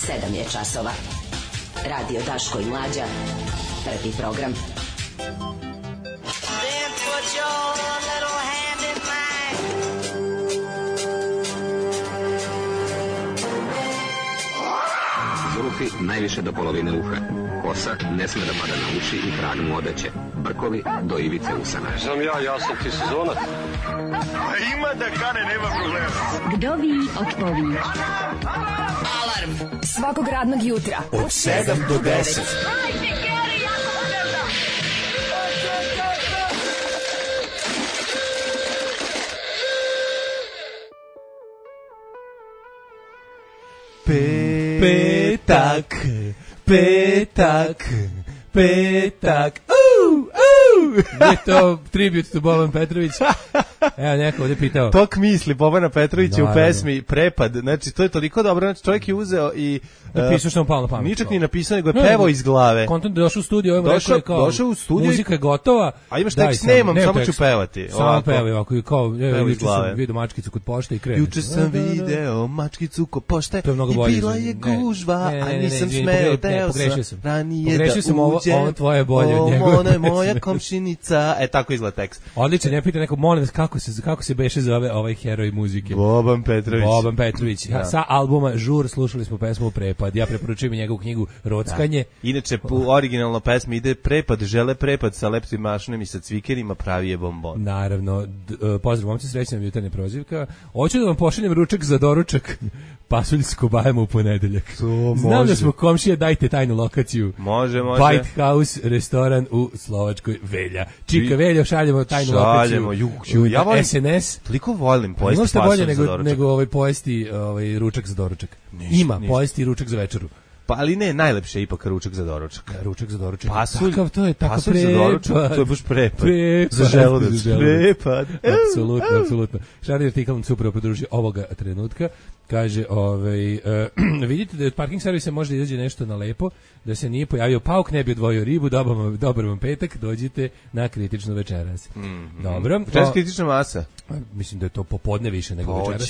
7 je časova. Radio Daško i Mlađa. Prvi program. Then put your little hand in mine. Zulufi najviše do polovine uha. Kosa ne sme da pada na uši i krag mu odeće. Brkovi do ivice usana. Znam ja sam ti sezonac. Ima da kane, nema problema. Vdovi otpovi. Alarm svakog radnog jutra Od 7 do 10. Petak. Je to tribut to Boban Petrović. Evo, neko ovdje pitao. Tok misli Bobana Petrovića u pesmi Prepad. Znači, to je toliko dobro. Znači, čovjek je uzeo i... Napisao što mu palo na pamet. Ničak ni napisao, nego je pevao iz glave. Kontent da došao u studio, ovim rekao je kao, došao u studio muzika je gotova. A imaš tekst, nemam, samo ću pevati. Samo pevaj ovako, kao, juče sam vidio mačkicu kod pošte i krenu. Juče sam video mačkicu kod pošte i bila je gužva, a nisam smeo, teo sam ranije da uđem. Ovo tvoje bolje od njegove. Ona je moja komšinica. Tako izgleda tekst. Odličan, ja pitam neko, molim vas, kako se beše zove ovaj heroj muzike? Boban Petrović. Boban Petrović. Ja. Sa albuma Žur slušali smo pesmu Prepad. Ja preporučujem njegovu knjigu Rockanje. Inače, u originalno pesmi ide Prepad, žele prepad sa leptim mašnom i sa cvikerima, pravi je bombon. Naravno. Pozdrav, momci, srećna nam jutarnja prozivka. Hoću da vam pošaljem ručak za doručak. Pasulj s kobajama u ponedeljak. Znam da smo komšije, dajte tajnu lokaciju. Može. White House, restoran u Slovačkoj, Velja. Čika Velja, šaljemo tajnu lokaciju. Ja volim, SNS. Toliko volim pojesti pasulj bolje za doručak. nego pojesti ručak za doručak. Ima, pojesti ručak za večeru. Pa ali ne, najlepše je ipak ručak za doručak. Ručak za doručak. Pasulj, to je tako pasulj za doručak, to je baš prepad. Za želudac. Prepad. Apsolutno. Šarni artikal nam se upravo pridružio ovoga trenutka. Kaže, vidite da od parking servisa može da izađe nešto na lepo, da se nije pojavio pauk, ne bi odvojio ribu, dobar vam petak, dođite na kritičnu večeras. Dobro. Večeras kritična masa. Mislim da je to popodne više nego večeras.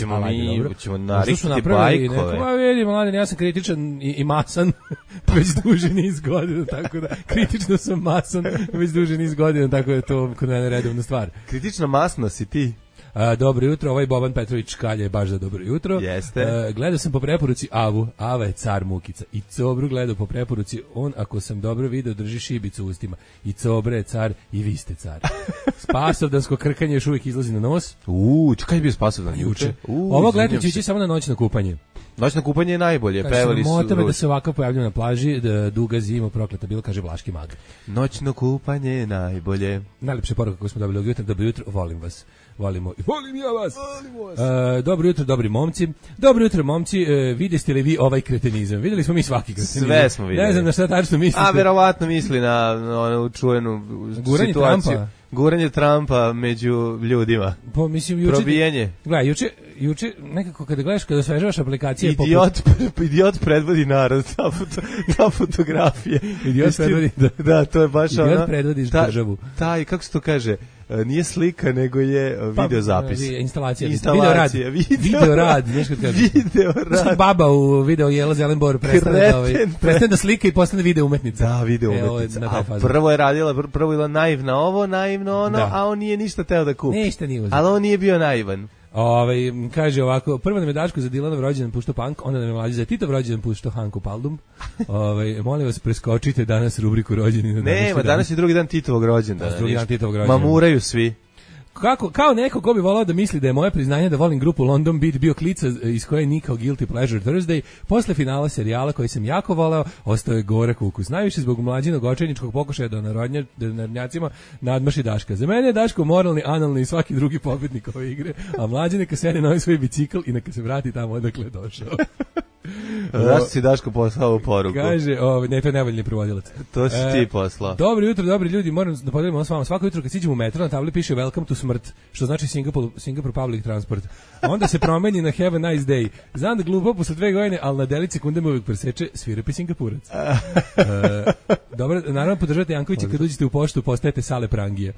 Ćemo narikiti bajkove. Ma vidi, mladen, ja sam kritičan i masan već duže niz godina, tako da kritično sam masan već duže niz godina, tako da je to kod mene redovna stvar. Kritična masna si ti. Dobro jutro, ovaj Boban Petrović kalje baš za dobro jutro. Jeste. Gledao sam po preporuci Avu, Ava je car Mukica. I Cobru gledao po preporuci, on ako sam dobro video drži šibicu u ustima. I Cobra je car i vi ste car. Spasovdansko krkanje još uvijek izlazi na nos. Čekaj je bio Spasovdan juče? Ovo gledam će ići samo na noćno kupanje. Noćno kupanje je najbolje, pevali su. Motave da se ovako pojavljaju na plaži, da duga zima prokleta bilo, kaže Vlaški mag. Noćno kupanje je najbolje. Najlepše poruka koju smo dobili ovog jutra, dobro jutro, volim vas. Volimo i volim ja vas. Dobro jutro, dobri momci. Dobro jutro, momci. Vidjeste li vi ovaj kretenizam? Vidjeli smo mi svaki kretenizam. Sve smo vidjeli. Ne znam na šta tačno mislite. A verovatno misli na onu čuvenu situaciju. Guranje Trumpa među ljudima. Pa mislim juče. Probijanje. Gledaj, juče nekako kada gledaš, kada osvežavaš aplikacije Idiot predvodi narod, ta fotografija. Idiot predvodi. Da, to je baš ona. Idiot predvodi državu. Taj, kako se to kaže? Nije slika, nego je videozapis. Instalacija. Video rad. Baba u video Jela Zelenbor prestane da slika i postane video umetnica. Da, video umetnica. A prvo je radila, prvo je bila naivna ovo, naivno ono, a on nije ništa teo da kupi. Ništa nije uzeo. Ali on nije bio naivan. Kaže ovako, prvo nam je Daško za Dilanov rođendan puštao punk, onda nam je Mlađe za Titov rođendan puštao Hanku Paldum. Molim vas, preskočite danas rubriku rođendan. Nema, danas je drugi dan Titovog rođendana. Mamuraju svi. Kao neko ko bi volao da misli da je moje priznanje da volim grupu London Beat bio klica iz koje je nikao Guilty Pleasure Thursday, posle finala serijala koji sam jako voleo, ostao je gorak ukus. Najviše zbog Mlađinog očajničkog pokušaja da narodnjacima nadmaši Daška. Za mene je Daško moralni, analni i svaki drugi pobednik ove igre, a Mlađe neka sede na ovaj svoj bicikl i neka se vrati tamo odakle je došao. Zašto si Daško poslao poruku? Kaže, ne, to je nevoljni prevodilac. To si ti poslao. Dobro jutro, dobri ljudi, moram da podelimo s vama. Svako jutro kad siđemo u metro, na tabli piše Welcome to smrt, što znači Singapore Public Transport. Onda se promeni na Have a nice day. Znam da glupo posle 2 godine, ali na deli sekunde me uvijek preseče svirepi Singapurac. Dobro, naravno podržate Jankovića kad uđete u poštu, postajete Sale Prangija.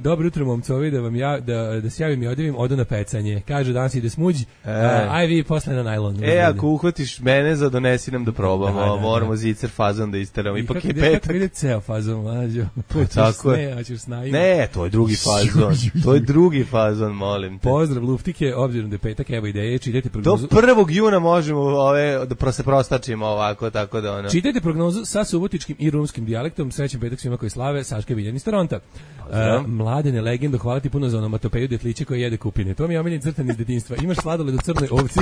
Dobro jutro, momcovi, da se javim i odjavim, odu na pecanje. Kaže, danas ide smuđ, aj vi posle na najlon. Ako uhvatiš mene, donesi nam da probamo. Moramo zicer fazon da isteramo. Ipak je petak. Kako ide ceo fazon, mlađo? Tako je. Ne, to je drugi fazon. To je drugi fazon, molim te. Pozdrav, luftike, obzirom da je petak, evo ideje, čitajte prognozu. Do 1. juna možemo da se prostačimo ovako, tako da ono. Čitajte prognozu sa subotičkim i rumskim dijalektom. Srećan petak svima koji slave. Saška Viljan iz Toronta. Mladene legendo, hvala ti puno za onomatopeju detlića koji jede kupine. To mi je omiljeni crtan iz detinjstva. Imaš sladoled u crnoj ovci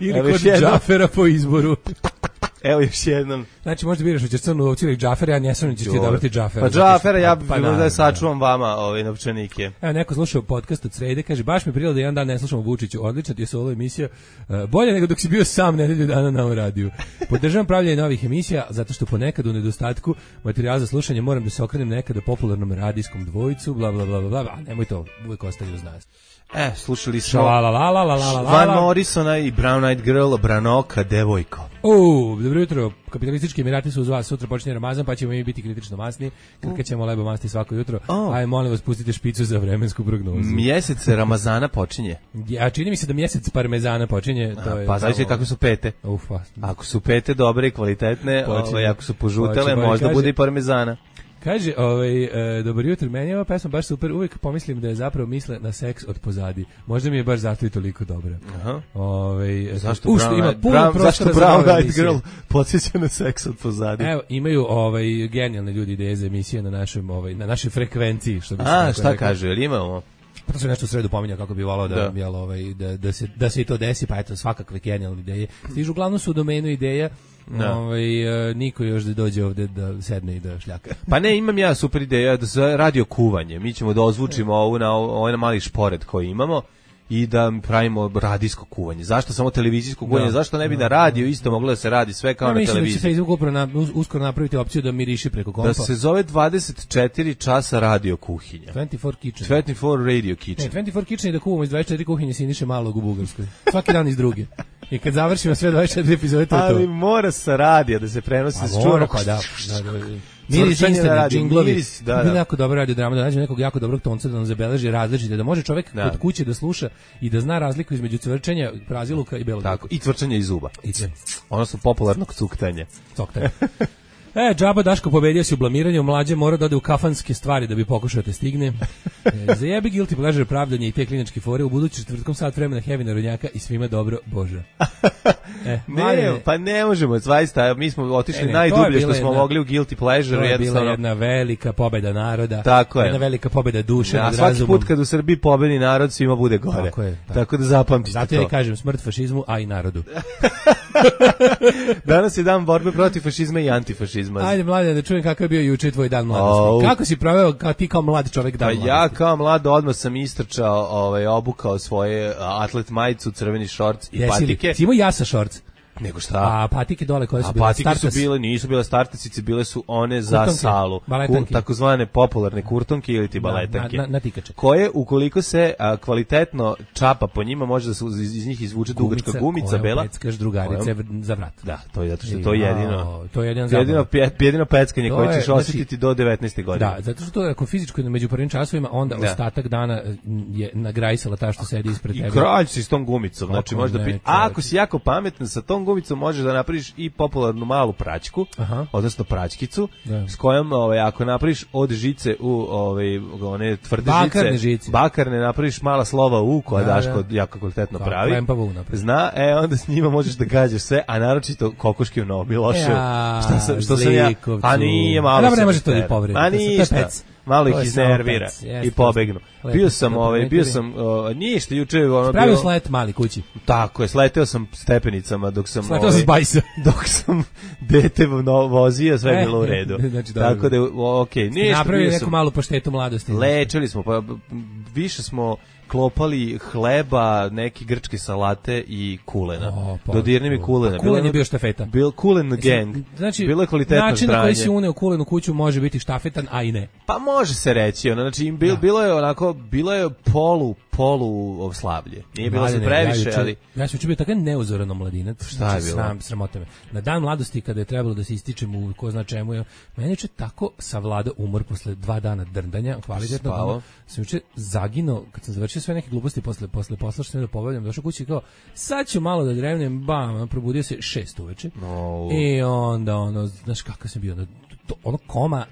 ili kod Džafera po izboru. Evo još jednom. Znači možda biraš hoćeš crnu ovcu ili Džafera, ja nesam ćeš ti odabrati Džafera. Pa Džafera, ja bih da sačuvam vama ove novčanike. Evo neko slušao podcast od srede, kaže baš mi prijelo da jedan dan ne slušamo Vučiću, odlična ti je solo emisija, bolje nego dok si bio sam nedelju dana na radiju. Podržavam pravljenje novih emisija, zato što ponekad u nedostatku materijala za slušanje moram da se okrenem nekada popularnom radijskom dvojicu, bla bla bla bla, a nemoj to, uvijek ostali uz nas. Slušali smo Van Morrisona i Brown Eyed Girl, Branoka, devojko. Dobro jutro, kapitalistički Emirati su uz vas, sutra počinje Ramazan, pa ćemo mi biti kritično masni, krkaćemo lebo masti svako jutro, aj molim vas pustite špicu za vremensku prognozu. Mjesec Ramazana počinje. A čini mi se da mjesec parmezana počinje. To je pa zavisi kako su pete. Ako su pete dobre i kvalitetne, ako su požutele, možda bude i parmezana. Kaže, dobar jutro, meni je ova pesma baš super, uvijek pomislim da je zapravo misle na seks od pozadi. Možda mi je baš zato i toliko dobra. Aha. Zašto Brown Eyed Girl podsjeća na seks od pozadi? Evo, imaju genijalne ljudi ideje za emisije na našoj frekvenciji. Što bi šta kaže, jel imamo? Pa to se nešto u sredu pominja kako bi volao da se i to desi, pa eto, svakakve genijalne ideje. Stižu, uglavnom su u domenu ideja, niko još da dođe ovde da sedne i da šljaka. Pa ne, imam ja super ideja da za radio kuvanje. Mi ćemo da ozvučimo ovaj mali špored koji imamo i da pravimo radijsko kuvanje. Zašto samo televizijsko kuvanje? Zašto ne bi na radio isto moglo da se radi sve kao na televiziji? Mislim da će Facebook uskoro napraviti opciju da miriši preko kompa. Da se zove 24 časa radio kuhinja. 24 Kitchen. 24 Radio Kitchen. 24 Kitchen je da kuvamo iz 24 kuhinje Siniše Malog u Bugarskoj. Svaki dan iz druge. I kad završimo sve 24 epizode, to je to. Ali mora sa radija da se prenosi s čura. Pa da. Miris instant džinglovi. Bilo jako dobro radio drama, da nađe nekog jako dobrog tonca da nam zabeleži različite, da može čovjek kod kuće da sluša i da zna razliku između cvrčenja, praziluka i belog. Tako, i cvrčenja iz zuba. Ono su popularnog cuktanja. Džaba Daško pobedio si u blamiranju, mlađe mora da ode u kafanske stvari da bi pokušao te stigne. Zajebi guilty pleasure pravdanje i te kliničke fore, u budući četvrtkom sat vremena Heavy Narodnjaka i svima dobro, Bože. Pa ne možemo, zaista, mi smo otišli najdublje što smo mogli u guilty pleasure. To je bila jedna velika pobeda naroda, tako jedna velika pobeda duše nad razumom. Svaki put kad u Srbiji pobedi narod, svima bude gore. Tako da zapamtite to. Zato ja kažem smrt fašizmu, a i narodu. Danas je dan borbe protiv fašizma i antifašizma. Ajde, mlade, da čujem kakav je bio juče tvoj dan mladosti. Kako si proveo ti kao mlad čovjek dan mladosti? Ja kao mlad odmah sam istrčao, obukao svoje atlet majicu, crveni šorc i patike. Ti imao jasa šorc? Nego šta? A patike dole koje su bile patike startas? Nisu bile startasice, bile su one za kurtonke, salu. Takozvane popularne kurtonke ili ti baletanke. Na tikače. Koje, ukoliko se kvalitetno čapa po njima, može da se iz njih izvuče dugačka gumica bela. Peckaš drugarice za vrat. Da, to je zato što to je jedino peckanje koje ćeš osjetiti do 19. godine. Da, zato što to ako fizičko među prvim časovima, onda ostatak dana je nagrajsala ta što sedi ispred tebe. I kralj si s tom gumicom. Znači, ako si jako pametan sa tom gumicom možeš da napraviš i popularnu malu praćku, odnosno praćkicu, s kojom ako napraviš od žice u one tvrde žice, bakarne napraviš mala slova U koja Daško jako kvalitetno pravi. Zna, onda s njima možeš da gađaš sve, a naročito kokoški u Novom Miloševu. Što sam ja, a nije malo. Dobro, ne može to da povredi. A ništa. Malo ih iznervira i pobegnu. Bio sam ništa juče pravio slet mali kući. Tako je, sleteo sam stepenicama dok sam sleteo sam s bajsa. Dok sam dete vozio, sve je bilo u redu. Tako da okej, ništa. Napravili neku malu paštetu mladosti. Lečili smo, pa više smo klopali hleba, neke grčke salate i kulena. Dodirni mi kulena. Kulen je bio štafeta. Kulen gang. Znači, bilo je kvalitetno način ždranje. na koji si uneo kulen u kuću može biti štafetan, a i ne. Pa može se reći. Znači, bilo je polu slavlje. Nije bilo se previše, ali... Ja sam bio tako neuzorano mladinac. Šta je bilo? Sramota me. Na dan mladosti, kada je trebalo da se ističem u ko zna čemu, meni je tako savladao umor posle 2 dana drndanja, kvalitetno. Sam juče zaginuo, kad sam završio juče sve neke gluposti posle posla što sam da pobavljam, došao kući kao sad ću malo da drevnem, bam, probudio se 6 uveče. I onda znaš kako sam bio, koma.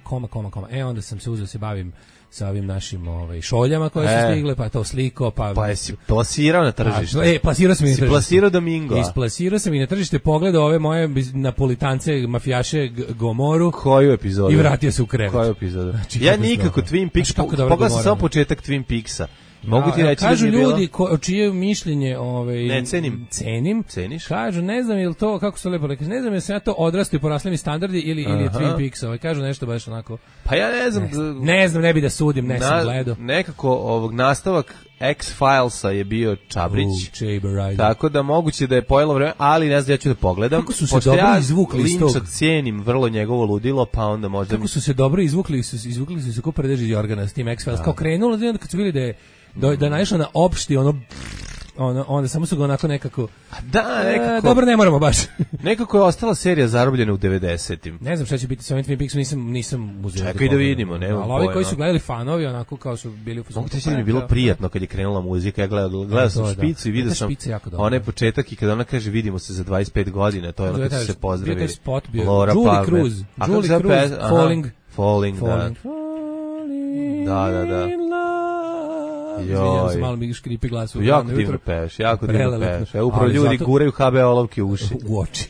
Onda sam se uzeo se bavim sa ovim našim šoljama koje su stigle, pa to sliko, pa jesi plasirao na tržište. Plasirao sam i na tržište. Plasirao Domingo. Isplasirao sam i na tržište, pogledao ove moje napolitance, mafijaše Gomoru. Koju epizodu? I vratio se u krevet. Koju epizodu? Znači, ja nikako Twin Peaks, pogledao sam samo početak Twin Peaksa. Mogu ti reći kažu da je ljudi čije mišljenje ne cenim. Ceniš? Kažu, ne znam je li to, kako se lepo rekli, ne znam je se ja to odrasto i porasli mi standardi ili je Twin Peaks, kažu nešto baš onako. Pa ja ne znam. Ne znam, ne bi da sudim, ne sam gledao. Nekako nastavak X-Filesa je bio Čabrić. Tako da moguće da je pojelo vreme, ali ne znam, ja ću da pogledam. Kako su se dobro izvukli iz tog? Linča cenim vrlo njegovo ludilo, pa onda možda... Kako su se dobro izvukli su se ko predeži Jorgana s tim X-Files. Kao krenulo, onda kad su bili da je naišlo na opšti onda samo su ga onako nekako nekako dobro, ne moramo baš. Nekako je ostala serija zarobljena u 90-im. Ne znam šta će biti sa ovim Twin Peaksom, nisam uzeo. Čekaj da vidimo, nema ali ovi koji su gledali fanovi onako kao su bili u fazonu. Mogu ti mi bilo prijatno kad je krenula muzika, ja gledao sam Špicu i vidio sam onaj početak i kada ona kaže vidimo se za 25 godina, to je ono kad su se pozdravili. Bio spot, Laura Julie Cruz, Falling, da. Izvinjam se, malo mi škripi glas u jako divno peš, jako divno peš. Upravo ljudi guraju HBO olovke u uši. U oči.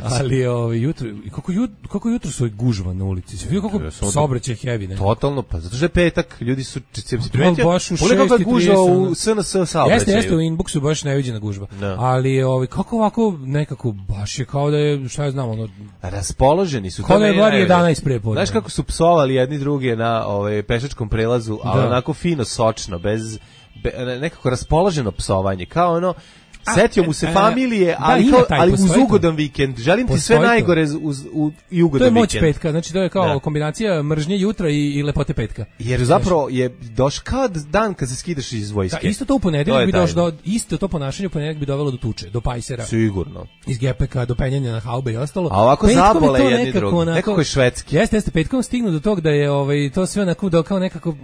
Ali jutro, kako jutro su gužva na ulici. Vidio kako saobraćaj heavy, ne? Totalno, pa zato što je petak, ljudi su baš u 6:30 gužva u SNS saobraćaju. Jeste, u inboxu baš neviđena gužva. Ali kako ovako nekako baš je kao da je, šta ja znam, raspoloženi su. Kao da je bar 11 prepodne. Znaš kako su psovali jedni druge na pešačkom prelazu, ali onako fino, sočno, bez nekako raspoloženo psovanje, kao ono setio mu se familije, ali uz ugodan vikend. Želim ti sve najgore i ugodan vikend. To je moć petka, znači to je kao kombinacija mržnje jutra i lepote petka. Jer zapravo je došao kao dan kad se skidaš iz vojske. Da, isto to u ponedeljak bi došlo, isto to ponašanje u ponedeljak bi dovelo do tuče, do pajsera. Sigurno. Iz gepeka do penjanja na haube i ostalo. A ovako zabole jedni drugi. Nekako je švedski. Jeste, petkom stignu do tog da je to sve onako kao nekako,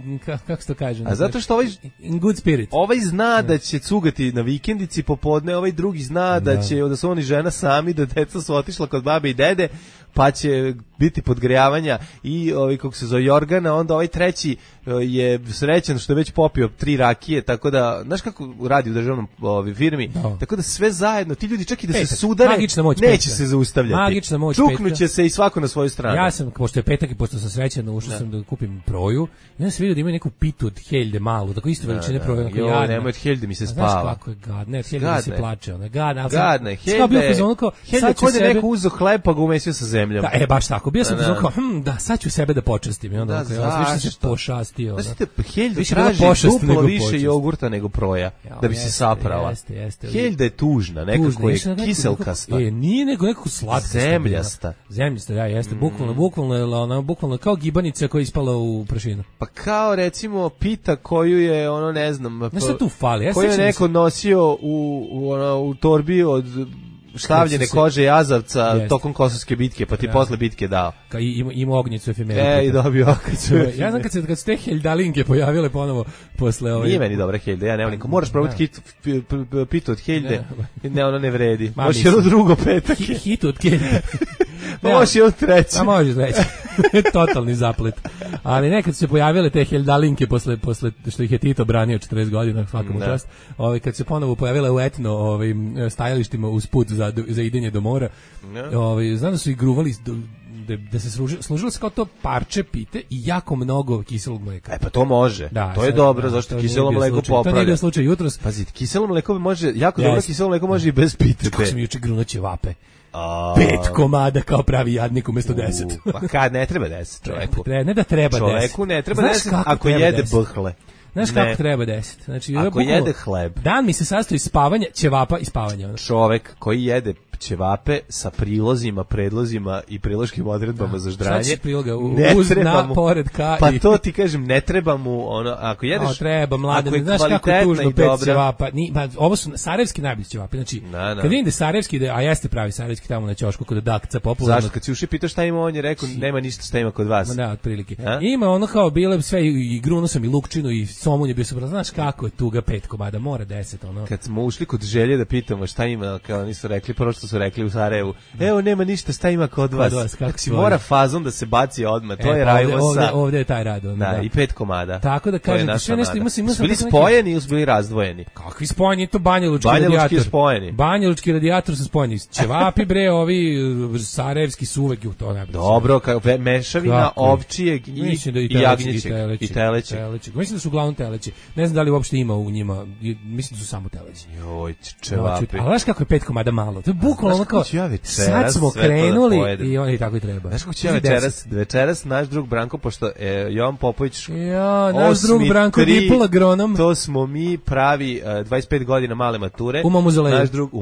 kako se to kaže? A zato što in good spirit. Ovaj zna da će cugati na vikendici popodne, ovaj drugi zna da su oni žena sami, da deca su otišla kod babe i dede, pa će biti podgrejavanja i kako se zove Jorgana, onda ovaj treći je srećan što je već popio 3 rakije, tako da, znaš kako radi u državnom firmi, tako da sve zajedno, ti ljudi čak i da se sudare, neće se zaustavljati. Magična moć čuknuće se i svako na svoju stranu. Ja sam, pošto je petak i pošto sam srećan, ušao sam da kupim proju, i onda sam vidio da ima neku pitu od heljde malu, tako isto veličine proju. Jo, nemoj od heljde mi se spava. Znaš kako je gadna, od heljde mi se plače. Gadna, heljde kod je neko uzeo hleb pa ga umesio sa zemljom. Da, baš tako, bio sam kao, sad ću sebe da počastim. I onda više se pošastio. Heljda traži duplo više jogurta nego proja, da bi se saprala. Heljda je tužna, nekako je kiselkasta. Nije nego nekako slatka. Zemljasta, jeste. Bukvalno kao gibanica koja je ispala u prašinu. Pa kao recimo pita koju je, ne znam, tu fali. Koju je neko nosio u torbi od štavljene kože jazavca tokom Kosovske bitke, pa ti posle bitke dao. Ima ognjicu efemeru. I dobio ognjicu. Ja znam kad su te heldalinke pojavile ponovo posle Nije meni dobra helda, ja nemam nikom. Moraš probati pitu od helde, ne, ono ne vredi. Možeš jedno drugo petak. Hitu od helde. Možeš jedno treći. A možeš treći. Totalni zaplet. Ali nekad su se pojavile te heldalinke posle što ih je Tito branio 40 godina, svakom čast. Kad se ponovo pojavile u etno stajalištima uz put za idenje do mora. Znam da su ih gruvali da se služilo se kao to parče pite i jako mnogo kiselog mleka. Pa to može. To je dobro, zašto kiselo mleko popravlja. To nije bio slučaj jutros. Pazite, kiselo mleko može, jako dobro kiselo mleko može i bez pite. Kako sam juče grunuo ćevape. 5 komada kao pravi jadnik umjesto 10. Pa kad ne treba 10 čoveku. Ne da treba 10. Čoveku ne treba 10 ako jede buhle. Znaš kako treba 10? Znači, ako jede hleb. Dan mi se sastoji iz spavanja, ćevapa i spavanja. Čovek koji jede ćevape sa prilozima, predlozima i priloškim odredbama za ždranje. Šta će priloga? Uz, na, pored, ka pa to ti kažem, ne treba mu ono, ako jedeš... treba, mlade, znaš kako tužno 5 ćevapa. Ovo su sarajevski najbolji ćevapi, znači, kad vidim da sarajevski, a jeste pravi sarajevski tamo na ćošku kod Dakca, popularno. Zašto? Kad si uši pitao šta ima, on je rekao, nema ništa šta ima kod vas. Ma da, otprilike. Ima ono kao bile sve, i grunuo sam i lukčinu, i somun je bio super, znaš kako je tuga 5 komada, mora 10, ono. Kad smo ušli kod Želje da pitamo šta ima, kao nisu rekli, prvo što su rekli u Sarajevu, evo nema ništa, šta ima kod vas. Kako si mora fazom da se baci odmah, to je Rajvosa. Ovde je taj rad. Da, i 5 komada. Tako da kažem, sve nešto ima su bili spojeni ili su bili razdvojeni? Kakvi spojeni, to banjalučki radijator. Spojeni. Banjalučki radijator su spojeni. Ćevapi bre, ovi sarajevski su uvek u to najbolje. Dobro, mešavina ovčijeg i jagnjećeg i telećeg. Mislim da su uglavnom teleći. Ne znam da li uopšte ima u njima, mislim da su samo teleći. Joj, ćevapi. Ali znaš kako je 5 komada malo? To je bukvalno ono kao, sad smo krenuli i oni tako i treba. Znaš kako će večeras naš drug Branko, pošto Jovan Popović naš drug Branko Dipol agronom. To smo mi pravi 25 godina male mature. U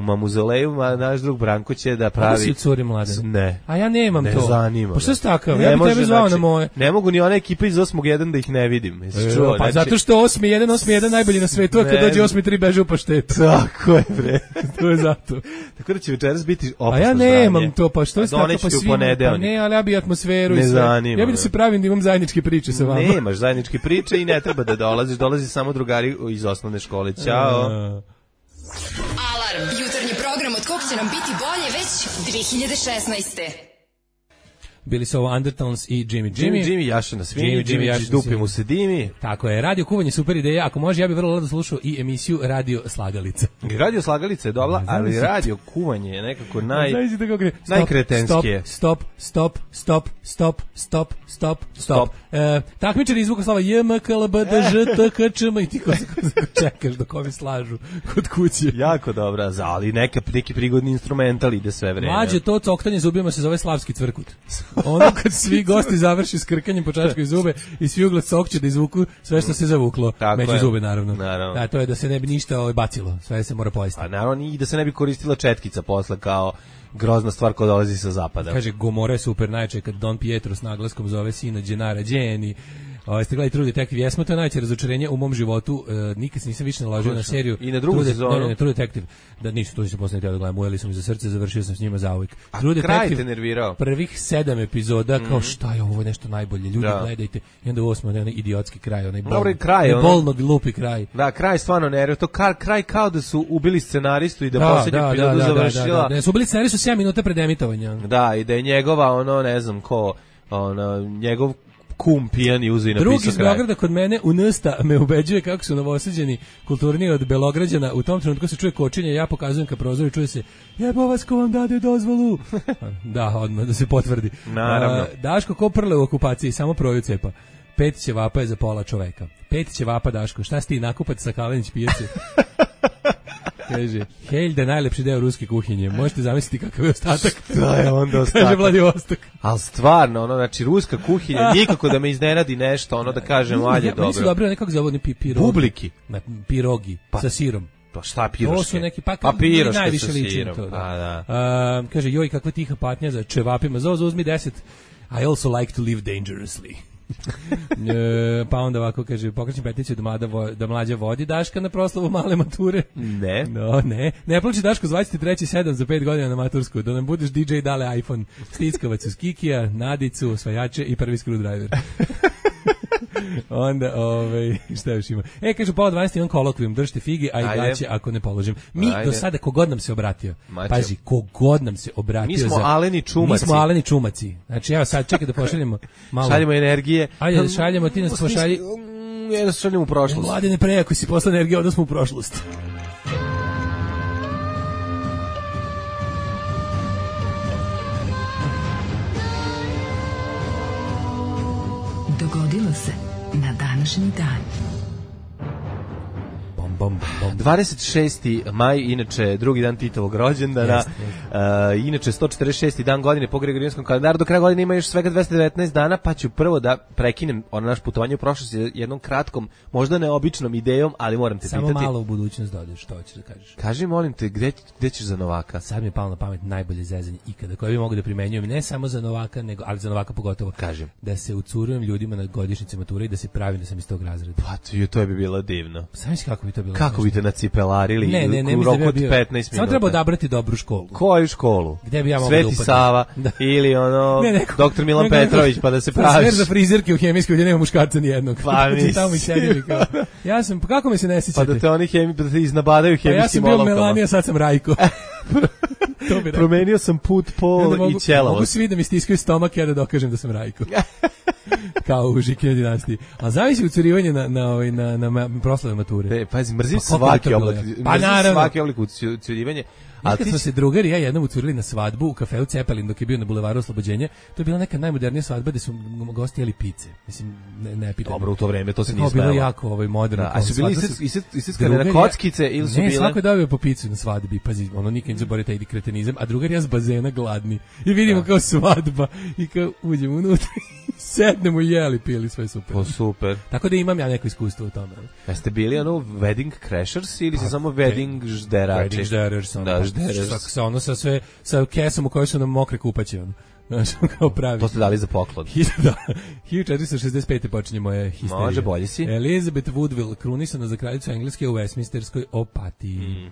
Mamuzoleju, naš drug Branko će da pravi... Ovo si u curi mladene. Ne. A ja nemam to. Ne zanima. Pa što si takav? Ja bi tebe zvao na moje. Ne mogu ni ona ekipa iz 8.1 da ih ne vidim. Pa zato što 8.1 najbolji na svetu, a kad dođe 8.3 beže u paštetu. Tako je, bre. To je zato. Tako da će večeras biti opasno zdravlje. A ja nemam to, pa što je tako pa svima? Pa ne, ali ja bi atmosferu ne i sve. Zanima, ja bi da se pravim da imam zajedničke priče sa vama. Nemaš zajedničke priče i ne treba da dolazi samo drugari iz osnovne škole. Ćao. Alarm, jutarnji program od kog će nam biti bolje već 2016. Bili su ovo Undertones i Jimmy, Jaša na svini, Jimmy dupe mu se dimi. Tako je, radio kuvanje super ideja, ako može ja bih vrlo rado slušao i emisiju Radio Slagalica. Radio Slagalica je dobra, ali radio kuvanje je nekako najkretenskije. Stop. Takmičari iz Vukoslava JMKLBDŽTKČM i ti ko čekaš dok ovi slažu kod kuće. Jako dobra, ali neki prigodni instrumental ide sve vreme. Mlađe, to coktanje zubima se zove slavski cvrkut. Ono kad svi gosti završi s krkanjem po čačkoj zube i svi uglas sokće da izvuku sve što se zavuklo među zube, naravno. Da, to je da se ne bi ništa bacilo, sve se mora pojesti. A naravno i da se ne bi koristila četkica posle kao grozna stvar koja dolazi sa zapada. Kaže, Gomora je super najče kad Don Pietro s naglaskom zove sina Gennara Geni. Ste gledali True Detective, jesmo, to je najveće razočarenje u mom životu, nikad se nisam više naložio na seriju. I na drugu sezonu? Ne, True Detective, da nisu, to se posle htio da gledam, ujeli su mi za srce, završio sam s njima zauvijek. A True kraj te nervirao? Prvih 7 epizoda, kao šta je ovo, nešto najbolje, ljudi gledajte, i onda 8. onaj idiotski kraj, onaj bolno glupi kraj. Da, kraj stvarno nervio, to kraj kao da su ubili scenaristu i da posljednji epizodu završila. Ne, su ubili scenaristu 7 minuta pred emitovanja. Da, i da je njegova, ne znam ko, njegov kum pijan i uzu i napisao kraj. Drugi iz Beograda kod mene u Nsta me ubeđuje kako su novosađeni kulturniji od Belograđana. U tom trenutku se čuje kočenje, ja pokazujem ka prozoru i čuje se jebo vas ko vam dade dozvolu. Da, odmah da se potvrdi. Naravno. Daško ko prle u okupaciji, samo proju cepa. 5 ćevapa je za pola čoveka. 5 ćevapa, Daško, šta si ti nakupac sa Kalenić pijace? Kaže, Heljda je najlepši deo ruske kuhinje. Možete zamisliti kakav je ostatak. Da je onda ostatak. Kaže Vladivostok. Ali stvarno, znači, ruska kuhinja, nikako da me iznenadi nešto, da kažem, ajde, dobro. Meni su dobro nekako zavodni pirogi. Bubliki. Pirogi, sa sirom. Pa šta piroške? To su neki, piroške najviše sa sirom. To, da. Kaže, joj, kakva tiha patnja za čevapima. Zozo, uzmi 10. I also like to live dangerously. Pa onda ovako kaže, pokrećem peticiju da mlađa vodi Daška na proslavu male mature. Ne. No, ne plaći Daško, zvati 3.7 za 5 godina na matursku, da nam budeš DJ dale iPhone, stickavac uz Kikija, Nadicu, osvajače i prvi screwdriver. Onda, šta još ima? Kaže, pola 12 imam kolokvijum, držite figi, a i gaće ako ne položim. Mi do sada, kogod nam se obratio, pazi, kogod nam se obratio. Mi smo Aleni Čumaci. Znači, evo sad, čekaj da pošaljemo malo. Šaljemo energije. Ajde da šaljemo, ti nas pošalji. Da šaljemo u prošlost. Mladine, pre, ako si posla energije, onda smo u prošlost. Dogodilo se na današnji dan. Bom, 26. maj, inače drugi dan Titovog rođendana, inače 146. dan godine po Gregorijanskom kalendaru, do kraja godine ima još svega 219 dana, pa ću prvo da prekinem naš putovanje u prošlost jednom kratkom, možda neobičnom idejom, ali moram te pitati. Samo malo u budućnost dodeš, što hoćeš da kažeš. Kaži, molim te, gde ćeš za Novaka? Sad mi je palo na pamet najbolje zezanje ikada, koje bi mogu da primenjujem, ne samo za Novaka, nego, ali za Novaka pogotovo. Kažem. Da se ucurujem ljudima na godišnjice mature i da se pravim da sam iz tog razreda. Pa to bi bilo divno. Sam misli kako bi to bilo. Kako bi te nacipelarili ne, u roku od 15 minuta? Samo treba odabrati dobru školu. Koju školu? Gde bi ja mogao da upadnem? Sveti Sava ili doktor Milan Petrović, pa da se praviš. Smer za frizerke u hemijskoj gdje nema muškarca nijednog. Pa mi tamo i sedili kao. Ja sam, pa kako me se ne sjećate? Pa da te oni da te iznabadaju hemijskim olovkama. Ja sam bio Melanija, sad sam Rajko. Promenio sam put, pol i ćelavost. Mogu svi da mi stiskaju stomak, ja da dokažem da sam Rajko. Kao u Žikinoj dinastiji. A zavisi ucurivanje na proslave mature. Pazi, mrzim svaki oblik. Pa naravno. Svaki oblik ucurivanja. Ali kad smo se drugari i ja jednom ucurili na svadbu u kafeu Cepelin dok je bio na bulevaru Oslobođenja, to je bila neka najmodernija svadba gde su gosti jeli pice. Mislim, ne pitam. Dobro, u to vreme to se nije smelo. Bilo jako moderno. A su bili istiskane na kockice ili su bile? Ne, svako je dobio po picu na svadbi. Pazi, nikad ne zaboravite taj kretenizam. A drugar ja s bazena gladni. I vidimo kao svadba. I kao uđemo unutra i sednemo i jeli, pili, sve super. Po super. Tako da imam ja neko iskustvo u tome. Jeste bili wedding crashers ili se samo wedding žderači? Wedding žderač sam. Sa kesom u kojoj su nam mokre kupaće. Znaš, kao pravi. To ste dali za poklon. 1465. počinje moja histerija. Može, bolji si. Elizabeth Woodville, krunisana za kraljicu Engleske u Westminsterskoj opatiji.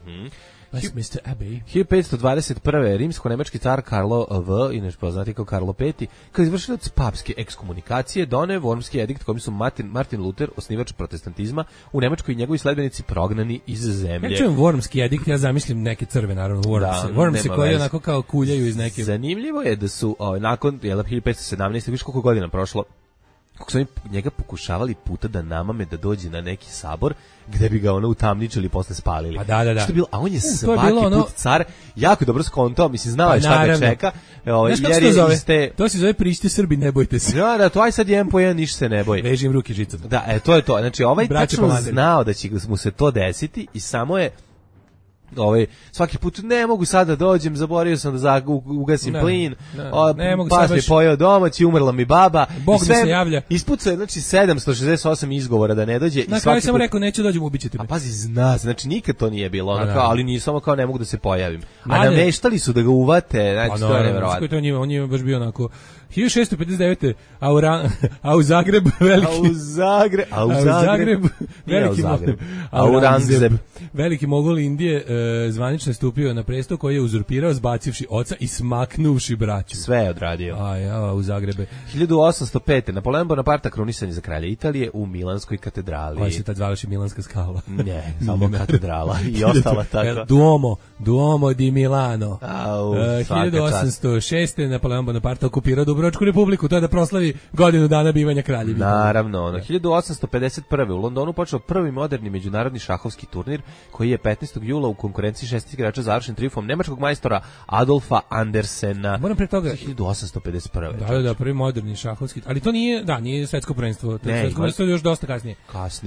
Westminster Abbey. 1521. rimsko-nemački car Karlo V, inače poznati kao Karlo V, kao izvršilac papske ekskomunikacije, doneo Wormski edikt kojim su Martin Luther, osnivač protestantizma, u Nemačkoj i njegovi sledbenici prognani iz zemlje. Ja čujem Wormski edikt, ja zamislim neke crve, naravno, Wormsi koji onako kao kuljaju iz neke... Zanimljivo je da su nakon 1517. viš koliko godina prošlo, kako su oni njega pokušavali puta da namame da dođe na neki sabor gde bi ga utamničili i posle spalili. Pa da. Što je bilo, a on je svaki put car jako dobro skontao, mislim, znao je šta ga čeka. Znaš kako se zove? To se zove priđite Srbi, ne bojte se. Da, to aj sad jedan po jedan, ništa se ne boj. Vežim ruke žicom. Da, to je to. Znači, ovaj tačno znao da će mu se to desiti i samo je svaki put ne mogu sada dođem, zaboravio sam da ugasim plin, pas mi pojeo domaći, umrla mi baba, Bog mi se javlja. Ispucao je, znači, 768 izgovora da ne dođe. Na kraju sam rekao, neću dođem, ubićete me. A pazi, znači, nikad to nije bilo, ali nije samo kao ne mogu da se pojavim. A nameštali su da ga uvate, znači, to je nevjerovatno. On je baš bio onako... 1659. A u Zagreb veliki mogol Indije zvanično je stupio na presto koji je uzurpirao zbacivši oca i smaknuvši braću. Sve je odradio. U Zagrebe. 1805. Napoleon Bonaparte krunisan je za kralja Italije u Milanskoj katedrali. Koja se tad zvala Milanska skala. Ne, samo katedrala i ostala tako. Duomo di Milano. 1806. Napoleon Bonaparte okupirao Dubrovačku republiku, to je da proslavi godinu dana bivanja kraljevi. Naravno, 1851. u Londonu počeo prvi moderni međunarodni šahovski turnir koji je 15. jula u konkurenciji 6 igrača završen trijumfom nemačkog majstora Adolfa Andersena. Moram pre toga 1851. Da, prvi moderni šahovski, ali to nije svetsko prvenstvo, to je svetsko prvenstvo još dosta kasnije.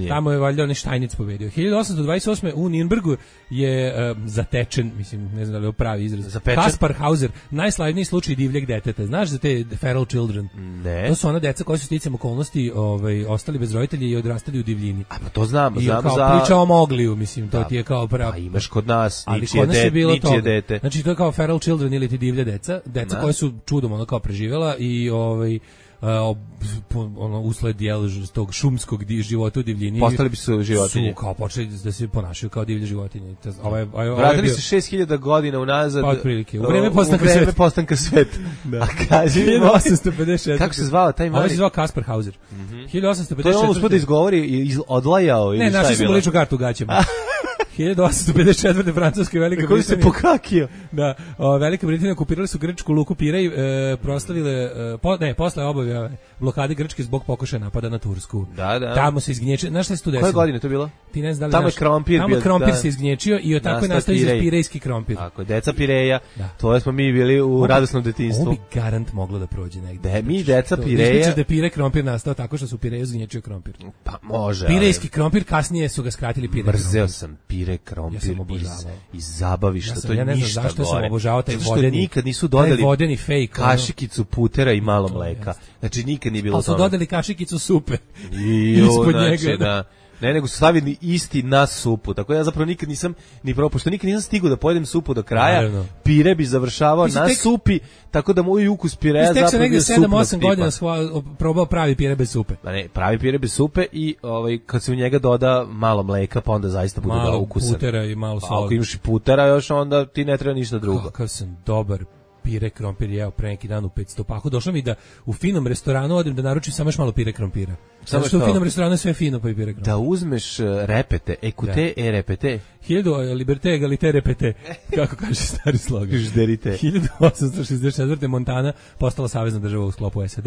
Tamo je valjda onaj Štajnic pobedio. 1828. u Nürnbergu je zatečen, mislim, ne znam da li je pravi izraz. Kaspar Hauser, najslavniji slučaj divljeg deteta. Znaš za te feral children? Ne. To su ona deca koja su sticam okolnosti ostali bez roditelja i odrastali u divljini. A pa to znam kao priča o Mogliju, mislim, to ti je kao Pa imaš kod nas, ničije dete. Znači to je kao feral children ili ti divlja deca koja su čudom kao preživjela i usled tog šumskog života u divljini postali bi su životinje. Su kao počeli da se ponašaju kao divlje životinje. Vratili se 6000 godina unazad. Pa otprilike. U vreme postanka sveta. A kaži 1856. Kako se zvao taj mali? On se zvao Kaspar Hauser. 1856. To je on uspio da izgovori i odlajao. Ne, našli smo ličnu kartu u gaćama. 1854. Francuska i Velika Britanija. Kako se pokakio? Da, Velika Britanija okupirali su grčku luku Pirej, proslavile, posle obave blokade Grčke zbog pokušaja napada na Tursku. Da. Tamo se izgnječio, znaš šta se tu desilo? Koje godine to bilo? Ti ne znaš da li tamo je krompir. Tamo je krompir se izgnječio i tako je nastao pirejski krompir. Tako, deca Pireja, to smo mi bili u radosnom detinjstvu. Ovo bi garant moglo da prođe negde. Mi deca Pireja. Misliš da Pirej krompir nastao tako što su Pireju izgnječio krompir? Pa može. Pirejski krompir, kasnije su ga skratili Pirej krompir. Mrzeo sam Pire krompir iz zabavišta, to je ništa gore. Ja ne znam zašto sam obožavao taj vodeni. Nikad nisu dodali vodeni fake. Kašikicu putera i malo mleka. Znači nikad nije bilo toga. Ali su dodali kašikicu supe. Ispod njega. Da. Ne, nego su stavili isti na supu. Tako ja zapravo nikad nisam ni probao, pošto nikad nisam stigao da pojedem supu do kraja. Naravno. Pire bi završavao na supi, tako da moj ukus pireja zapravo bio supnog tipa. Tek sam negde 7-8 godina probao pravi pire bez supe. Pa ne, pravi pire bez supe i kad se u njega doda malo mleka, pa onda zaista bude da ukusan. Malo putera i malo sola. Ako imaš i putera još, onda ti ne treba ništa drugo. Kakav sam dobar pire krompir jeo pre neki dan u 500 paku. Došlo mi da u finom restoranu odem da naručim samo još malo pire krompira. Samo što u finom restoranu je sve fino pa i pire krompir. Da uzmeš repete, ekute e repete. 1000 liberté égalité répété, kako kaže stari slogan. 1864. Montana postala savezna država u sklopu SAD.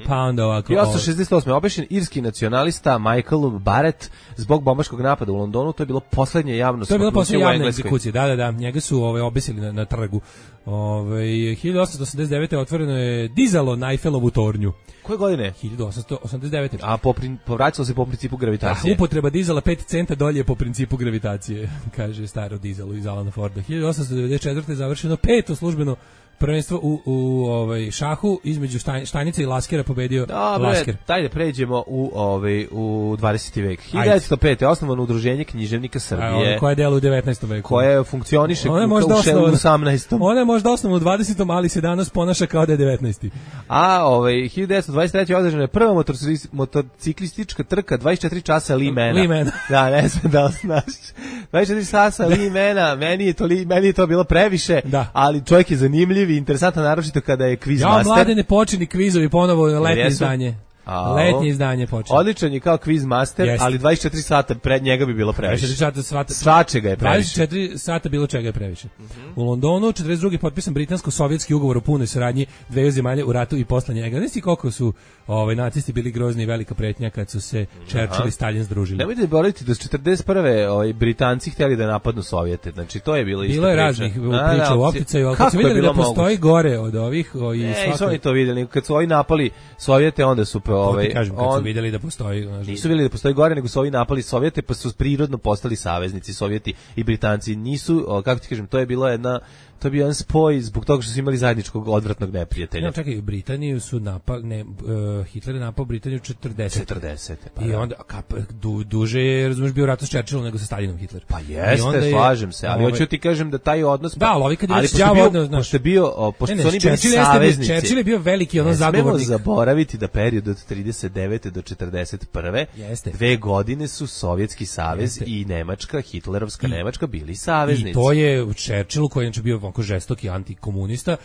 Pa onda ovako... 1868. obešen irski nacionalista Michael Barrett zbog bombaškog napada u Londonu. To je bilo poslednje javno smaknuće u Engleskoj. To je bila poslednja javna egzekucija, da. Njega su obesili na trgu. 1889. otvoreno je dizalo na Eiffelovu tornju. Koje godine? 1889. A povraćalo se po principu gravitacije. Upotreba dizala 5 centa dolje po principu gravitacije, kaže staro dizalo iz Alana Forda. 1894. završeno 5. službeno prvenstvo u šahu između Štajnica i Laskera, pobedio Lasker. Daj da pređemo u 20. vek. 1905. osnovano udruženje književnika Srbije. Koje delo u 19. veku. Koje funkcioniše u 18. Ona je možda osnovno u 20. ali se danas ponaša kao da je 19. A 1923. održana je prva motociklistička trka 24 časa Limena. Da, ne znam da li znaš. 24 časa Limena, meni je to bilo previše, ali čovjek je zanimljiv i interesantan, naročito kada je kviz master. Mlade ne počini kvizovi ponovo letnje izdanje. Letnje izdanje počinje. Odličan je kao kviz master, ali 24 sata pred njega bi bilo previše. 24 sata svačega je previše. 24 sata bilo čega je previše. U Londonu 42. potpisan britansko-sovjetski ugovor o punoj saradnji dveju zemalja u ratu i posle njega. Znaš ti koliko su nacisti bili grozni i velika pretnja kad su se Churchill i Stalin združili. Nemojte zaboraviti da su 41. Britanci htjeli da napadnu Sovjete. Znači to je bilo isto. Bilo je raznih priča u opticaju, ali kad su vidjeli da postoji gore od ovih nisu oni to vidjeli. Kad su ovi napali Sovjete, onda su kažem, kad su vidjeli da postoji... Nisu vidjeli da postoji gore, nego su ovi napali Sovjete, pa su prirodno postali saveznici. Sovjeti i Britanci nisu, kako ti kažem, to je bio jedan spoj zbog toga što su imali zajedničkog odvratnog neprijatelja. Ne, čekaj, Britaniju su Hitler je napao Britaniju 40. Pa i onda duže je, razumiješ, bio rat s Churchillom nego sa Stalinom Hitler. Pa jeste, slažem se, ali hoću ti kažem da taj odnos... Da, ali kad je već pošto su oni bili saveznici... Churchill je bio veliki zagovornik. Ne smemo zaboraviti da period od 39. do 41. 2 godine su Sovjetski savez i Nemačka, Hitlerovska Nemačka bili saveznici. I to je Churchill, koji je bio onako žestoki antikomunista,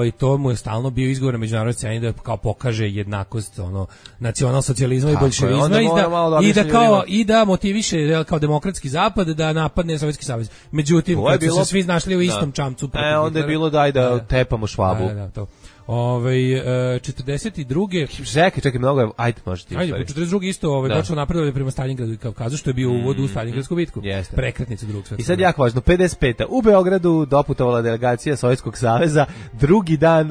je to mu je stalno bio izgovor na međunarodnoj sceni da kao pokaže jednakost nacionalsocijalizma i boljševizma i da motiviše kao demokratski zapad da napadne Sovjetski savez. Međutim, kad su se svi našli u istom čamcu, onda je bilo daj da tepamo Švabu. 42. Čekaj, mnogo je, ajde, možete. Ajde, 42. isto počelo napredovanje prema Stalingradu i Kavkazu, što je bio uvod u Stalingradsku bitku. Prekretnica drugog svjetskog. I sad jako važno, 55. U Beogradu doputovala delegacija Sovjetskog saveza, drugi dan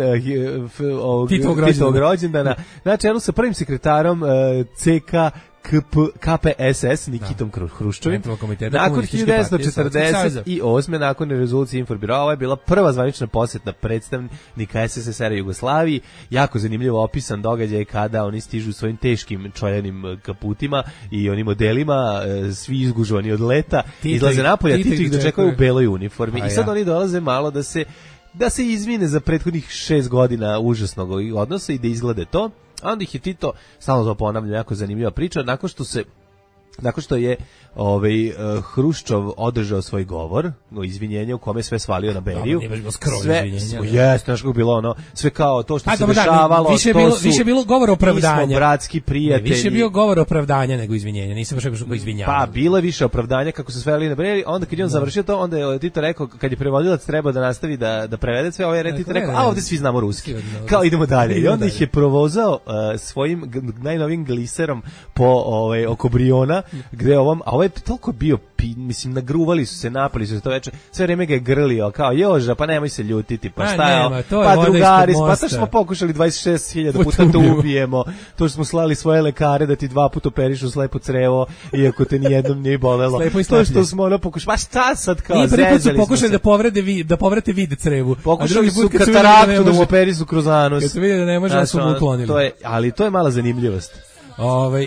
Titovog rođendana, na čelu sa prvim sekretarom CK KPSS Nikitom Hruščovim. Nakon 1948. nakon rezolucije Inforbirova, ovo je bila prva zvanična posjeta predstavnika SSSR-a Jugoslaviji. Jako zanimljivo opisan događaj kada oni stižu svojim teškim čojanim kaputima i onim modelima, svi izgužovani od leta, izlaze napolja, Tito ih dočekaju u beloj uniformi. I sad oni dolaze malo da se izvine za prethodnih 6 godina užasnog odnosa i da izglede to. A onda ih je Tito, stalno to ponavljam, jako zanimljiva priča, nakon što se nakon što je Hruščov održao svoj govor, izvinjenje u kome sve svalio na Beriju. Sve, jeste, znaš kako bilo ono, sve kao to što se dešavalo, više je bilo govor opravdanja. Mi smo bratski prijatelji. Više je bio govor opravdanja nego izvinjenja, nisam baš rekao izvinjavanje. Pa, bilo je više opravdanja kako se sveli na Beriju, onda kad je on završio to, onda je Tito rekao, kad je prevodilac treba da nastavi da prevede sve, ovaj Tito rekao, a ovde svi znamo ruski, kao idemo dalje. I onda ih je provozao svojim najnovijim gliserom po oko Briona, gde a ovaj je toliko bio, mislim, nagruvali su se, napali su se to veče, sve vreme ga je grlio, kao, Joža, pa nemoj se ljutiti, pa šta je, pa drugari, pa to smo pokušali 26.000 puta to ubijemo, to što smo slali svoje lekare da ti 2 puta operišu slepo crevo, iako te nijednom nije bolelo, to što smo pokušali, pa šta sad, kao, zezali smo se. Nije prvi put su pokušali da povrate vid crevu, pokušali su kataraktu da mu operišu kroz anus. Kad su vidjeli da ne može, da su mu uklonili. Ali to je mala zanimljivost.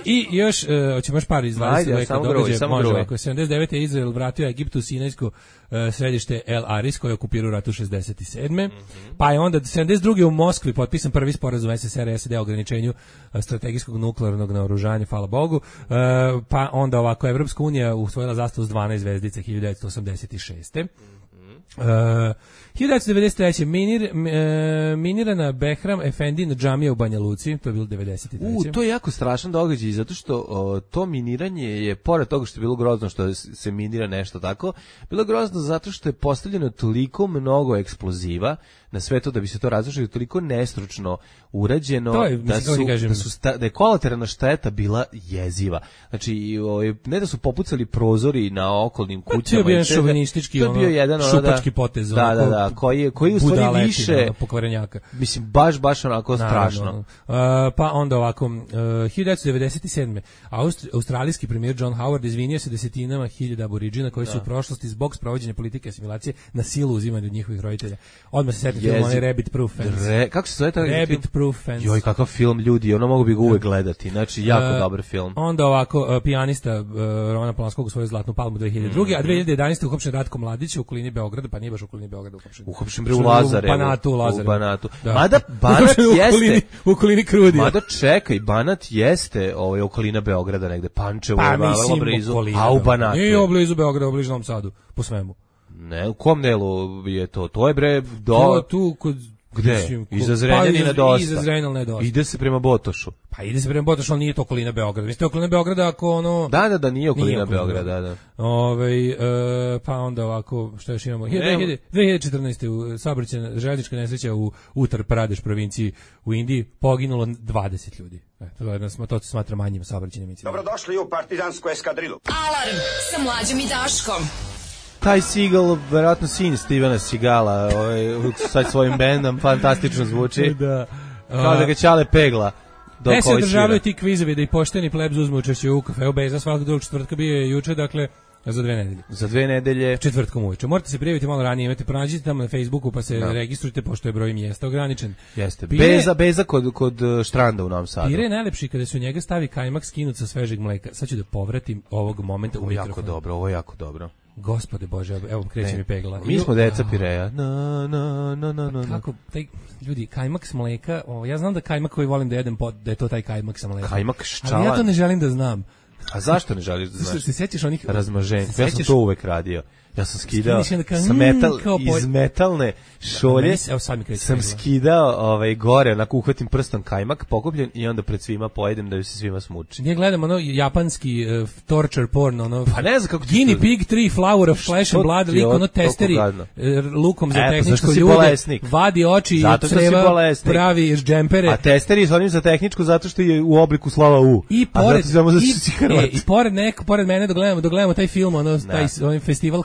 I još, hoćemo još par iz 20. veka događaja, može ovako. 79. je Izrael vratio Egiptu Sinajsko središte El Aris, koje je okupirao u ratu 67. Pa je onda 72. u Moskvi potpisan prvi sporazum SSR i SAD o ograničenju strategijskog nuklearnog naoružanja, hvala Bogu. Pa onda ovako, Evropska unija usvojila zastavu s 12 zvezdice 1986. 1993. Minirana Behram Efendin džamija u Banja Luci, to je bilo 93. To je jako strašan događaj, zato što to miniranje je, pored toga što je bilo grozno što se minira nešto tako, bilo grozno zato što je postavljeno toliko mnogo eksploziva na sve to da bi se to razrušilo, toliko nestručno urađeno, da je kolateralna šteta bila jeziva. Znači, ne da su popucali prozori na okolnim kućama. To je bio šovinistički, šupački potez. Da, koji u stvari više pokvarenjaka. Mislim, baš onako strašno. Pa onda ovako, 1997. Australijski premijer John Howard izvinio se desetinama hiljada aboriđina koji su u prošlosti zbog sprovođenja politike asimilacije na silu uzimani od njihovih roditelja. Odmah se setio film, onaj Rabbit Proof Fence. Kako se zove taj film? Rabbit Proof Fence. Joj, kakav film, ljudi, ono mogu bi ga uvek gledati. Znači, jako dobar film. Onda ovako, pijanista Romana Polanskog usvojio Zlatnu palmu 2002. A 2011. uhapšen Ratko Mladić u okolini Beograda, pa nije baš u okolini Beograda uhapšen bre u Lazarevu. U Banatu. Mada Banat jeste u okolini Krudija. Mada čekaj, Banat jeste okolina Beograda negde, Pančevo, vrlo blizu, a u Banatu. Nije blizu Beograda, blizu Novom Sadu, po svemu. Ne, u kom delu je to? To je bre tu kod gde? Iza Zrenjanina dosta. Iza Zrenjanina dosta. Ide se prema Botošu. Pa ide se prema Botošu, ali nije to okolina Beograda. Vi ste okolina Beograda ako ono... Da, nije okolina Beograda, da. Pa onda ovako, što još imamo? 2014. u saobraćajna željeznička nesreća u Uttar Pradeš provinciji u Indiji poginulo 20 ljudi. To se smatra manjim saobraćajnim incidentom. Dobrodošli u partizansku eskadrilu. Alarm sa Mlađom i Daškom. Taj Seagal, verovatno sin Stevena Seagala, sad svojim bendom, fantastično zvuči. Da. Kao da ga Ćale pegla. Ne se održavaju ti kvizovi da i pošteni plebs uzmu učešće u kafeu Beza svakog drugog četvrtka, bio je juče, dakle, za 2 nedelje. Za 2 nedelje. Četvrtkom uveče. Morate se prijaviti malo ranije, imate, pronađite tamo na Facebooku pa se registrujte, pošto je broj mjesta ograničen. Jeste. Beza kod Štranda u Novom Sadu. Pire je najlepši kada se u njega stavi kajmak skinut sa svežeg mleka. Sad ću da povratim ovog momenta u mikrofon. Ovo je jako dobro. Gospode Bože, evo kreće mi pegla. Mi smo deca Pireja. Kako, ljudi, kajmak s mleka, ja znam da kajmak koji volim da jedem, da je to taj kajmak sa mlekom. Kajmak ščalan. Ali ja to ne želim da znam. A zašto ne želiš da znaš? Se sećaš onih razmaženja? Ja sam to uvek radio. Ja sam skidao iz metalne šolje, sam skidao gore, onako uhvatim prstom kajmak pokupljen i onda pred svima pojedem da ju se svima smuči. Nije gledam ono japanski torture porn, ono pa ne znam kako Guinea pig 3 flower of flesh and blood, lik ono testeri lukom za tehničko ljude, vadi oči i creva, pravi džempere. A testeri s onim za tehničko zato što je u obliku slova U. I pored mene dok gledamo taj film, taj festival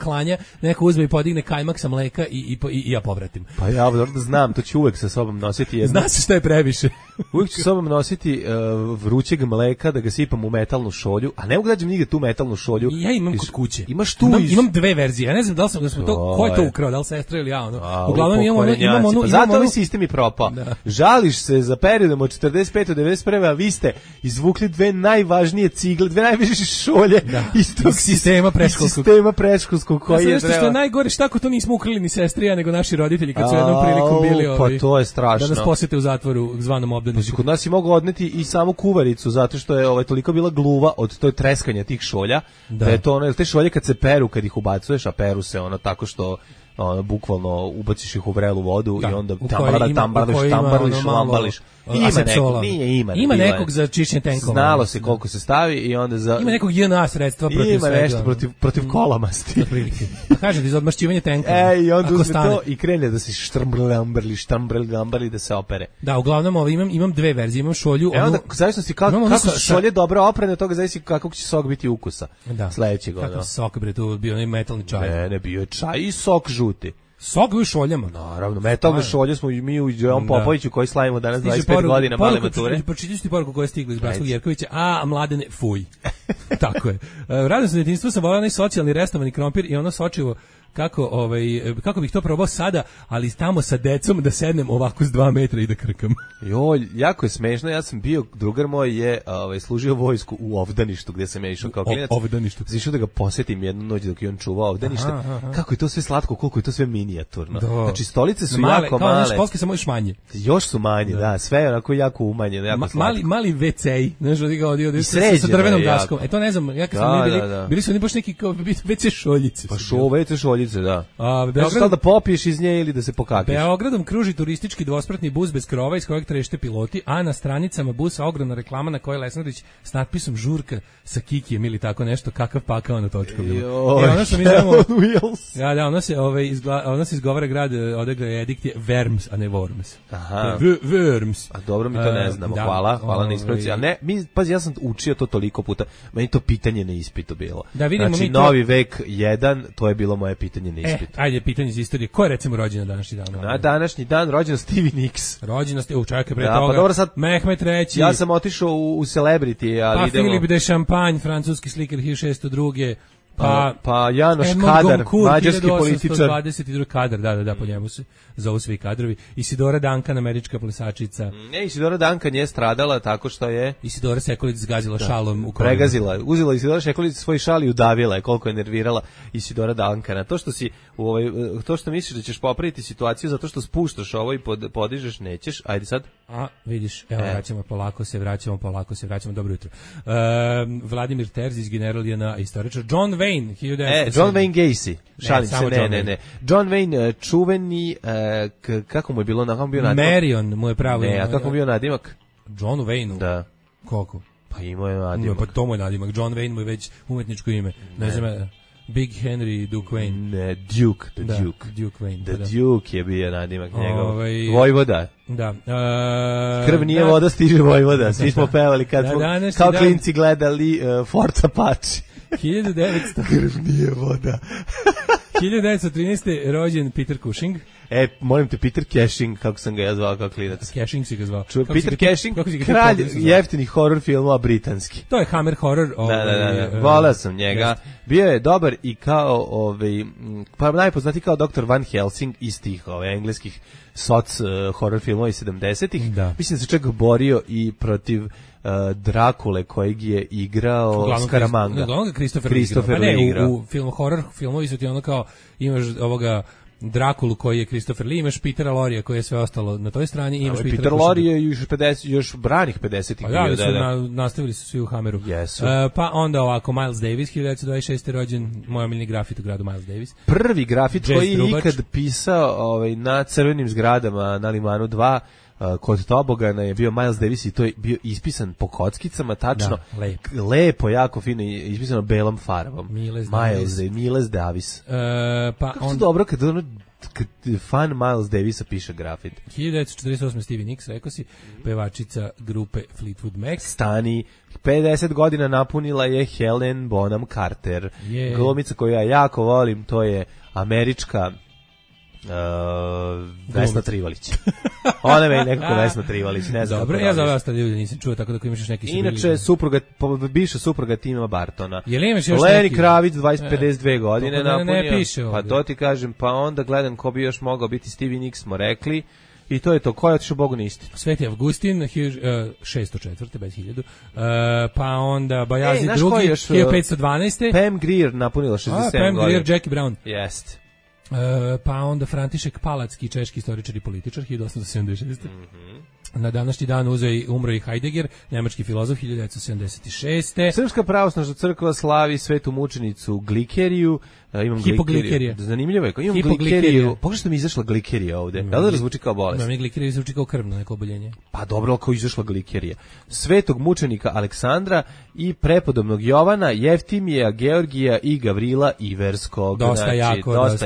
neko uzme i podigne kajmak sa mleka i ja povratim. Pa ja da znam, to ću uvek sa sobom nositi. Zna se šta je previše. Uvek ću sa sobom nositi vrućeg mleka da ga sipam u metalnu šolju, a ne mogu dađem nigde tu metalnu šolju. Ja imam kod kuće. Imaš tu imam 2 verzije. Ja ne znam da smo to, ko je to ukrao, da li sestra ili ja. Uglavnom imamo zato ovaj sistem je propao. Žališ se za periodom od 45 do 91, a vi ste izvukli 2 najvažnije cigle, 2 najvažnije šolje iz tog sistema predškolskog koji je što je najgore, šta ako to nismo ukrali ni sestri, nego naši roditelji kad su jednom prilikom bili pa to je strašno. Da nas posete u zatvoru zvanom obdaništa obdaništu. Znači, kod nas je mogu odneti i samu kuvaricu, zato što je toliko bila gluva od toj treskanja tih šolja, da je to ono, te šolje kad se peru, kad ih ubacuješ, a peru se ono tako što bukvalno ubaciš ih u vrelu vodu i onda tambališ, lambališ. Ima nekog za čišćenje tenkova. Znalo se koliko se stavi i onda ima nekog JNA sredstva protiv svega. Ima nešto protiv kolamasti. Kažete, iz odmašćivanja tenkova. I onda uzme to i krene da se štrmbrli da se opere. Da, uglavnom imam dve verzije, imam šolju. Onda, zavisno si kako su šolje dobro oprane, toga zavisi kakvog će sok biti ukusa. Sledećeg. Kakav sok, bre, tu bio onaj metalni čaj. Ne, bio je čaj i sok žuti. Sok u šoljama. Naravno, metalne šolje smo mi u Jovan Popoviću koji slavimo danas 25 godina male mature. Pročitajte ti poruku koja je stigla iz Bratskog Jerkovića. Mladene, fuj. Tako je. Radim se detinjstvo, sam volao onaj socijalni restovani krompir i ono sočivo kako bih to probao sada, ali tamo sa decom da sednem ovako s 2 metra i da krkam. Joj, jako je smešno, ja sam bio, drugar moj je služio vojsku u Ovdaništu, gde sam ja išao kao klinac. Ovdaništu. Išao da ga posjetim jednu noć dok je on čuvao Ovdanište. Kako je to sve slatko, koliko je to sve minijaturno. Znači, stolice su jako male. Kao školske, samo još manje. Još su manje, da, sve je onako jako umanjeno, jako slatko. Mali WC-i, znaš, sa drvenom daskom. To ne znam, ja kad smo bili su oni baš neki WC šoljice. Pa WC šoljice, da. Da popiješ iz nje ili da se pokakiš. Beogradom kruži turistički dvospratni bus bez krova iz kojeg trešte piloti, a na stranicama busa ogromna reklama na kojoj je Lesandrić s natpisom žurka sa Kikijem ili tako nešto, kakav pakao na točku. Ono što mi znamo... ono se izgovara grad, odakle je edikt je Worms, a ne Worms. Aha. Worms. A dobro, mi to ne znamo. Hvala na ispravci. A ne, pazi, ja sam učio to toliko puta. Meni to pitanje na ispitu bilo. Znači, Novi vek 1, to je bilo moje pitanje na ispitu. Ajde, pitanje iz istorije. Ko je recimo rođen na današnji dan? Na današnji dan rođen Stevie Nicks. Rođen čekaj pre toga. Pa dobro, sad Mehmet III. Ja sam otišao u Celebrity, ali idemo. Philippe de Champagne, francuski slikar 1602. Pa Janoš Kadar, mađarski političar. 1822 Kadar, da, po njemu se zovu svi kadrovi. Isidora Duncan, američka plesačica. Ne, Isidora Duncan je stradala tako što je... Isidora Sekulić zgazila šalom u kolinu. Pregazila, uzela Isidora Sekulić svoj šal i udavila je, koliko je nervirala Isidora Duncana. To što misliš da ćeš popraviti situaciju zato što spuštaš ovo i podižeš, nećeš. Ajde sad. Vidiš, evo, vraćamo, polako se vraćamo, dobro jutro. Vladimir Terzić, general je na istoričar. John Wayne, John Wayne Gacy. Šalim se, ne. John Wayne, čuveni, kako mu je bilo, kako mu bio nadimak? Marion mu je pravo. Ne, a kako mu bio nadimak? John Wayne? Da. Koliko? Pa imao je nadimak. Pa to mu je nadimak. John Wayne mu je već umetničko ime. Ne znam, Big Henry Duke Wayne. Ne, Duke, the Duke. Duke Wayne. The Duke je bio nadimak njegov. Vojvoda. Da. Krv nije voda, stiže Vojvoda. Svi smo pevali kad smo kao klinci gledali Forza Pači. 1900. Krv nije voda. 1913. rođen Peter Cushing. Molim te, Peter Cushing, kako sam ga ja zvao kao klinac. Cushing si ga zvao. Peter Cushing, kralj jeftinih horror filmova britanski. To je Hammer horror. Da. Voleo sam njega. Bio je dobar i kao, pa najpoznati kao Dr. Van Helsing iz tih engleskih soc horror filmova iz 70-ih. Mislim da se čak borio i protiv Drakule kojeg je igrao Scaramanga. Uglavnom Christopher Lee igrao. U filmovi su ti ono kao, imaš ovoga Drakulu koji je Christopher Lee, imaš Petera Lorija koji je sve ostalo na toj strani i imaš Peter Lorre je još branih 50-ih bio. Nastavili su svi u Hammeru. Yes. Pa onda ovako Miles Davis, 1926. rođen, moj omiljeni grafit u gradu Miles Davis. Prvi grafit koji je ikad pisao na crvenim zgradama na Limanu 2 kod Tobogana je bio Miles Davis i to je bio ispisan po kockicama, tačno. Lepo, jako fino ispisano belom farbom. Miles Davis. Kako to dobro kad fan Miles Davisa piše grafit. 1948. Stevie Nicks, rekao si, pevačica grupe Fleetwood Mac. Stani, 50 godina napunila je Helen Bonham Carter. Glumica koju ja jako volim, to je američka Vesna Trivalić. Ona je nekako Vesna Trivalić, ne znam. Dobro, ja za vas tad ljudi nisam čuo, tako da ako imaš još neki su bili. Inače, bivša supruga Tima Bartona. Je li imaš još Lenny Kravitz, 52 godine napunio. Ne piše ovdje. Pa to ti kažem, pa onda gledam ko bi još mogao biti. Stevie Nicks smo rekli. I to je to, ko je otišao Bogu na istinu? Sveti Avgustin, 604. bez 1000. Pa onda Bajazi drugi, 1512. Pam Grier napunila 67 godina. Pam Grier, Jackie Brown. Jest. Pa onda František Palacki, češki istoričar i političar, 1876. Na današnji dan umro i Heidegger, nemački filozof 1976. Srpska pravoslavna crkva slavi svetu mučenicu Glikeriju. Imam Hipoglikerija. Zanimljivo je. Imam Glikeriju. Pogledaj što mi izašla Glikerija ovde. Da li razvuči kao bolest? Mi Glikerija zvuči kao krvno neko oboljenje. Pa dobro, kao izašla Glikerija. Svetog mučenika Aleksandra i prepodobnog Jovana, Jeftimija, Georgija i Gavrila Iverskog. Dosta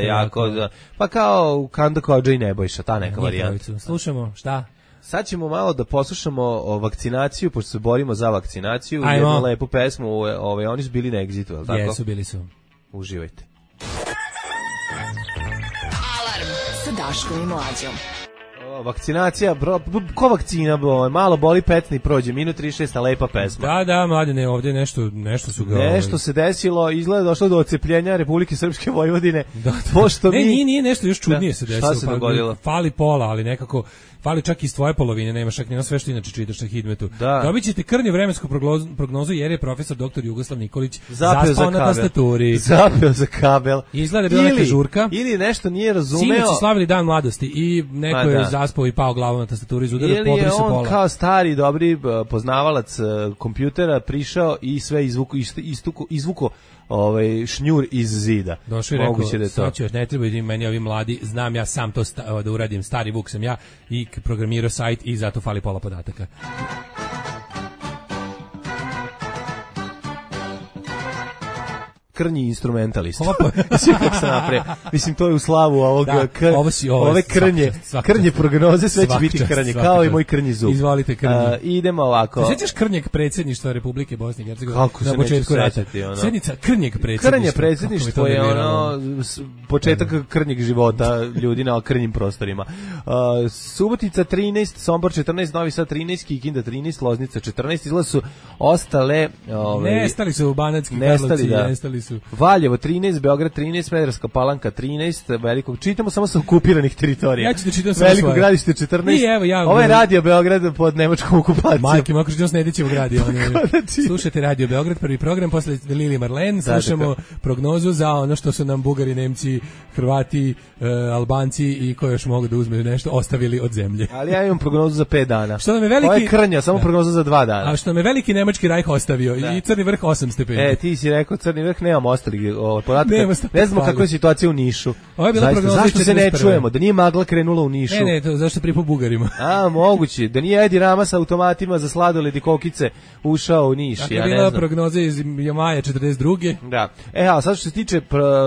jako. Pa kao Kanda Kođa i Nebojša, ta neka varijanta. Slušamo, šta? Sad ćemo malo da poslušamo o vakcinaciju, pošto se borimo za vakcinaciju. Jednu lepu pesmu, oni su bili na Exitu, je li tako? Jesu, bili su. Uživajte. Alarm sa Daškom i Mlađom. Vakcinacija, ko vakcina, malo boli petni, prođe, minut 36, a lepa pesma. Da, mladine, ovdje nešto su ga... Nešto se desilo, izgleda došlo do odcepljenja Republike Srpske Vojvodine. Pošto nije nešto još čudnije se desilo. Šta se dogodilo? Fali pola, ali nekako... Fali čak iz tvoje polovine, nemaš čak nema sve što inače čitaš na Hidmetu. Dobit ćete krnju vremensku prognozu jer je profesor dr. Jugoslav Nikolić zaspao na tastaturi. Zapeo za kabel. Izgleda da je bila neka žurka. Ili nešto nije razumeo. Sinoć su slavili dan mladosti i neko je zaspao i pao glavom na tastaturi iz udara, pobri se pola. Ili je on kao stari, dobri poznavalac kompjutera prišao i sve izvuko šnjur iz zida. Došao i rekao, sad ću, ne trebaju da meni ovi mladi, znam ja sam to da uradim, stari Vuk sam ja i programirao sajt i zato fali pola podataka. Krnji instrumentalist. Mislim, to je u slavu ovog ove krnje prognoze, sve će biti krnje, kao i moj krnji zub. Izvolite krnje. Idemo ovako. Sjećaš krnjeg predsjedništva Republike Bosne i Hercegovine? Kako se neću sjećati, ono. Sjednica krnjeg predsjedništva. Krnje predsjedništvo je početak krnjeg života ljudi na krnjim prostorima. Subotica 13, Sombor 14, Novi Sad 13, Kikinda 13, Loznica 14, izgleda su ostale... Nestali su u Banatski Karlovci, nestali su. Valjevo 13, Beograd 13, Smederevska Palanka 13, Velikog, čitamo samo sa okupiranih teritorija. Ja ću da čitam samo Veliko gradište 14. Ovo je Radio Beograd pod nemačkom okupacijom. Majke, mako čitam s Nedićevog radija. Slušajte Radio Beograd, prvi program, posle Lili Marlen, slušamo prognozu za ono što su nam Bugari, Nemci, Hrvati, Albanci i ko još mogu da uzmeju nešto, ostavili od zemlje. Ali ja imam prognozu za 5 dana. Što nam je veliki... Ovo je krnja, samo prognoza za 2 dana. A što nam je veliki nemački rajh ostavio i Crni vrh 8 stepeni. Ti si rekao Crni vrh, nemamo ostalih podataka. Ne znamo kakva je situacija u Nišu. Zašto se ne čujemo? Da nije magla krenula u Nišu? Ne, to zašto pripo Bugarima. Moguće. Da nije Edi Rama sa automatima za sladoled i kokice ušao u Niš. Tako je bila prognoza iz maja 42. Da. A sad što se tiče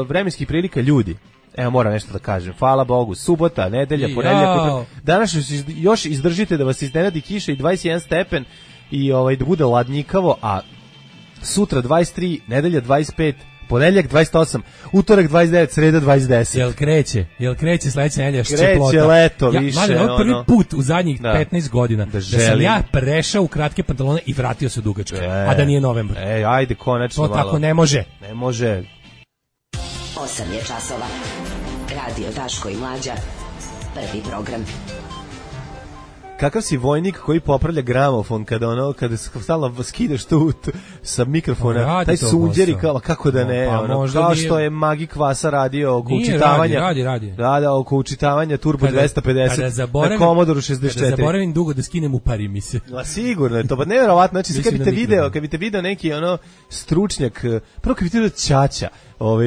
vremenskih prilika, ljudi. Evo, moram nešto da kažem. Hvala Bogu. Subota, nedelja, ponedeljak. Danas još izdržite da vas iznenadi kiša i 21 stepen i da bude ladnjikavo, a sutra 23, nedelja 25, ponedeljak 28, utorak 29, sreda 20. Jel kreće sledeća nedelja ščeplota? Kreće leto više. Ovo prvi put u zadnjih 15 godina da sam ja prešao u kratke pantalone i vratio se u dugačke, a da nije novembar. Ajde, konačno to malo. To tako ne može. Ne može. 8 je časova. Radio Daško i Mlađa. Prvi program. Kakav si vojnik koji popravlja gramofon kada stalno skidaš tu sa mikrofona, taj sunđer i kako da ne, kao što je Magi Kvasa radio oko učitavanja. Radi. Da, oko učitavanja Turbo 250 na Commodore 64. Kada zaboravim dugo da skinem u pari mi se. Sigurno je to, pa nevjerovatno, znači kad bi te video neki stručnjak, prvo kad bi te video Ćaća,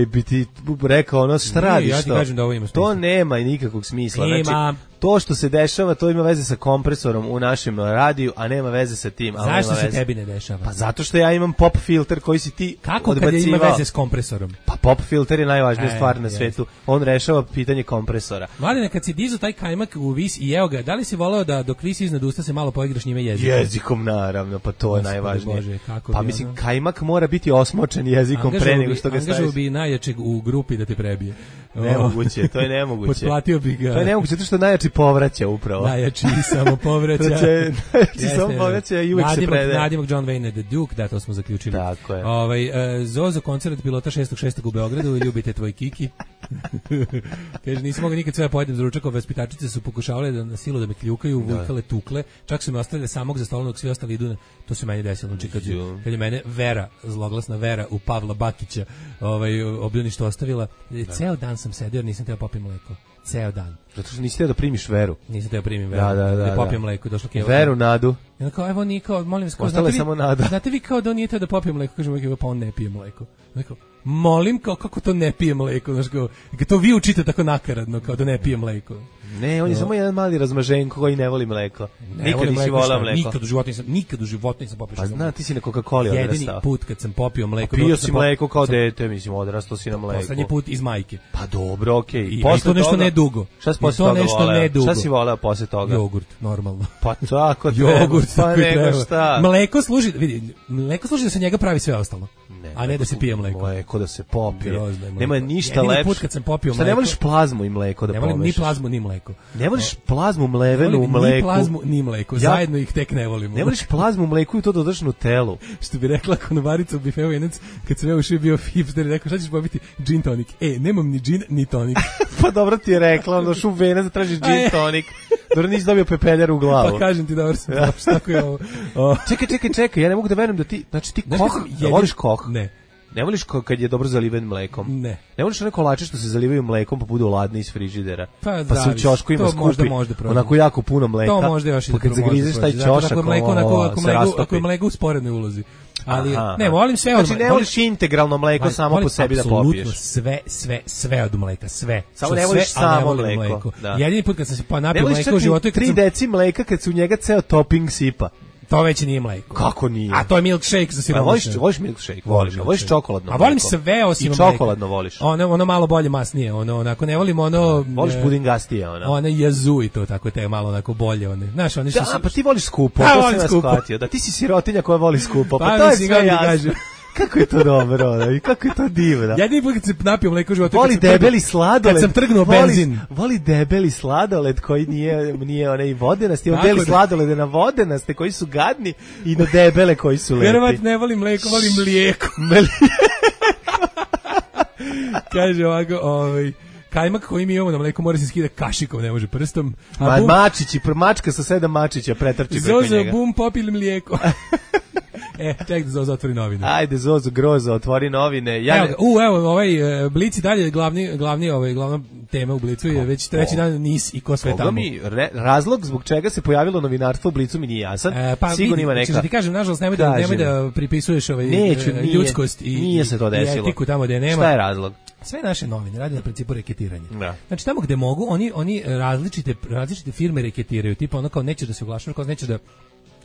bi ti rekao šta radiš, ja ti kažem da ovo ima smisla. To nema nikakvog smisla. Znači, to što se dešava, to ima veze sa kompresorom u našem radiju, a nema veze sa tim. Zašto se tebi ne dešava? Pa zato što ja imam pop filter koji si ti kako odbacivao. Kako kad ima veze s kompresorom? Pa pop filter je najvažnija stvar na svetu. On rešava pitanje kompresora. Mladine, kad si dizo taj kajmak u vis i jeo ga, da li si voleo da dok vis iznad usta se malo poigraš njime jezikom? Jezikom, naravno, pa to je najvažnije. Bože, pa mislim, kajmak mora biti osmočen jezikom pre nego što ga staviš. Angažao bi najjačeg u grupi da te prebije. Nemoguće, to je nemoguće. Potplatio bi ga. To je nemoguće, zato što najjači povraća upravo. Najjači samo povraća. Najjači samo povraća i uvijek se predaje. Nadimak John Wayne the Duke, da, to smo zaključili. Tako je. Zozo koncert pilota 6.6. u Beogradu i ljubite tvoj Kiki. Kaže, nisam mogao nikad sve pojedem za ručak, vaspitačice su pokušavale na silu da me kljukaju, vujkale, tukle, čak su me ostavili samog za stolom dok svi ostali idu. To se meni desilo, kad je mene Vera, zloglasna Vera u Pavla Bakića, obljeništvo ostavila. Ceo dan sam sedio jer nisam teo popim mleko. ceo dan. Zato što nisi teo da primiš veru. Nisam teo primim veru. Da popijem mleko, došlo Keva. Veru, nadu. I onda kao, evo Niko, molim vas, ostala je samo nada. Znate vi kao da on nije teo da popije mleko, kažemo Keva, pa on ne pije mleko. Neko, molim, kao kako to ne pije mleko, znaš kao, to vi učite tako nakaradno, kao da ne pije mleko. Ne, on je samo jedan mali razmaženko koji ne voli mleko. Nikad nisi volao mleko. Nikad u životu nisam popio. Pa zna, ti si na Coca-Coli odrastao. Jedini put kad sam popio mleko. Pio si mleko kao dete, mislim, odrastao si na mleko. Poslednji put iz majke. Pa dobro, okej. I to nešto ne dugo. Šta si posle toga voleo? Šta si voleo posle toga? Jogurt, normalno. Pa tako treba. Jogurt, pa nego šta. Mleko služi, vidi, mleko služi da se njega pravi sve ostalo. A ne da se pije mleko. Mleko da se popije. Nema ništa lepše. Jedini put kad sam popio mleko. Šta ne voliš plazmu i mleko da pomešaš? Ne volim ni plazmu ni mleko. Ne voliš plazmu mlevenu u mleku? Ni plazmu ni mleko. Zajedno ih tek ne volimo. Ne voliš plazmu u mleku i to dodaš Nutellu. Što bi rekla konobarica u bifeu jenac, kad sam ja ušao bio hipster i rekao šta ćeš popiti? Gin tonic. Nemam ni gin ni tonic. Pa dobro ti je rekla, onda šu venac da tražiš gin tonic. Dobro nisi dobio pepeljar u glavu. Pa kažem ti dobro sam došao. Tako je ovo. Čekaj, ja ne mogu da verujem da ti, znači ti koh, voliš koh? Ne. Ne voliš kad je dobro zaliven mlekom? Ne. Ne voliš one kolače što se zalivaju mlekom pa budu ladni iz frižidera? Pa se u ćošku ima skupi onako jako puno mleka. To možda još pa kad zagrizeš taj ćošak, ako je mleko u sporednoj ulozi. Ali ne, volim sve od znači ne voliš integralno mleko samo po sebi da popiješ. Sve od mleka, sve. Samo ne voliš samo mleko. Jedini put kad sam se napio mleka u životu, 3 deci mleka kad se u njega ceo topping sipa. To već nije mleko. Kako nije? A to je milkshake za siromašne. Voliš milkshake? Voliš čokoladno mleko? A volim sve osim mleka. I čokoladno voliš? Ono malo bolje masnije, onako ne volim ono... Voliš pudingastije, ono? Ono jazu i to tako, te malo onako bolje, one. Znaš, oni što... Da, pa ti voliš skupo, to sam ja shvatio. Da, ti si sirotinja koja voli skupo, pa to je sve jasno. Kako je to dobro, i kako je to divno. Jedini put kad se napio mleko u životu, voli debeli sladoled. Kad sam trgnuo benzin. Voli debeli sladoled koji nije onaj vodenasti, on deli sladolede na vodenaste koji su gadni i na debele koji su lepi. Vjerovatno ne volim mleko, volim mlijeko. Kaže ovako, kajmak koji mi imamo na mleku mora se skida kašikom, ne može prstom. Mačka sa 7 mačića pretrči preko njega. Zozo, bum, popili mlijeko. Ček da Zozo otvori novine. Ajde, Zozo, grozo, otvori novine. Evo, Blic i dalje glavna tema u Blicu je već treći dan NIS i ko sve tamo. Razlog zbog čega se pojavilo novinarstvo u Blicu mi nije jasan. Sigurno ima neka. Da ti kažem, nažalost, nemoj da pripisuješ ljudskost i etiku tamo gde nema. Šta je razlog? Sve naše novine radi na principu reketiranja. Znači tamo gde mogu, oni različite firme reketiraju, tipa ono kao nećeš da se oglašavaš, kao nećeš da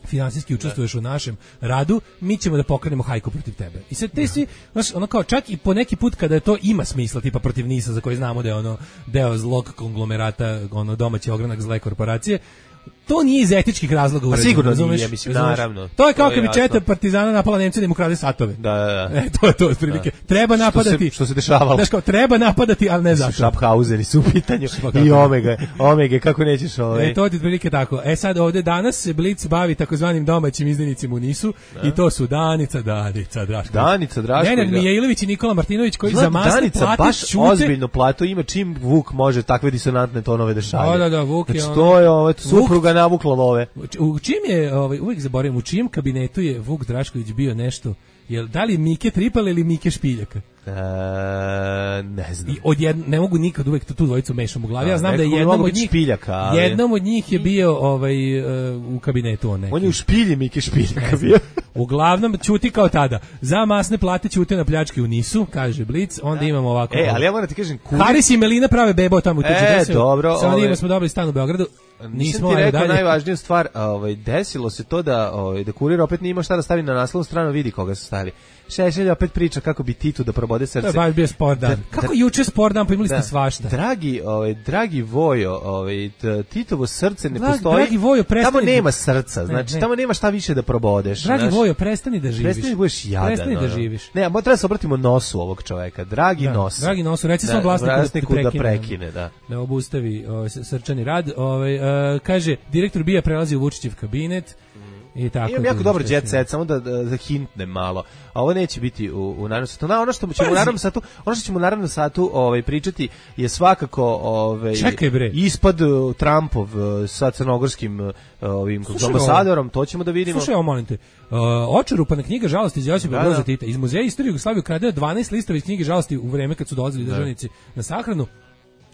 finansijski učestvuješ u našem radu, mi ćemo da pokrenemo hajku protiv tebe. I sad te svi, znaš, ono kao čak i po neki put kada to ima smisla, tipa protiv NIS-a za koji znamo da je ono deo zlog konglomerata, ono domaći ogranak zle korporacije, to nije iz etičkih razloga uređeno. Sigurno nije, mislim, naravno. To je kao kad bi četa partizana napala Nemce da im ukrade satove. Da. To je to otprilike. Treba napadati. Što se dešavalo. Znaš kao, treba napadati, ali ne zato. Schaffhauseni su u pitanju i Omega, kako nećeš ovaj. To je otprilike tako. Sad ovde danas se Blic bavi takozvanim domaćim izdajnicima u NIS-u i to su Danica Drašković. Nenad Mijailović i Nikola Martinović koji za masne plate baš čute. Ozbiljno plato ima čim Vuk može takve disonantne tonove da šalje. Da, Vuk je ono. To je ovo supruga navukla love. U čim je, uvijek zaboravim, u čijem kabinetu je Vuk Drašković bio nešto, da li je Mike Tripal ili Mike Špiljaka? Ne znam. Ne mogu nikad uvek tu dvojicu mešam u glavi. Ja znam da je jednom od njih je bio u kabinetu on neki. On je u špilji Mike Špiljaka bio. Uglavnom ćuti kao tada. Za masne plate ćute na pljačke u NIS-u, kaže Blic. Onda imamo ovako. Ali ja moram ti kažem, Haris i Melina prave bebo tamo u tuđe. Dobro. Sa njima smo dobili stan u Beogradu. Nisam ti rekao najvažniju stvar, desilo se to da Kurir opet nije imao šta da stavi na naslovnu stranu, vidi koga su stavili. Šešelj opet priča kako bi Titu da probode srce. To je baš bio sport dan. Kako juče sport dan, pa imali ste svašta. Dragi Vojo, Titovo srce ne postoji. Dragi Vojo, tamo nema srca, znači tamo nema šta više da probodeš. Dragi Vojo, prestani da živiš. Prestani da budeš jadan. Prestani da živiš. Ne, treba se obratimo nosu ovog čoveka. Dragi nos. Dragi nos, reci svom vlasniku da prekine, da. Da obustavi srčani rad. Kaže, direktor BIA prelazi u Vučićev kabinet. Imam jako dobar jet set, samo da hintnem malo. A ovo neće biti u narednom satu. Ono što ćemo u narednom satu pričati je svakako ispad Trumpov sa crnogorskim ambasadorom, to ćemo da vidimo. Slušaj, molim te, očerupana knjiga žalosti iz Josipa Broza Tita. Iz Muzeja istorije Jugoslavije ukradeno 12 listova iz knjige žalosti u vreme kad su dolazili državnici na sahranu.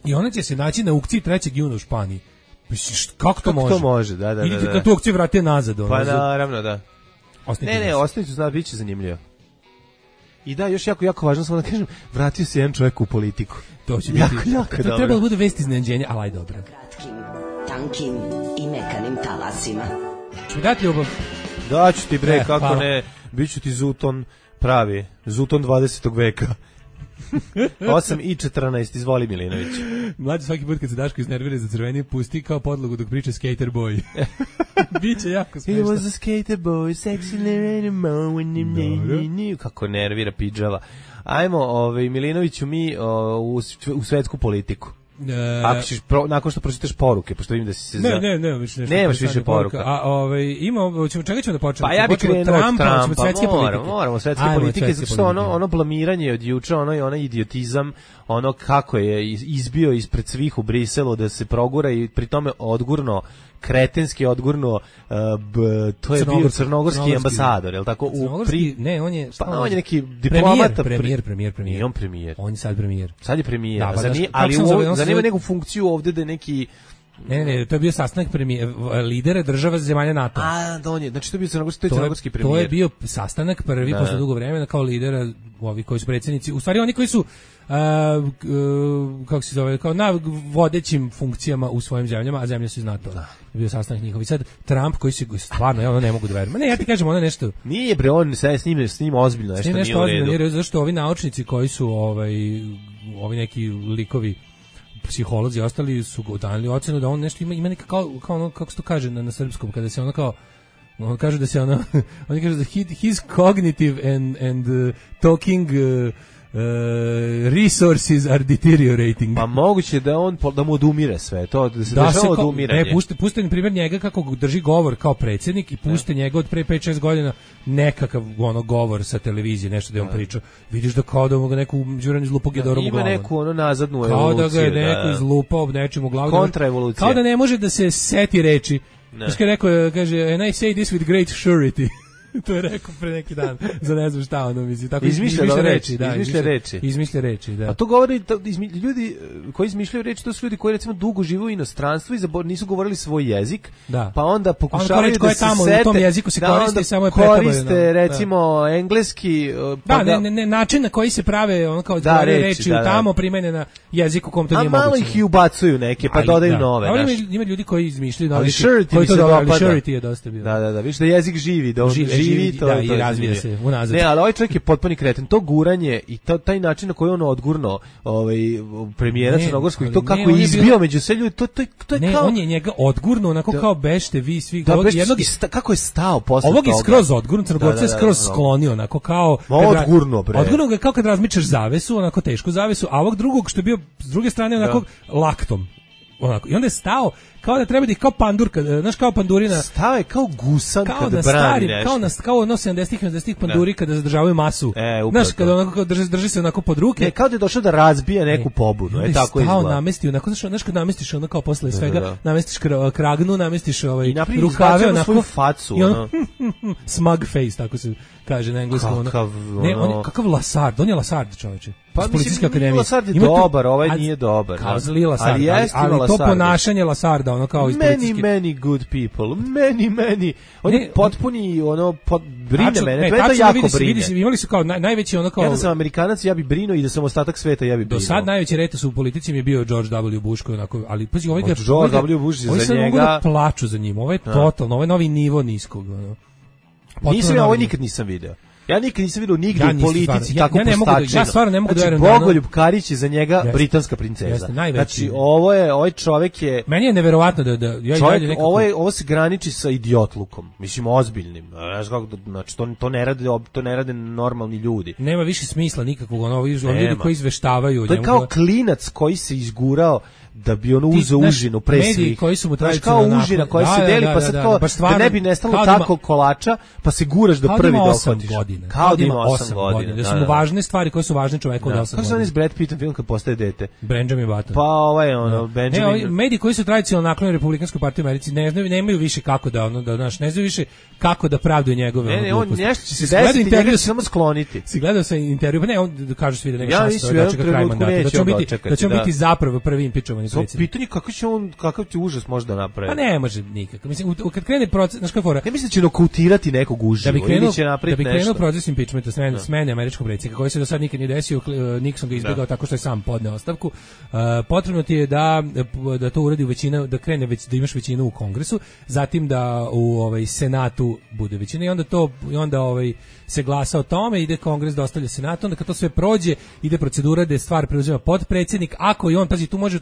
I ona će se naći na aukciji 3. juna u Španiji. Misliš, kako to može? Kako to može, da. Idite kad tu aukciju vratite nazad. Pa naravno, da. Ne, ostavite zna, bit će zanimljivo. I da, još jako važno samo da kažem, vratio se jedan čovjek u politiku. To će biti jako dobro. To treba da bude vest iznenađenja, ali aj dobro. Kratkim, tankim i mekanim talasima. Ču mi dati ljubav? Daću ti bre, kako hvala. Ne, bit ću ti Zuton pravi, Zuton 20. veka. 8:14, izvoli Milinović. Mlađi svaki put kad se Daško iznervira za crveni, pusti kao podlogu dok priča Skater Boy. Biće jako smešno. He was a skater boy, sexy when kako nervira pidžava. Ajmo, Milinoviću, mi u svetsku politiku. Ako ćeš nakon što pročitaš poruke, pošto vidim da si se nemaš više poruka. A čega ćemo da počnemo? Pa ja bih krenuo od Trumpa, moramo svetske politike, zato što ono blamiranje od juče, onaj idiotizam, ono kako je izbio ispred svih u Briselu da se progura i pri tome kretenski odgurno, to je bio crnogorski ambasador, je li tako? Ne, on je neki diplomata. Premijer. Nije on premijer. On je sad premijer. Sad je premijer, ali zanima neku funkciju ovde da neki... Ne, to je bio sastanak lidera država zemalja NATO. Znači to je bio crnogorski premijer. To je bio sastanak prvi posle dugo vremena kao lidera, ovi koji su predsjednici, u stvari oni koji su kako se zove, kao na vodećim funkcijama u svojim zemljama, a zemlje su iz NATO. Bio sastanak njihov. I sad Trump koji se stvarno, ja ne mogu da verujem. Ne, ja ti kažem, ono nešto. Nije bre, on se s njim ozbiljno nešto nije u redu. Zašto ovi naučnici koji su ovi neki likovi psiholozi i ostali su dali ocenu da on nešto ima neka kao ono, kako se to kaže na srpskom, kada se ono kao on kaže da se ono oni kažu da his cognitive and talking resources are deteriorating. Pa moguće da mu odumire sve, to da se dešava odumiranje. Ne, puste na primjer njega kako drži govor kao predsjednik i puste njega od pre 5-6 godina nekakav govor sa televizije, nešto da on priča. Vidiš da kao da mu ga neku đuran izlupao gedorom u glavu. Ima neku nazadnu evoluciju. Kao da ga je neko izlupao nečim u glavu. Kontraevolucija. Kao da ne može da se seti reči. Znači rekao, kaže, and I say this with great surety. To je rekao pre neki dan, za ne znam šta ono misli. Tako izmišlja reči. Da. A to govori, ljudi koji izmišljaju reči, to su ljudi koji recimo dugo žive u inostranstvu i nisu govorili svoj jezik, pa onda pokušavaju da se sete, u tom jeziku se koriste, samo je koriste recimo engleski. Ne, način na koji se prave, ono kao reči tamo primene na jeziku kom to nije moguće. A malo ih i ubacuju neke, pa dodaju nove. Ima ljudi koji izmišljaju ali surety je dosta bio. Da, viš da jezik živi, da živi to i razvija se unazad. Ne, ali ovaj čovjek je potpuni kreten. To guranje i taj način na koji on odgurno premijera crnogorskog i to kako je izbio među sve ljudi, to je ne, kao... on je njega odgurno, onako kao bešte vi svi. Kako je stao posle toga. Ovog je skroz odgurno, Crnogorca je skroz sklonio, onako kao... Odgurno, bre. Odgurno ga je kao kad razmičaš zavesu, onako tešku zavesu, a ovog drugog što je bio s druge strane onako laktom. Onako. I onda je stao kao da treba da ih kao pandurka, znaš kao pandurina. Stao je kao gusan kada brani nešto. Kao ono 70-ih panduri kada zadržavaju masu. Znaš, kada onako drži se onako pod ruke. Ne, kao da je došao da razbija neku pobunu. Tako izgleda. Stao namestio, onako, znaš kad namestiš ono kao posle svega, namestiš kragnu, namestiš rukave, onako. Svoju facu. I ono, smug face, tako se kaže na engleskom. Kakav Lasard, on je Lasard, čoveče. Pa mislim, Lasard je dobar, ovaj nije dobar. Kao zli Lasard, ali to ponašanje Lasarda, ono kao iz policijske... Many good people, many. On je potpuni, brine mene, to je to jako brine. Imali su kao najveći ono kao... Ja da sam Amerikanac, ja bi brinuo i da sam ostatak sveta, ja bi brinuo. Do sad najveći retos u politici mi je bio George W. Bush, koji onako, ali pazi, ovaj George W. Bush je za njega... Mogu da plaču za njim, ovo je totalno, ovo je novi nivo niskog. Ovo nikad nisam video. Ja nikad nisam vidio nigdje u politici tako postačeno. Ja stvarno ne mogu da verujem. Bogoljub Karić je za njega britanska princeza. Znači, ovaj čovjek je... Meni je neverovatno da ovo se graniči sa idiotlukom. Mislim, ozbiljnim. Znači, to ne rade normalni ljudi. Nema više smisla nikakvog. Oni ljudi koji izveštavaju. To je kao klinac koji se izgurao da bi ono uzeo užinu pre svih. Koji su mu kao užina koja se deli, pa sad kao da ne bi nestalo tako kolača, pa se guraš da prvi dohvatiš. godina. Kao da ima 8 godina. Da su mu važne stvari koje su važne čoveku od 8 godina. Kako se on iz Brad Pittom film kad postaje dete? Benjamin Button. Pa ovaj ono, Benjamin... Ne, mediji koji su tradicionalno naklonjeni Republikanskoj partiji u Americi nemaju više kako da, ne znaju više kako da pravdaju njegove Ne, on nešto će se desiti, njega će samo skloniti. Si gledao sam intervju, pa ne, on kaže svi da nema šanse da čeka kraj mandata, da će on biti zapravo prvi impičovani predsjednik. Pitanje kakav će užas možda napraviti. Pa ne može nikako. Mislim, kad krene proces, znaš kako fora? Ne mislim da će nokautirati nekog uživo ili će napraviti nešto. Da bi krenuo proces impičmenta, smene američkog predsjednika, koji se do sad nikad nije desio, Nixon ga izbjegao tako što je sam podneo ostavku. Potrebno ti je da to uradi većina, da krene da imaš većinu u Kongresu, zatim da u Senatu bude većina i onda se glasa o tome, ide Kongres, dostavlja Senatu, onda kad to sve prođe, ide procedura da stvar preuzima potpredsjednik, ako i on, pazi, tu može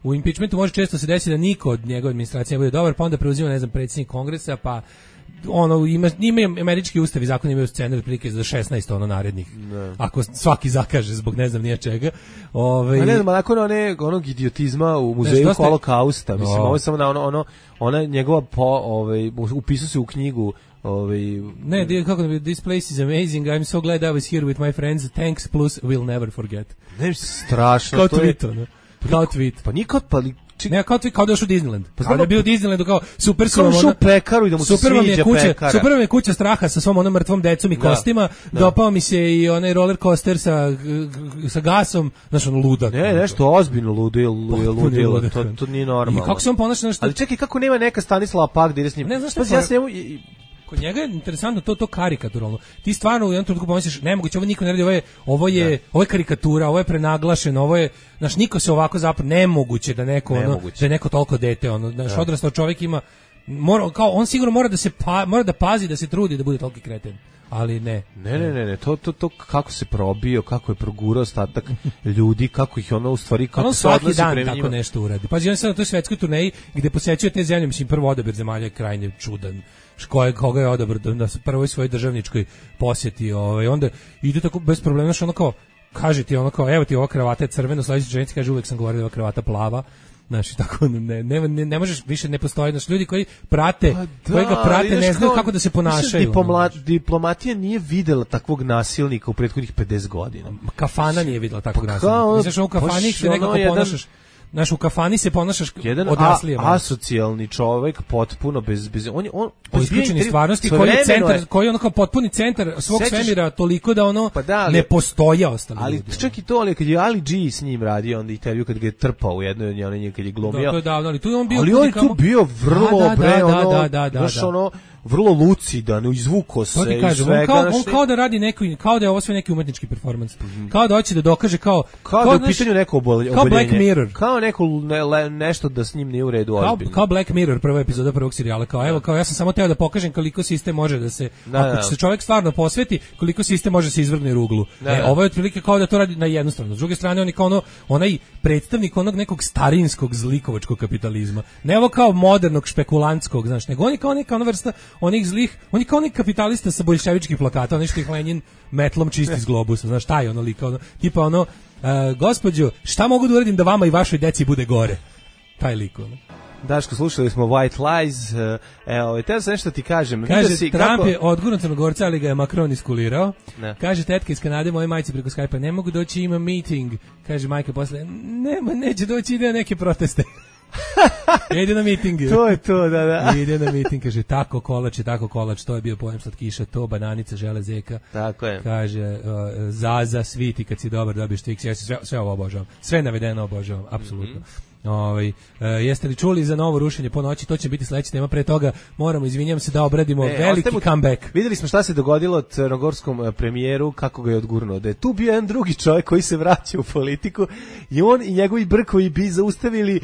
u impeachmentu može često se desiti da niko od njegove administracije ne bude dobar, pa onda preuzima, ne znam, predsjednik Kongresa, pa ima američki ustav i zakon imaju scenar prilike za 16 narednih. Ne. Ako svaki zakaže zbog ne znam nije čega. Ne znam, nakon onog idiotizma u muzeju Holokausta, mislim, ovo je samo da ona njegova upisao se u knjigu ne, kako da bi, this place is amazing, I'm so glad I was here with my friends, thanks plus we'll never forget. Ne, strašno. Kao tweet, ono. Kao tweet. Pa nikad, pa ne, kao da još u Disneyland. Pa da je bio u Disneylandu kao super su vam pekaru i da mu se sviđa pekara. Super vam je kuća straha sa svom onom mrtvom decom i kostima. Dopao mi se i onaj roller coaster sa gasom, znaš, ono ludak. Ne, nešto ozbiljno ludilo. To nije normalno. I kako se on ponaša nešto... Ali čekaj, kako nema neka Stanislava Pak da ide s njim? Ne, znaš što kod njega je interesantno to karikaturalno. Ti stvarno u jednom trenutku pomisliš, nemoguće, ovo niko ne radi, ovo je karikatura, ovo je prenaglašeno, ovo je, znaš, niko se ovako zapravo, nemoguće da neko, da je neko toliko dete, znaš, odrastao čovjek ima, on sigurno mora da pazi, da se trudi da bude toliki kreten. Ali ne. Ne, to kako se probio, kako je progurao ostatak ljudi, kako ih u stvari, kako se odnosi prema njima. Tako nešto uradi. Pazi, on sad na toj svetskoj turneji gde posećuje te zemlje, mislim, prvo odabir zemalja je krajnje čudan. Koga je odabr na prvoj svojoj državničkoj posjeti, onda ide tako bez problema, što kao kaže ti evo ti ova kravata je crvena, sledeći ženici kaže uvek sam govorio da ova kravata plava. Znači, tako, ne možeš više, ne postoji, znači, ljudi koji prate, koji ga prate, ne znaju kako da se ponašaju. Diplomatija nije videla takvog nasilnika u prethodnih 50 godina. Kafana nije videla takvog nasilnika. Misliš, u kafani se nekako ponašaš, znaš, u kafani se ponašaš odraslije. Jedan asocijalni čovjek, potpuno bez on isključeni stvarnosti, koji je kao potpuni centar svog svemira, toliko da ne postoje ostali ljudi. Ali čak i to, ali kad je Ali G s njim radio onda intervju, kad ga je trpao u jednoj kad je glumio. To je davno, ali tu je on bio... Ali on je tu bio vrlo vrlo lucidan, izvuko se i svega. On kao da radi kao da je ovo sve neki umetnički performans. Kao da hoće da dokaže kao da je u pitanju neko oboljenje. Kao Black Mirror. Kao nešto da s njim nije u redu ozbiljno. Kao Black Mirror, prva epizoda prvog serijala. Kao ja sam samo teo da pokažem koliko sistem može da se, ako će se čovjek stvarno posveti, koliko sistem može se izvrgne ruglu. Ovo je otprilike kao da to radi na jednu stranu. S druge strane, on je kao onaj predstavnik onog nekog starinskog zlikovačkog kapitalizma. Ne ovo kao modernog špekulantskog, znaš, nego on je kao neka ona vrsta onih zlih, on je kao onih kapitalista sa boljševičkih plakata, ono što ih Lenin metlom čisti iz globusa, znaš, taj lika, tipa gospođo, šta mogu da uradim da vama i vašoj deci bude gore? Taj lik, Daško, slušali smo White Lies, teo sam nešto ti kažem. Kaže, Trump je odgurno Crnogorca, ali ga je Macron iskulirao. Kaže, tetka iz Kanade, moje majci preko Skype-a, ne mogu doći, ima meeting. Kaže, majka posle, neće doći, ide na neke proteste. Ide na miting. To je to, da. Ide na miting, kaže, tako kolač, to je bio pojem slatkiša, to, bananica, žele zeka. Tako je. Kaže, Zaza, sviti, kad si dobar, dobiješ Twix, ja sve ovo obožavam. Sve navedeno obožavam, apsolutno. Jeste li čuli za novo rušenje po noći? To će biti sledeća tema. Pre toga moramo, izvinjam se, da obradimo veliki comeback. Videli smo šta se dogodilo crnogorskom premijeru, kako ga je odgurnuo. Da je tu bio jedan drugi čovjek koji se vraća u politiku i on i njegovi brkovi bi zaustavili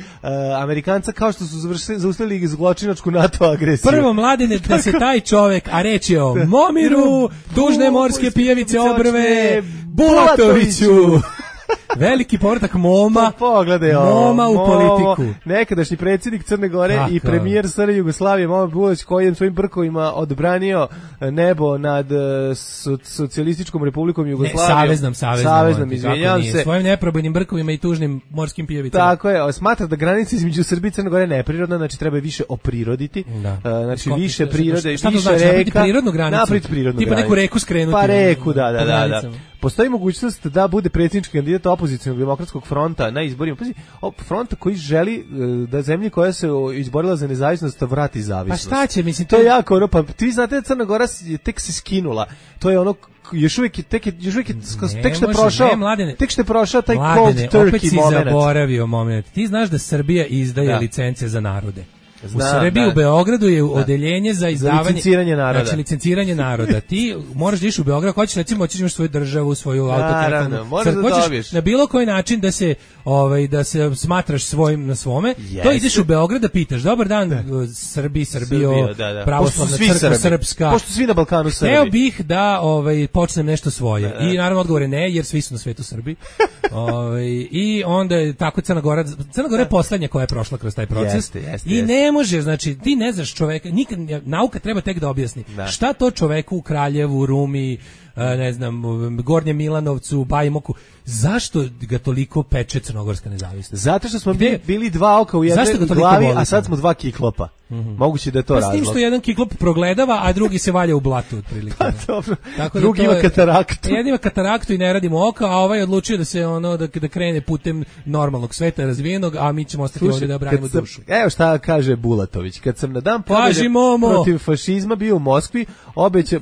Amerikanca kao što su zaustavili zločinačku NATO agresiju. Prvo, Mladene, da se taj čovjek, a reč je o Momiru, dužne morske pijavice obrve, Bulatoviću. Veliki povratak Moma. Pogledaj Moma u politiku. Nekadašnji predsjednik Crne Gore i premijer SR Jugoslavije Momo Bulać, koji je svojim brkovima odbranio nebo nad Socijalističkom Republikom Jugoslavijom. Saveznom, izvinjavam se. Svojim neprobojnim brkovima i tužnim morskim pijevicama. Tako je, smatra da granica između Srbije i Crne Gore neprirodna, znači treba je više opriroditi. Znači više prirode, više reka. Prirodnu granicu. Napraviti prirodnu granicu. Tipa neku reku skrenuti. Pa reku, da. Postoji mogućnost da bude predsjednički kandidat opozicionog demokratskog fronta na izborima. Pazi, fronta koji želi da zemlji koja se izborila za nezavisnost vrati zavisnost. Pa šta će, mislim, to je jako ono, pa ti znate da Crna Gora tek se skinula. To je ono još uvijek tek što je prošao taj cold turkey moment. Opet si zaboravio moment. Ti znaš da Srbija izdaje licence za narode. U Srbiji, u Beogradu je odeljenje za izdavanje licenciranje naroda. Ti moraš da iš u Beograd, hoćeš recimo imaš svoju državu, svoju autokratu. Hoćeš na bilo koji način da se smatraš svojim na svome. To ideš u Beograd da pitaš: "Dobar dan, Srbijo, pravoslavna crkva srpska." Pošto svi na Balkanu Srbi. Hteo bih da počnem nešto svoje. I naravno odgovor je ne, jer svi su na svetu Srbi. I onda je tako Crna Gora je poslednja koja je prošla kroz taj proces. I ne može, znači ti ne znaš čoveka, nikad nauka treba tek da objasni. Šta to čoveku u Kraljevu, Rumi, ne znam, Gornjem Milanovcu, Bajmoku, zašto ga toliko peče crnogorska nezavisnost? Zato što smo bili dva oka u jednoj glavi, a sad smo dva kiklopa. Moguće da je to razlog. S tim što jedan kiklop progledava, a drugi se valja u blatu otprilike. Pa dobro. Drugi ima kataraktu. Jedan ima kataraktu i ne radimo oka, a ovaj odlučio da se da krene putem normalnog sveta razvijenog, a mi ćemo ostati ovdje da branimo dušu. Evo šta kaže Bulatović: "Kad sam na dan pobjede protiv fašizma bio u Moskvi,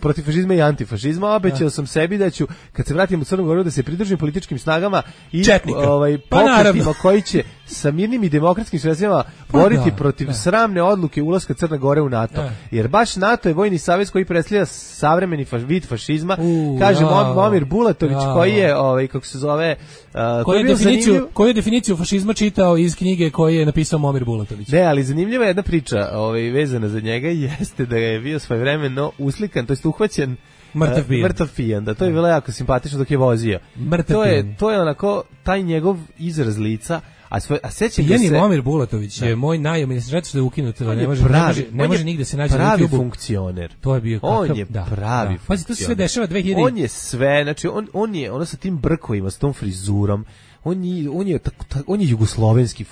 protiv fašizma i antifašizma, obećao sam sebi da ću, kad se vratim u Crnu Goru, da se pridružim političkim snagama i pokretima koji će sa mirnim i demokratskim sredstvima boriti protiv sramne odluke ulaska Crne Gore u NATO. Jer baš NATO je vojni savez koji predstavlja savremeni vid fašizma." Kaže Momir Bulatović, koji je kako se zove, koju je definiciju fašizma čitao iz knjige koju je napisao Momir Bulatović. Ne, ali zanimljiva je jedna priča vezana za njega, jeste da je bio svojevremeno uslikan, to jest uhvaćen mrtav pijan. Da, to je bilo jako simpatično dok je vozio. To je onako taj njegov izraz lica. A sećam se Momir Bulatović je moj zato što je ukinut, ne može nigde se naći na pravi YouTubeu. Funkcioner. To je bio on je pravi. Pazi, to se sve dešava 2000. On je sve, znači on je ono sa tim brkovima, sa tom frizurom. On je jugoslovenski,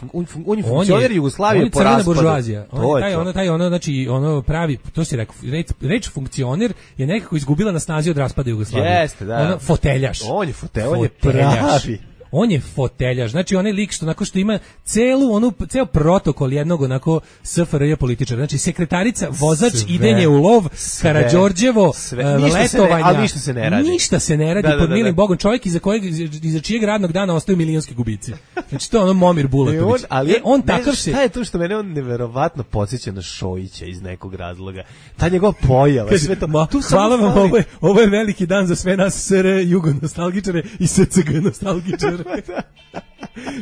on je funkcioner Jugoslavije po raspadu. Buržuazija. Znači pravi, to si rekao, reč funkcioner je nekako izgubila na snazi od raspada Jugoslavije. Jeste, da. Foteljaš. On je pravi. On je foteljaš, znači onaj lik što ima ceo protokol jednog onako SFRJ političara, znači sekretarica, vozač, idenje u lov, Karađorđevo, letovanja, ali ništa se ne radi pod milim Bogom, čovjek iza čijeg radnog dana ostaju milionski gubici. Znači to je ono Momir Bulatović. On takav se... Šta je to što mene on neverovatno podsjeća na Šojića iz nekog razloga? Ta njegova pojava, sve to... Hvala vam, ovo je veliki dan za sve nas SR Jugo nostalgičare i SCG nostalgičare.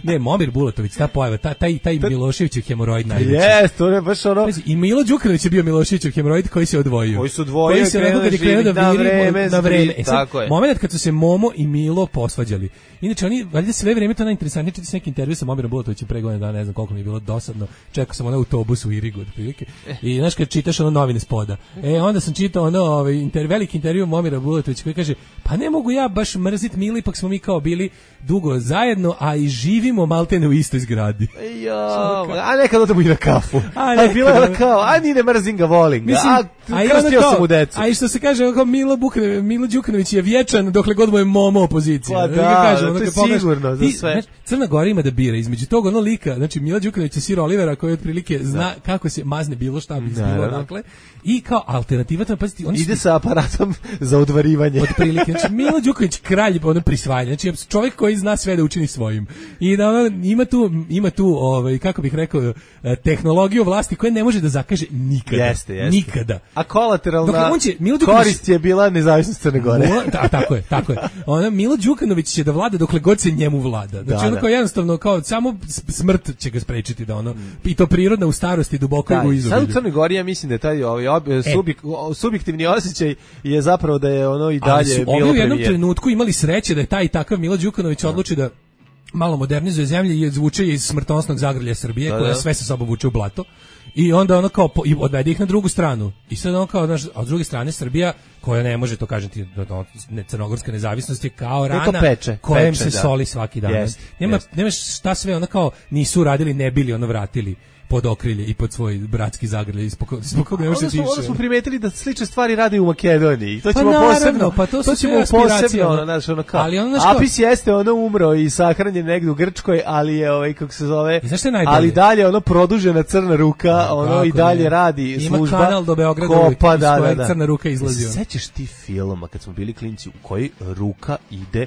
Ne, Momir Bulatović, ta pojava, taj Miloševićev hemoroid najveći. To je baš ono... I Milo Đukanović je bio Miloševićev hemoroid koji se odvojio. Koji se krenuo da vreme. Moment kad su se Momo i Milo posvađali. Inače, oni, valjda sve vreme to najinteresantnije, čiti se neki intervju sa Momirom Bulatovićem pre godinu dana, ne znam koliko mi je bilo dosadno, čekao sam autobus u Irigu, otprilike. I znaš kad čitaš novine spoda. Onda sam čitao veliki intervju Momira Bulatovića koji kaže: "Pa ne mogu ja baš mrzit Milo, ipak smo mi kao bili dugo zajedno, a i živimo maltene u istoj zgradi." A nekad odemo i na kafu. A bilo je kao, a ni ne mrzim ga, volim ga. Krstio sam u decu. A i što se kaže, Milo Đukanović je vječan dokle god mu je Momo opozicija. Pa da, to je sigurno za sve. Crna Gora ima da bira između tog lika, znači Mila Đukanović je Sir Olivera koji otprilike zna kako se mazne bilo šta bi bilo, dakle. I kao alternativa tamo, pazite, ide sa aparatom za odvarivanje. Otprilike, znači Milo Đukanović kralj prisvajanja, znači čovjek koji zna sve da učini svojim. I da ima tu kako bih rekao, tehnologiju vlasti koja ne može da zakaže nikada. Jeste. Nikada. A kolateralna korist je bila nezavisnost Crne Gore. Tako je. Milo Đukanović će da vlada dokle god se njemu vlada. Znači kao jednostavno, kao samo smrt će ga sprečiti da i to prirodna u starosti duboko u izobilju. Sad u Crnoj Gori ja mislim da je taj subjektivni osjećaj je zapravo da je i dalje bilo premijer. Ovdje u jednom trenutku imali sreće da je taj i takav Milo Đukanović odluči da malo modernizuje zemlje i zvuče iz smrtonosnog zagrlja Srbije, koja sve sa sobom vuče u blato. I onda ono kao i odvede ih na drugu stranu. I sad ono kao, znaš, a s druge strane Srbija, koja ne može, to kažem ti, crnogorska nezavisnost je kao rana kojem se soli svaki dan. Nema šta sve, ono kao nisu radili, ne bili, ono vratili pod okrilje i pod svoj bratski zagrljaj ispod koga ne može tiše. Onda smo primetili da slične stvari rade u Makedoniji. To ćemo to ćemo posebno, znači ono kao. Apis jeste umro i sahranjen negdje u Grčkoj, ali je kako se zove. Ali dalje produžena crna ruka, i dalje radi služba. Ima kanal do Beograda iz kojeg crna ruka izlazi. Sećaš ti filma kad smo bili klinci u koji ruka ide,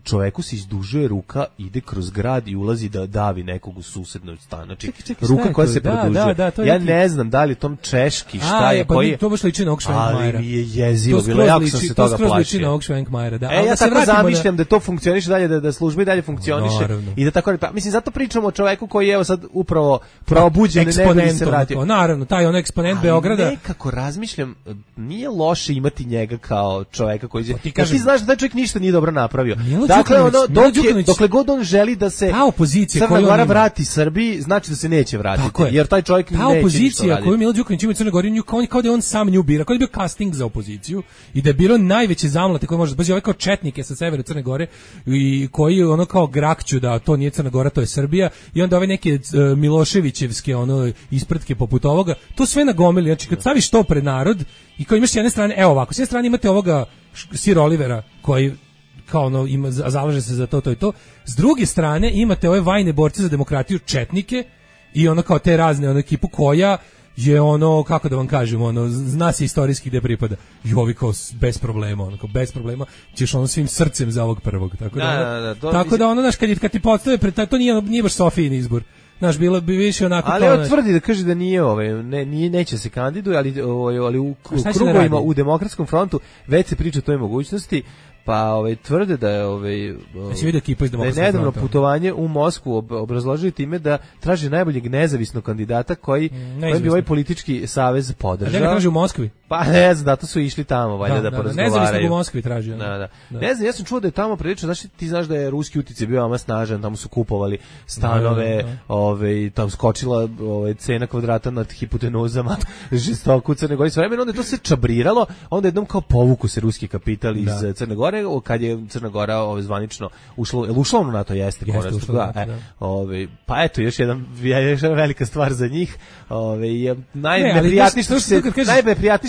čoveku se izdužuje ruka, ide kroz grad i ulazi da davi nekog u susednoj stan. Znači, ruka koja se produžuje. Ja ne znam da li je tom češki, šta je, koji je. To baš liči na ovog Švenkmajera. Ali mi je jezivo bilo, jako sam se toga plašio. To skroz liči na ovog Švenkmajera, da. Ja tako zamišljam da to funkcioniše dalje, da služba i dalje funkcioniše. I da tako, mislim, zato pričamo o čoveku koji je evo sad upravo probuđen, ne se vratio. Naravno, taj on eksponent Beograda. Nekako razmišljam, nije loše imati njega kao čoveka koji je. Ti znaš da taj čovjek ništa nije dobro napravio. Dakle, dokle god on želi da se Crna Gora vrati Srbiji, znači da se neće vratiti, jer taj čovjek neće ništa raditi. Ta opozicija koju Milo Đukanović ima u Crnoj Gori, kao da je on sam nju bira, kao da je bio casting za opoziciju i da je bilo najveće zamlate koje može, baš ovaj kao četnike sa severa Crne Gore i koji ono kao grakću da to nije Crna Gora, to je Srbija, i onda ove neke Miloševićevske ispratke poput ovoga, to sve nagomili. Znači kad staviš to pred narod i kao imaš s jedne strane, evo ovako, s jedne strane imate ovoga Sir Olivera koji kao zalaže se za to i to. S druge strane imate ove vajne borce za demokratiju, četnike, i kao te razne ekipu koja je kako da vam kažem, zna se istorijski gde pripada. I ovi kao bez problema, bez problema ćeš svim srcem za ovog prvog. Tako da znaš, kad ti postave pred to nije baš Sofijin izbor. Znaš, bilo bi više onako. Ali tvrdi da kaže da nije neće se kandiduje, ali u krugovima u Demokratskom frontu već se priča o toj mogućnosti. Pa tvrde da je nedavno putovanje u Moskvu obrazložili time da traži najboljeg nezavisnog kandidata koji bi ovaj politički savez podržao. Da ga traži u Moskvi? Pa ne znam, zato su išli tamo valjda da porazgovaraju. Nezavisnog u Moskvi traži. Da. Ne znam, ja sam čuo da je tamo prilično, ti znaš da je ruski uticaj bio veoma snažan, tamo su kupovali stanove, tamo skočila cena kvadrata nad hipotenuzama, žestoko u Crnoj Gori. Sve vremena onda je to se čabriralo, onda jednom kao povuku se ruski kapital iz Crne Gore, kad je Crna Gora zvanično ušla u NATO, jeste konačno. Pa eto, još jedna velika stvar za njih. Najneprijatnije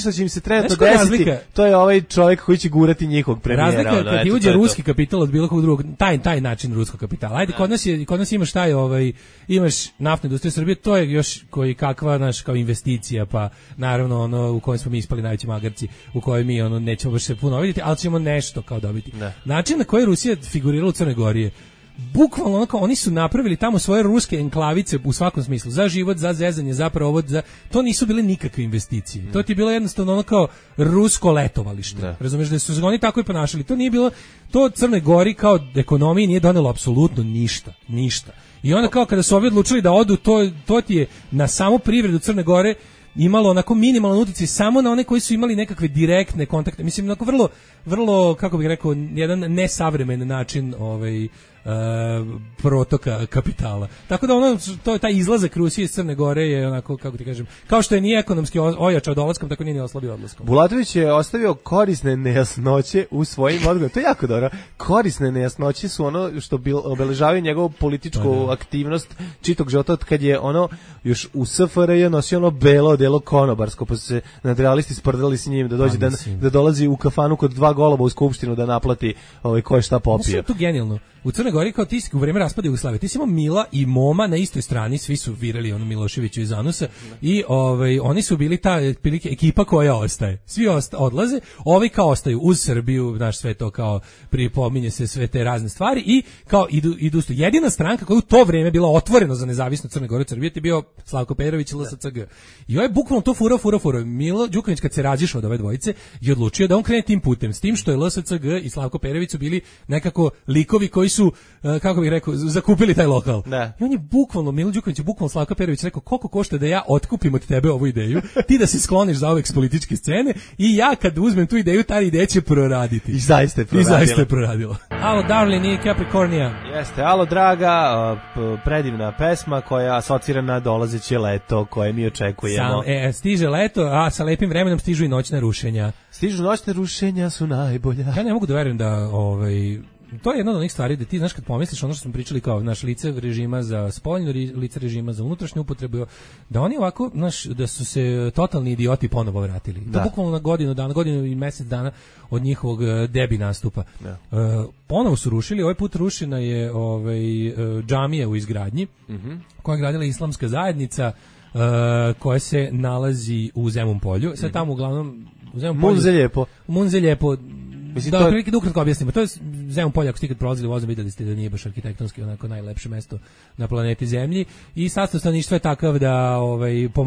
što će im se trenutno desiti, to je ovaj čovjek koji će gurati njihovog premijera. Razlika kad ti uđe ruski kapital od bilo kog drugog, taj način ruskog kapitala. Ajde, kod nas imaš imaš naftnu industriju Srbije, to je još koji kakva naš kao investicija, pa naravno u kojem smo mi ispali najveći magarci, u kojoj mi nećemo baš se puno vidjeti, ali ćemo nešto kao dobiti. Način na koji je Rusija figurirala u Crnoj Gori je bukvalno oni su napravili tamo svoje ruske enklavice u svakom smislu, za život, za zezanje, za provod, to nisu bile nikakve investicije. To ti je bilo jednostavno kao rusko letovalište. Razumeš da su se oni tako i ponašali. To nije bilo, to Crnoj Gori kao ekonomiji nije donelo apsolutno ništa. I onda kao kada su ovi odlučili da odu, to ti je na samu privredu Crne Gore imalo onako minimalan utjecaj samo na one koji su imali nekakve direktne kontakte. Mislim, onako vrlo, kako bih rekao, jedan nesavremen način protoka kapitala. Tako da taj izlazak Rusije iz Crne Gore je onako, kako ti kažem, kao što je nije ekonomski ojačao dolaskom, tako nije ni oslabio odlaskom. Bulatović je ostavio korisne nejasnoće u svojim odgovorima. To je jako dobro. Korisne nejasnoće su ono što obeležavaju njegovu političku aktivnost čitog života, od kad je još u SFRJ nosio belo odelo konobarsko, pa su se nadrealisti sprdali s njim da dođe da dolazi u kafanu kod 2 goloba u skupštinu da naplati ko je šta popio. To je genijalno. U Crnoj Gori kao ti u vreme raspada Jugoslavije, ti si imao Mila i Moma na istoj strani, svi su virali Miloševiću iz Anusa i oni su bili ta ekipa koja ostaje. Svi odlaze, ovi kao ostaju uz Srbiju, znaš, sve to kao pripominje se sve te razne stvari i kao idu. Jedina stranka koja u to vreme bila otvorena za nezavisno Crne Gore Srbije je bio Slavko Perović i LSCG. I je bukvalno to fura. Milo Đukanović kad se razišao od ove dvojice je odlučio da on krene tim putem, s tim što je LSCG i Slavko Perović su bili nekako likovi koji su, kako bih rekao, zakupili taj lokal. Da. I on je bukvalno, Milo Đukanović je bukvalno Slavko Perović rekao, koliko košta da ja otkupim od tebe ovu ideju, ti da se skloniš za ove s političke scene i ja kad uzmem tu ideju, ta ideja će proraditi. I zaista je proradilo. Alo, Darlin i Capricornia. Jeste, alo, draga, predivna pesma koja asocira na dolazeće leto koje mi očekujemo. Stiže leto, a sa lepim vremenom stižu i noćna rušenja. Stižu noćne rušenja su najbolja. Ja ne mogu da verujem da to je jedna od onih stvari da ti znaš kad pomisliš ono što smo pričali kao naš lice režima za spoljno, lice režima za unutrašnju upotrebu, da oni ovako, znaš, da su se totalni idioti ponovo vratili. Da. To bukvalno na godinu i mesec dana od njihovog debi nastupa. Da. Ponovo su rušili, ovaj put rušena je džamija u izgradnji, koja je gradila islamska zajednica, koja se nalazi u Zemun polju. Sad tamo uglavnom u Zemun polju. Munze lijepo. Mislim, da, prilike da ukratko objasnimo. To je Zemun polje, ako ste ikad prolazili vozom, videli ste da nije baš arhitektonski onako najlepše mesto na planeti Zemlji i sastav stanovništva je takav da po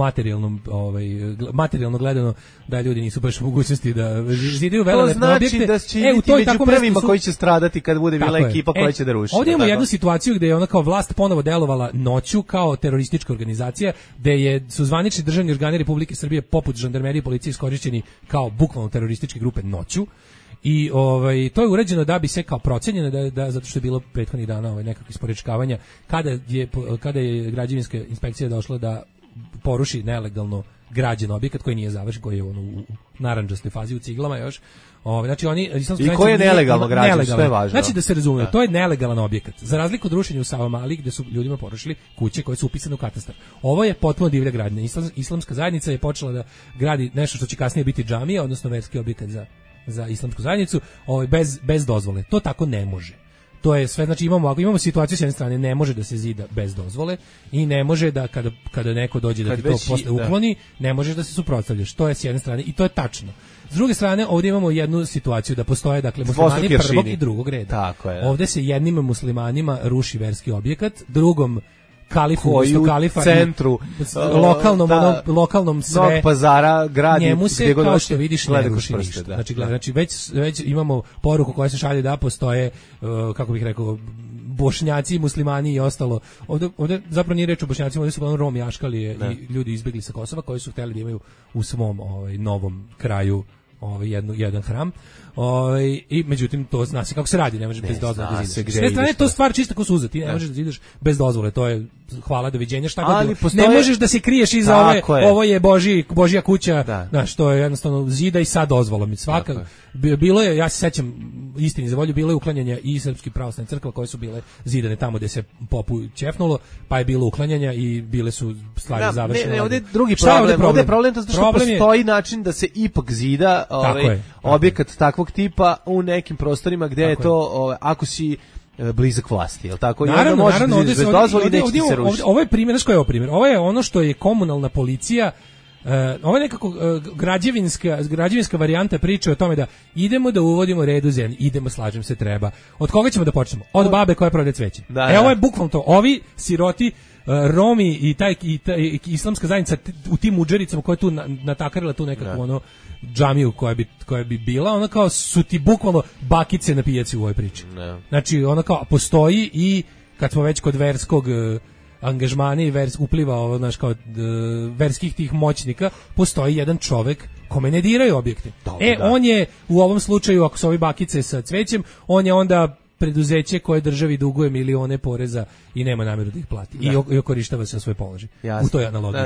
materijalno gledano da ljudi nisu baš u mogućnosti da zidaju velelepne objekte. To znači da će biti među prvima koji će stradati kad bude bila ekipa koja će da ruši. Ovdje imamo jednu situaciju gde je ona kao vlast ponovo delovala noću kao teroristička organizacija, gde su zvanični državni organi Republike Srbije poput žandarmerije i policije iskorišćeni kao bukvalno terorističke grupe noću. I to je urađeno da bi se kao procenjeno da zato što je bilo prethodnih dana nekakvih isporečkavanja kada je građevinska inspekcija došla da poruši nelegalno građen objekat koji nije završen, koji je u narandžastoj fazi u ciglama još. Znači i koji je nelegalno građen, sve je važno. Znači da se razume, to je nelegalan objekat. Za razliku od rušenja u Savamali gde su ljudima porušili kuće koje su upisane u katastar. Ovo je potpuno divlja gradnja. Islamska zajednica je počela da gradi nešto što će kasnije biti džamija, odnosno verski objekat za islamsku zajednicu, bez dozvole. To tako ne može. To je sve, znači imamo situaciju s jedne strane, ne može da se zida bez dozvole i ne može da kada neko dođe da ti to posle ukloni, ne možeš da se suprotstavljaš. To je s jedne strane i to je tačno. S druge strane, ovdje imamo jednu situaciju da postoje muslimani prvog i drugog reda. Tako je. Ovdje se jednim muslimanima ruši verski objekat, drugom kalifu, kalifa centru lokalnom sve Novog Pazara gradi njemu se kao što vidiš ne ruši ništa. Znači već imamo poruku koja se šalje da postoje kako bih rekao Bošnjaci, muslimani i ostalo. Ovdje zapravo nije reč o Bošnjacima, ovdje su uglavnom Romi, Aškalije i ljudi izbjegli sa Kosova koji su htjeli da imaju u svom novom kraju jedan hram. I međutim to zna se kako se radi, ne možeš bez dozvole da zidaš. S te strane to stvar čista ko suza, ti ne možeš da zidaš bez dozvole, to je hvala doviđenja šta god. Ne možeš da se kriješ iza ovo je Božja kuća, znaš, to je jednostavno zida i sa dozvolom. Svaka bilo je, ja se sećam istini za volju, bilo je uklanjanja i srpskih pravoslavnih crkva koje su bile zidane tamo gde se popu ćefnulo, pa je bilo uklanjanja i bile su stvari završene. Ne, ovdje je drugi problem. Ovdje je problem to što postoji način da se ipak zida objekat takvog tipa u nekim prostorima gde je to, ako si blizak vlasti, je li tako? Naravno, ovo je primjer, znaš koji je ovo primjer? Ovo je ono što je komunalna policija, ovo je nekako građevinska varijanta priče o tome da idemo da uvodimo red u zemlji, idemo, slažem se, treba. Od koga ćemo da počnemo? Od babe koja prodaje cveće. Ovo je bukvalno to. Ovi siroti, Romi i islamska zajednica u tim udžericama koja je tu natakarila tu nekakvu džamiju koja bi bila, ona kao su ti bukvalno bakice na pijaci u ovoj priči. Znači ona kao postoji i kad smo već kod verskog angažmana i upliva znaš, kao verskih tih moćnika, postoji jedan čovek kome ne diraju objekte. On je u ovom slučaju, ako su ovi bakice sa cvećem, on je onda preduzeće koje državi duguje milione poreza i nema namjeru da ih plati. I okorištava se na svoj položaj. U toj analogiji.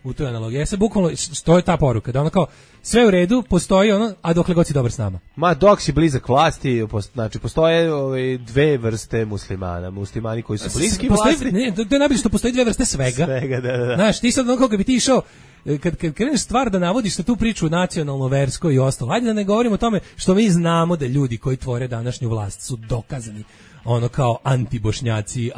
U toj analogiji. Ja se bukvalno, što je ta poruka? Da ono kao, sve u redu, postoji ono, a dokle god si dobar s nama. Ma dok si blizak vlasti, znači postoje dve vrste muslimana. Muslimani koji su bliski vlasti. Ne, to je najbolje što postoji dve vrste svega. Da. Znaš, ti sad ono kako bi ti išao, kad kreneš stvar da navodiš na tu priču nacionalno, versko i ostalo, ajde da ne govorimo o tome što mi znamo da ljudi koji tvore današnju vlast su dokazani ono kao anti-bošnjaci,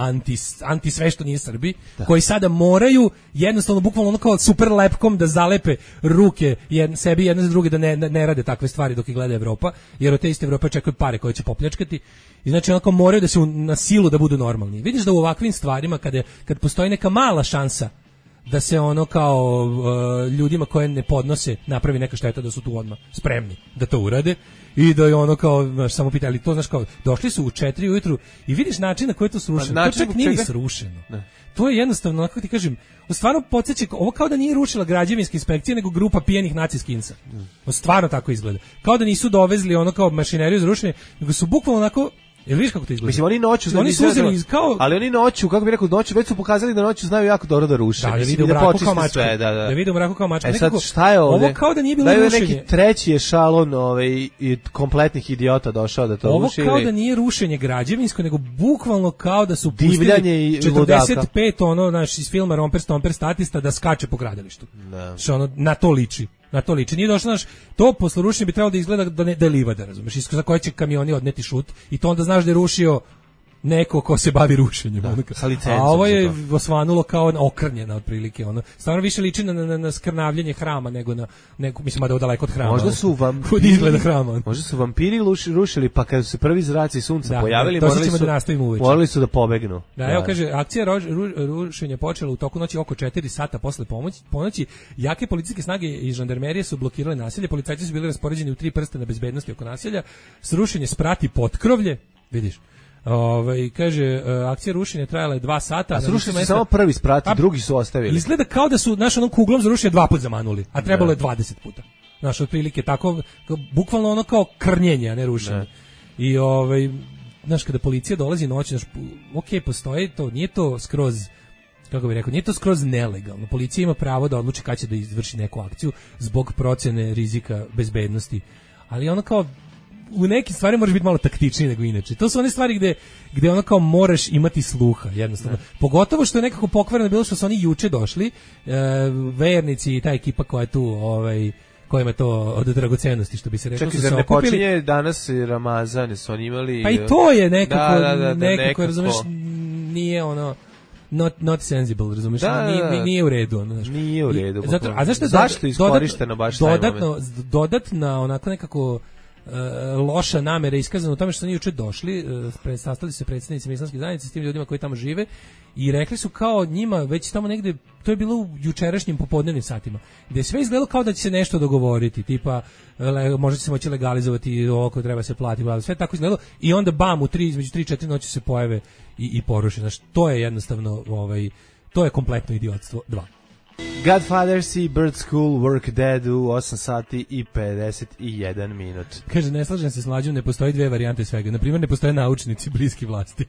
anti sve što nije Srbi, koji sada moraju jednostavno bukvalno ono kao super lepkom da zalepe ruke sebi jedne za druge da ne rade takve stvari dok ih gleda Evropa, jer od te iste Evrope očekuju pare koje će popljačkati i znači onako moraju da se na silu da budu normalni. Vidiš da u ovakvim stvarima kad postoji neka mala šansa da se ono kao ljudima koje ne podnose napravi neka šteta, da su tu odmah spremni da to urade i da je ono kao samo pitali to, znaš, kao došli su u 4 ujutru i vidiš način na koji je to srušeno. To čak nije ni srušeno. Ne. To je jednostavno, kako ti kažem, stvarno podsjeća, ovo kao da nije rušila građevinska inspekcija, nego grupa pijenih naciskinsa. Stvarno tako izgleda. Kao da nisu dovezli ono kao mašineriju za rušenje, nego su bukvalno onako. Jel vidiš kako to izgleda? Mislim, oni noću, oni su uzeli kao, ali oni noću, kako bih rekao, noću već su pokazali da noću znaju jako dobro da ruše. Da vide u mraku kao mačka. Sve, da vide u mraku kao mačka. Sad šta je ovde? Ovo kao da nije bilo rušenje. Neki treći ešalon i kompletnih idiota došao da to ruši. Ovo kao da nije rušenje građevinsko, nego bukvalno kao da su divljanje i 45 ono, znaš, iz filma Romper Stomper statista da skače po gradilištu. Što ono, na to liči. Na to liči. Nije došlo, znaš, to posle rušenja bi trebalo da izgleda da je livada, razumeš, za koje će kamioni odneti šut i to onda znaš da je rušio neko ko se bavi rušenjem. A ovo je osvanulo kao okrnjena otprilike. Ono. Stvarno više liči na skrnavljenje hrama nego na neko, mislim da je daleko od hrama. Možda su vampiri rušili, pa kad su se prvi zraci sunca pojavili, morali su da pobegnu. Da, evo kaže, akcija rušenja počela u toku noći oko 4 sata posle ponoći. Jake policijske snage i žandarmerije su blokirale naselje, policajci su bili raspoređeni u 3 prstena bezbednosti oko naselja. Srušenje sprati potkrovlje, vidiš. Kaže, akcija rušenja trajala je 2 sata. A srušili su samo prvi sprat, drugi su ostavili. Izgleda kao da su naš onom kuglom za rušenje 2 puta zamanuli, a trebalo je 20 puta. Znaš, otprilike tako, bukvalno ono kao krnjenje, a ne rušenje. I znaš, kada policija dolazi noći, znaš, postoji to, nije to skroz, kako bih rekao, nije to skroz nelegalno. Policija ima pravo da odluči kada će da izvrši neku akciju zbog procene rizika bezbednosti. Ali ono kao, u nekim stvari moraš biti malo taktičniji nego inače. To su one stvari gde ono kao moraš imati sluha, jednostavno. Pogotovo što je nekako pokvareno bilo što su oni juče došli, vernici i ta ekipa koja je tu, kojima je to od dragocenosti, što bi se reklo. Čekaj, zar ne počinje danas Ramazan, su oni imali... Pa i to je nekako, razumeš, nije ono... Not sensible, razumiješ? Nije u redu. Ono, nije u redu. Zašto je iskorišteno baš taj moment? Dodatna, onako nekako loša namera iskazana u tome što su oni juče došli, sastali se predstavnici islamske zajednice s tim ljudima koji tamo žive i rekli su kao njima već tamo negde, to je bilo u jučerašnjim popodnevnim satima, gde je sve izgledalo kao da će se nešto dogovoriti, tipa možda će se moći legalizovati ovo koje treba se platiti, sve tako izgledalo i onda bam, između 3-4 noći se pojave i poruši. Znači, to je jednostavno, to je kompletno idiotstvo. 2. Godfather, Sea Bird School, Work Dead u 8 sati i 51 minut. Kaže, ne slažem se s Mlađom, ne postoji 2 varijante svega. Naprimjer, ne postoje naučnici bliski vlasti.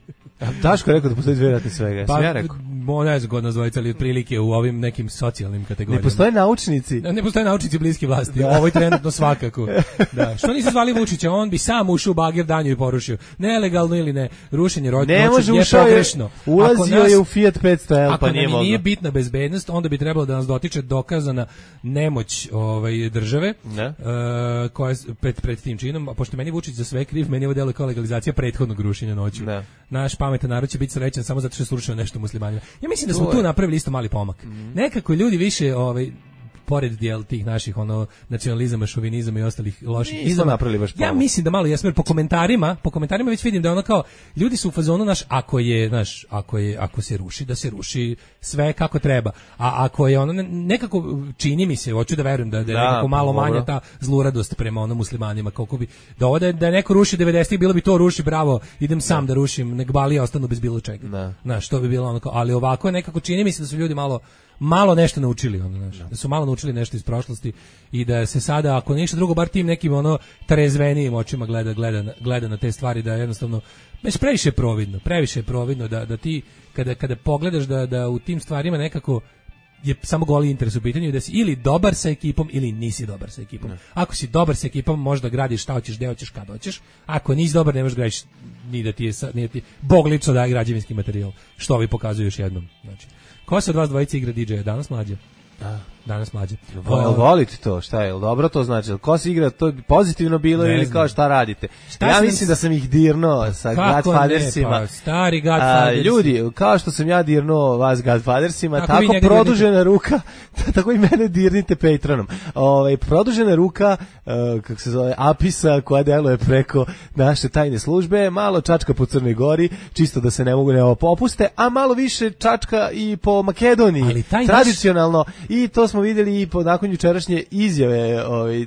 Daško je rekao da postoji 2 varijante svega. Pa, ja rekao. Ne znam god nazvojiti, ali otprilike u ovim nekim socijalnim kategorijama. Ne postoje naučnici? Ne postoje naučnici bliski vlasti. Ovo je trenutno svakako. Da. Što nisi zvali Vučića? On bi sam ušao u bagir danju i porušio. Nelegalno ili ne. Rušenje ne može, je pogrešno. Ulazio je u Fiat 500L, pa nije moglo. Ako nije bitna bezbednost, onda bi trebalo da nas dotiče dokazana nemoć države koja je pred tim činom, a pošto meni Vučić za sve kriv, meni ovo deluje kao legalizacija prethodnog rušenja noću. Naš pametan narod će biti srećan samo zato što je srušeno nešto muslimanima. Ja mislim da smo tu napravili isto mali pomak. Nekako ljudi više pored tih naših nacionalizama, šovinizama i ostalih loših izama. Ja mislim da malo jesmo, jer po komentarima već vidim da ono kao ljudi su u fazonu ako se ruši, da se ruši sve kako treba. A ako je ono nekako čini mi se, hoću da verujem da je nekako malo manja ta zluradost prema muslimanima, kako bi da neko ruši 90-ih, bilo bi to ruši, bravo, idem sam da rušim, nek balije ostanu bez bilo čega. Znaš, to bi bilo ono kao, ali ovako nekako čini mi se da su ljudi malo nešto naučili, da su malo naučili nešto iz prošlosti i da se sada, ako ništa drugo, bar tim nekim trezvenijim očima gleda na te stvari, da jednostavno previše je providno da ti kada pogledaš da u tim stvarima nekako je samo goli interes u pitanju, da si ili dobar sa ekipom ili nisi dobar sa ekipom. Ako si dobar sa ekipom, možda gradiš šta hoćeš, gde hoćeš, kad hoćeš. Ako nisi dobar, ne možeš gradiš ni da ti je Bog lično daje građevinski materijal, što ovi pokazuju još jednom. Znači, ko se od vas dvojice igra DJ-a danas, Mlađe? danas mlađe. Volite to, šta je, dobro to znači? Ko se igra, to pozitivno bilo ili kao šta radite? Ja mislim da sam ih dirno sa Godfathersima. Pa, stari Godfathers. Ljudi, kao što sam ja dirno vas Godfathersima, tako produžena ruka, tako i mene dirnite Patronom. Produžena ruka, kako se zove, Apisa, koja deluje preko naše tajne službe, malo čačka po Crnoj Gori, čisto da se ne mogu ne popuste, a malo više čačka i po Makedoniji, tradicionalno, i to smo vidjeli i nakon jučerašnje izjave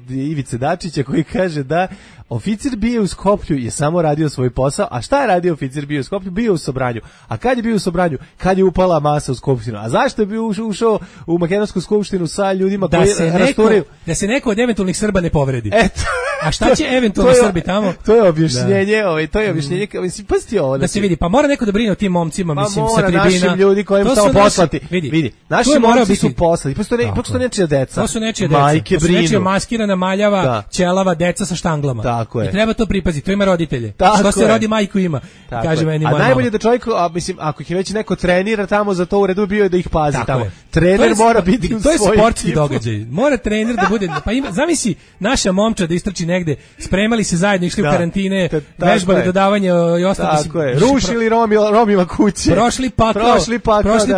Ivice Dačića, koji kaže da oficir bio u Skoplju je samo radio svoj posao. A šta je radio oficir bio u Skoplju? Bio u Sobranju. A kad je bio u Sobranju? Kad je upala masa u Skupštinu. A zašto je bio ušao u Makedonsku skupštinu sa ljudima koji rasturaju? Da se neko od eventualnih Srba ne povredi. Eto. A šta će eventualno Srbi tamo? To je objašnjenje, to je objašnjenje, mislim, pasti ovo. Da se vidi, pa mora neko da brine o tim momcima, mislim, sa tribina. Našim ljudi kojim samo poslati. Vidi, naši momci su poslati. Ipak su to nečija deca. To su nečija deca. Majke brinu. To su nečija maskirana, maljava, ćelava deca sa štanglama. Tako je. I treba to pripaziti, to ima roditelje. Što se rodi majku ima, kaže meni moja mama. A najbolje da čovjek, mislim, ako ih već neko trenira tamo, za to u redu bio je da ih pazi tamo. Trener mora biti u svoj. To je sportski događaj. Mora trener da bude, pa zamisli naša momčad da istrči negde, spremali se zajedno, išli u karantine, vežbali dodavanje i ostalo. Tako je. Rušili Romima kuće. Prošli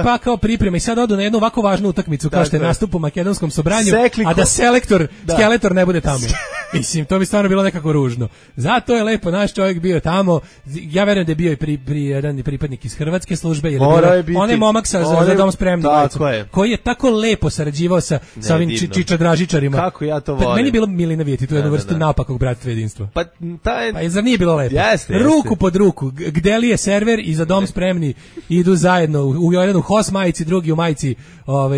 pakao priprema i sad odu na jednu ovako važnu utakmicu kao što je nastup u makedonskom Sobranju, a da skeletor ne bude tamo. Mislim, to bi stvarno bilo nekako ružno. Zato je lepo naš čovjek bio tamo. Ja verujem da je bio i jedan pripadnik iz hrvatske službe, jer on je momak za dom spremni, koji je tako lepo sarađivao sa ovim čičadražičarima. Kako ja to volim. Meni je bilo milina vidjeti tu jednu vrstu napakog bratstva jedinstva. Pa zar nije bilo lepo? Ruku pod ruku, gde li je server i za dom spremni idu zajedno, u jedan u HOS majici, drugi u majici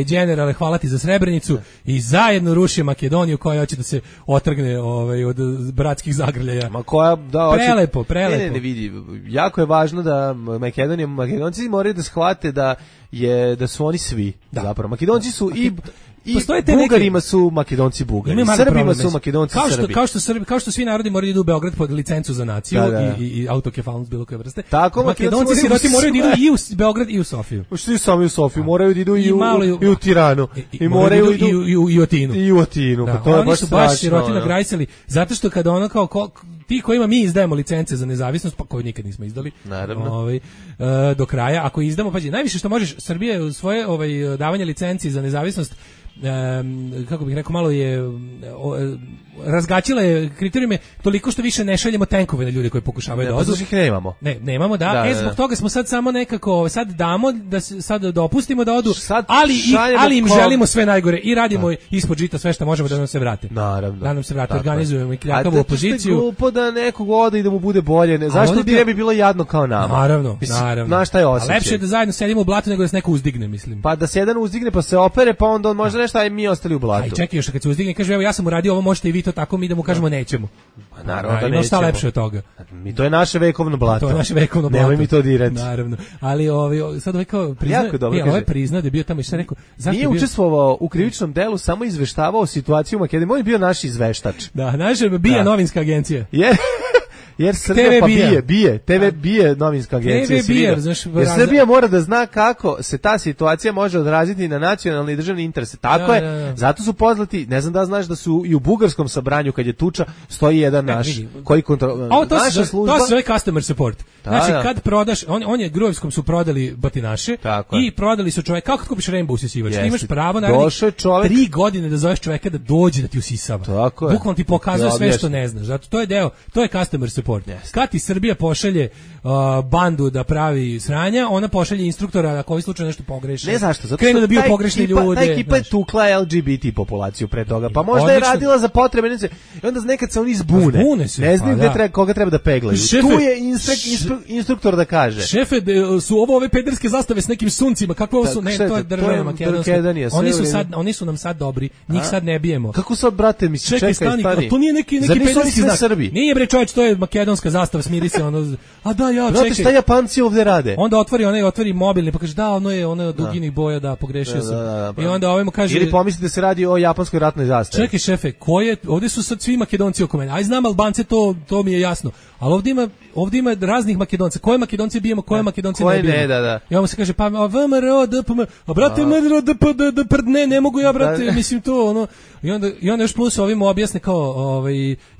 generale, hvala ti za Srebrenicu, i zajedno ruši Makedoniju koja hoće da se otrgne od bratskih zagrljaja. Ma koja, da, prelepo. Ne, vidi, jako je važno da Makedonci moraju da shvate da su oni svi. Zapravo, Makedonci su i Bugarima su Makedonci Bugari, Srbima su Makedonci Srbi. Kao što svi narodi moraju da idu u Beograd pod licencu za naciju i autokefalnost bilo koje vrste. Tako, Makedonci siroti moraju da idu i u Beograd i u Sofiju. Svi sami u Sofiju, moraju da idu i u Tiranu. I moraju i u Atinu. I u Atinu, pa to je baš strašno. Oni su baš siroti nagrajsali, zato što kada ono kao ti kojima mi izdajemo licence za nezavisnost, pa koju nikad nismo izdali, do kraja, ako izdamo, pađi, najviše što možeš, Srbija u svoje davanje licenci za nezavisnost, kako bih rekao, malo je razgaćila je kriterijume toliko što više ne šaljemo tenkove na ljude koji pokušavaju da odu. Ih nemamo. Nemamo, zbog toga smo sad samo nekako, sad damo, da sad dopustimo da odu, ali im želimo sve najgore i radimo ispod žita sve što možemo da nam se vrate. Naravno. Da nam se vrate, organizujemo i kljakavu opoziciju. A glupo da nekog ode i da mu bude bolje, zašto bi ne bi bilo jadno kao nama? Naravno. Znaš šta je osjećaj? Lepše je da zajedno sedimo u blatu nego da se neko uzdigne, mislim. Pa da se jedan uzdigne pa se opere, pa onda on može nešto, a mi ostali u blatu. Aj čekaj, još kad se uzdigne, kaže evo ja sam uradio ovo, možete i vi to tako, mi da mu kažemo nećemo. Pa naravno da nećemo. Šta lepše od toga? Mi to je naše vekovno blato. To je naše vekovno blato. Nemoj mi to dirati. Naravno. Ali sad kao priznao da je bio tamo i šta rekao. Nije učestvovao u krivičnom delu, samo izveštavao situaciju u Makedoniji. On je bio naš izveštač. Da, naša bija novinska agencija. Jer Srbija bije novinska agencija. Jer Srbija mora da zna kako se ta situacija može odraziti na nacionalne i državne interese. Tako je. Zato su poznati, ne znam da znaš da su i u bugarskom sabranju kad je tuča stoji jedan naš koji kontrolira. Naša služba. To se zove customer support. Znači kad prodaš, on je Gruevskom su prodali batinaše i prodali su čovjek, kako kupiš Rainbow usisivač? Ti imaš pravo naravno 3 godine da zoveš čovjeka da dođe da ti usisava. Bukvalno ti pokazuje sve što ne znaš. Zato to je deo, to je customer support. Kad ti Srbija pošalje bandu da pravi sranja, ona pošalje instruktora ako ovaj slučaj nešto pogreši. Ne zašto, zato krenu da bio pogrešni ljude. Ta ekipa je tukla LGBT populaciju pre toga, pa možda je radila za potrebe, i onda nekad se oni zbune. Ne znaju koga treba da peglaju. Tu je instruktor da kaže. Šefe, su ove pederske zastave s nekim suncima, kakve ovo su? Ne, to je država Makedonska. Oni su nam sad dobri, njih sad ne bijemo. Kako sad, brate, misli, čekaj, stani. To nije neki pederski znak. Nije bre čovječ, to je makedonska zastava, smiri se ono. A da, ja, čekaj. Šta Japanci ovde rade? Onda otvori mobilni pa kaže da, ono je duginih boja, da pogrešio sam. I onda ovaj mu kaže ili pomisli da se radi o japanskoj ratnoj zastavi. Čekaj šefe, ovde su sad svi Makedonci oko mene. Aj znam Albance, to mi je jasno. Ali ovde ima raznih Makedonca. Koje Makedonce bijemo, koje Makedonce ne bijemo. Da. I on mu se kaže, pa VMRO, DPM, a brate, MRO, DPD, ne mogu ja, brate, mislim to, ono. I onda još plus ovim objasne kao,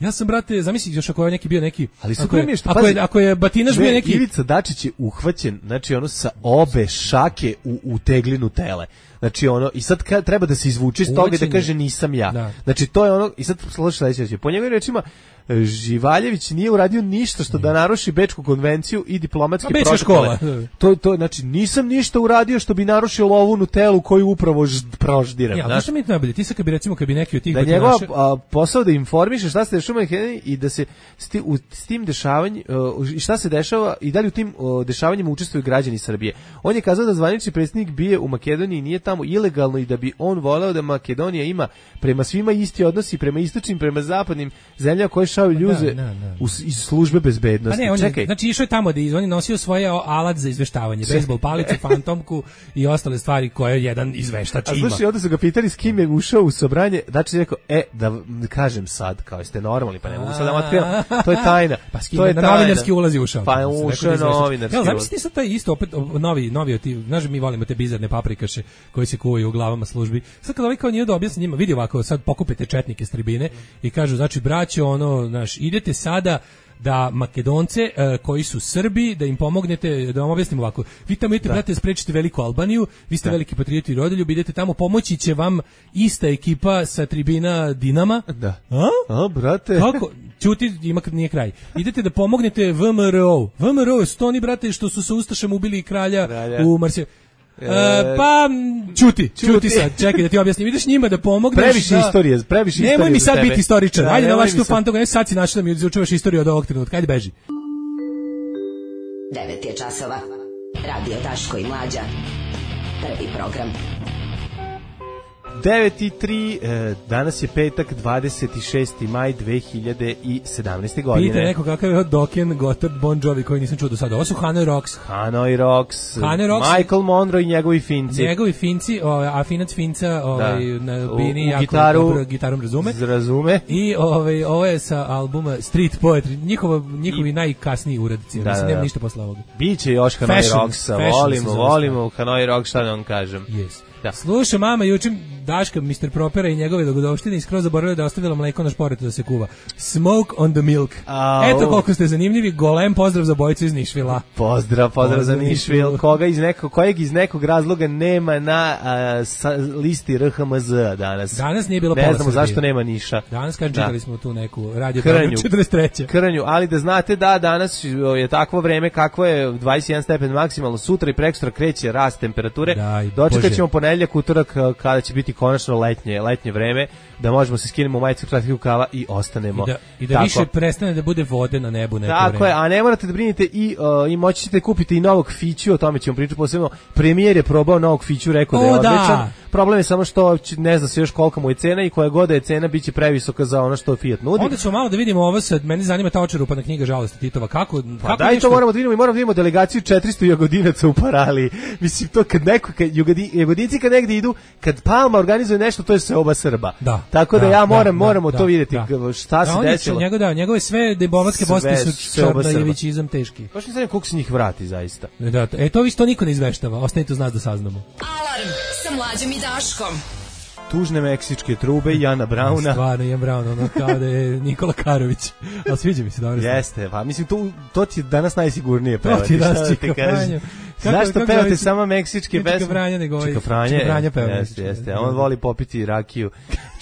ja sam, brate, zamisli još ako je neki bio neki, ali ako je Batinaš bio neki. Ivica Dačić je uhvaćen, znači ono sa obe šake u teglinu tele. Znači ono, i sad treba da se izvuče iz toga i da kaže nisam ja. Da. Znači to je ono, i sad slušaj sledeće, po njegovim rečima Živaljević nije uradio ništa što da naruši Bečku konvenciju i diplomatske protokole. To znači nisam ništa uradio što bi narušio ovu Nutellu koju upravo proždiram. Ja, znači mi najbolje, ti sad kad bi neki od tih da njegov posao da informiše šta se dešava i da se s tim dešavanjem šta se dešava i da li u tim dešavanjima učestvuju građani Srbije. On je kazao da zvanični predsjednik bije u Makedoniji nije tamo ilegalno i da bi on voleo da Makedonija ima prema svima isti odnosi, prema istočnim, prema zapadnim zemljama koje šalju ljude iz službe bezbednosti. Čekaj. Znači išao je tamo da on je nosio svoje alat za izveštavanje, bejsbol palicu, fantomku i ostale stvari koje jedan izveštač ima. A slušaj, onda su ga pitali s kim je ušao u sobranje, znači rekao, da kažem sad, kao ste normalni, pa ne mogu sad da vam otkrivam, to je tajna. Pa s kim je na novinarski ulazi ušao. Pa ušao je novinarski ulaz. Zamisli sad taj isto opet novi ti, znaš mi volimo te bizarne paprikaše koji se kuvaju u glavama službi. Sad kad ovaj kao nije da objasni njima, vidi ovako, sad pokupite četnike s tribine i kažu, znači braćo, idete sada da Makedonce koji su Srbi, da im pomognete, da vam objasnim ovako. Vi tamo idete, brate, sprečite veliku Albaniju, vi ste veliki patrioti i rodoljubi, idete tamo, pomoći će vam ista ekipa sa tribina Dinama. Da. Brate. Kako? Ćuti, nije kraj. Idete da pomognete VMRO su to oni, brate, što su sa Ustašem ubili kralja u Marsiju. Pa ćuti sad, čekaj da ti objasnim. Ideš njima da pomogneš. Previše istorije. Nemoj mi sad biti historičar. Ajde na vaš tu fantoga, sad si način da mi izučavaš istoriju od ovog trenutka. Ajde beži. 9 je časova. Radio Daško i Mlađa. Prvi program. 9:03, danas je petak, 26. maj 2017. godine. Pite neko kakav je Dokken, Gotthard, Bon Jovi koji nisam čuo do sada. Ovo su Hanoi Rocks, Michael Monroe i njegovi Finci. A Finac Finca na bini jako gitarom razume. I ovo je sa albuma Street Poetry, njihovi najkasniji uradci. Mislim, nema ništa posle ovoga. Biće još Hanoi Rocksa, volimo Hanoi Rock, šta da vam kažem. Yes. Da. Slušaj, mama, jučer Daška, Mr. Propera i njegove dogodovštine i skroz zaboravila da je ostavila mleko na šporetu da se kuva. Smoke on the milk. Eto koliko ste zanimljivi, golem pozdrav za bojicu iz Nišvila. Pozdrav za Nišvil. Kojeg iz nekog razloga nema na listi RHMZ danas. Danas nije bilo pola Srbije. Ne znamo zašto nema Niša. Danas čitali smo tu neku radio Krnju 43. Krnju, ali da znate da danas je takvo vreme kakvo je 21 stepen maksimalno, sutra i prekosutra kreće rast temperature. Dočekat ćemo ponedeljak, utorak kada će biti konačno letnje vreme, da možemo se skinemo majicu, kratkih rukava i ostanemo. I da više prestane da bude vode na nebu neko vreme. Tako je, a ne morate da brinite i moći ćete kupiti i novog Fiću, o tome ćemo pričati posebno. Premijer je probao novog Fiću, rekao da je odličan. Problem je samo što ne zna se još kolika mu je cena i koja god je cena biće previsoka za ono što Fiat nudi. Onda ćemo malo da vidimo ovo sad, meni zanima ta očerupana knjiga Žalosti Titova. Kako daj to moramo da vidimo i moramo da vidimo delegaciju 400 Jagodinaca u Paraliji. Mislim to kad Jagodinci kad negde idu, kad Palma organizuje nešto, to je seoba Srba. Tako da moramo to vidjeti šta se desilo. Njegove sve debovatske poste su čarnajevićizam teški. Baš ne znam koliko se njih vrati zaista. To isto niko ne izveštava, ostanite uz nas da saznamo. Alarm sa Mlađom i Daškom. Tužne meksičke trube Jana Brauna. Stvarno, Jan Braun, ono kao da je Nikola Karović. Ali sviđa mi se dobro. Jeste, pa mislim, to ti danas najsigurnije pevati. To ti danas Čika Franjo. Zašto pevate samo meksičke pesme? Čika Franja nego Čika Franja peva. Jeste, on voli popiti rakiju.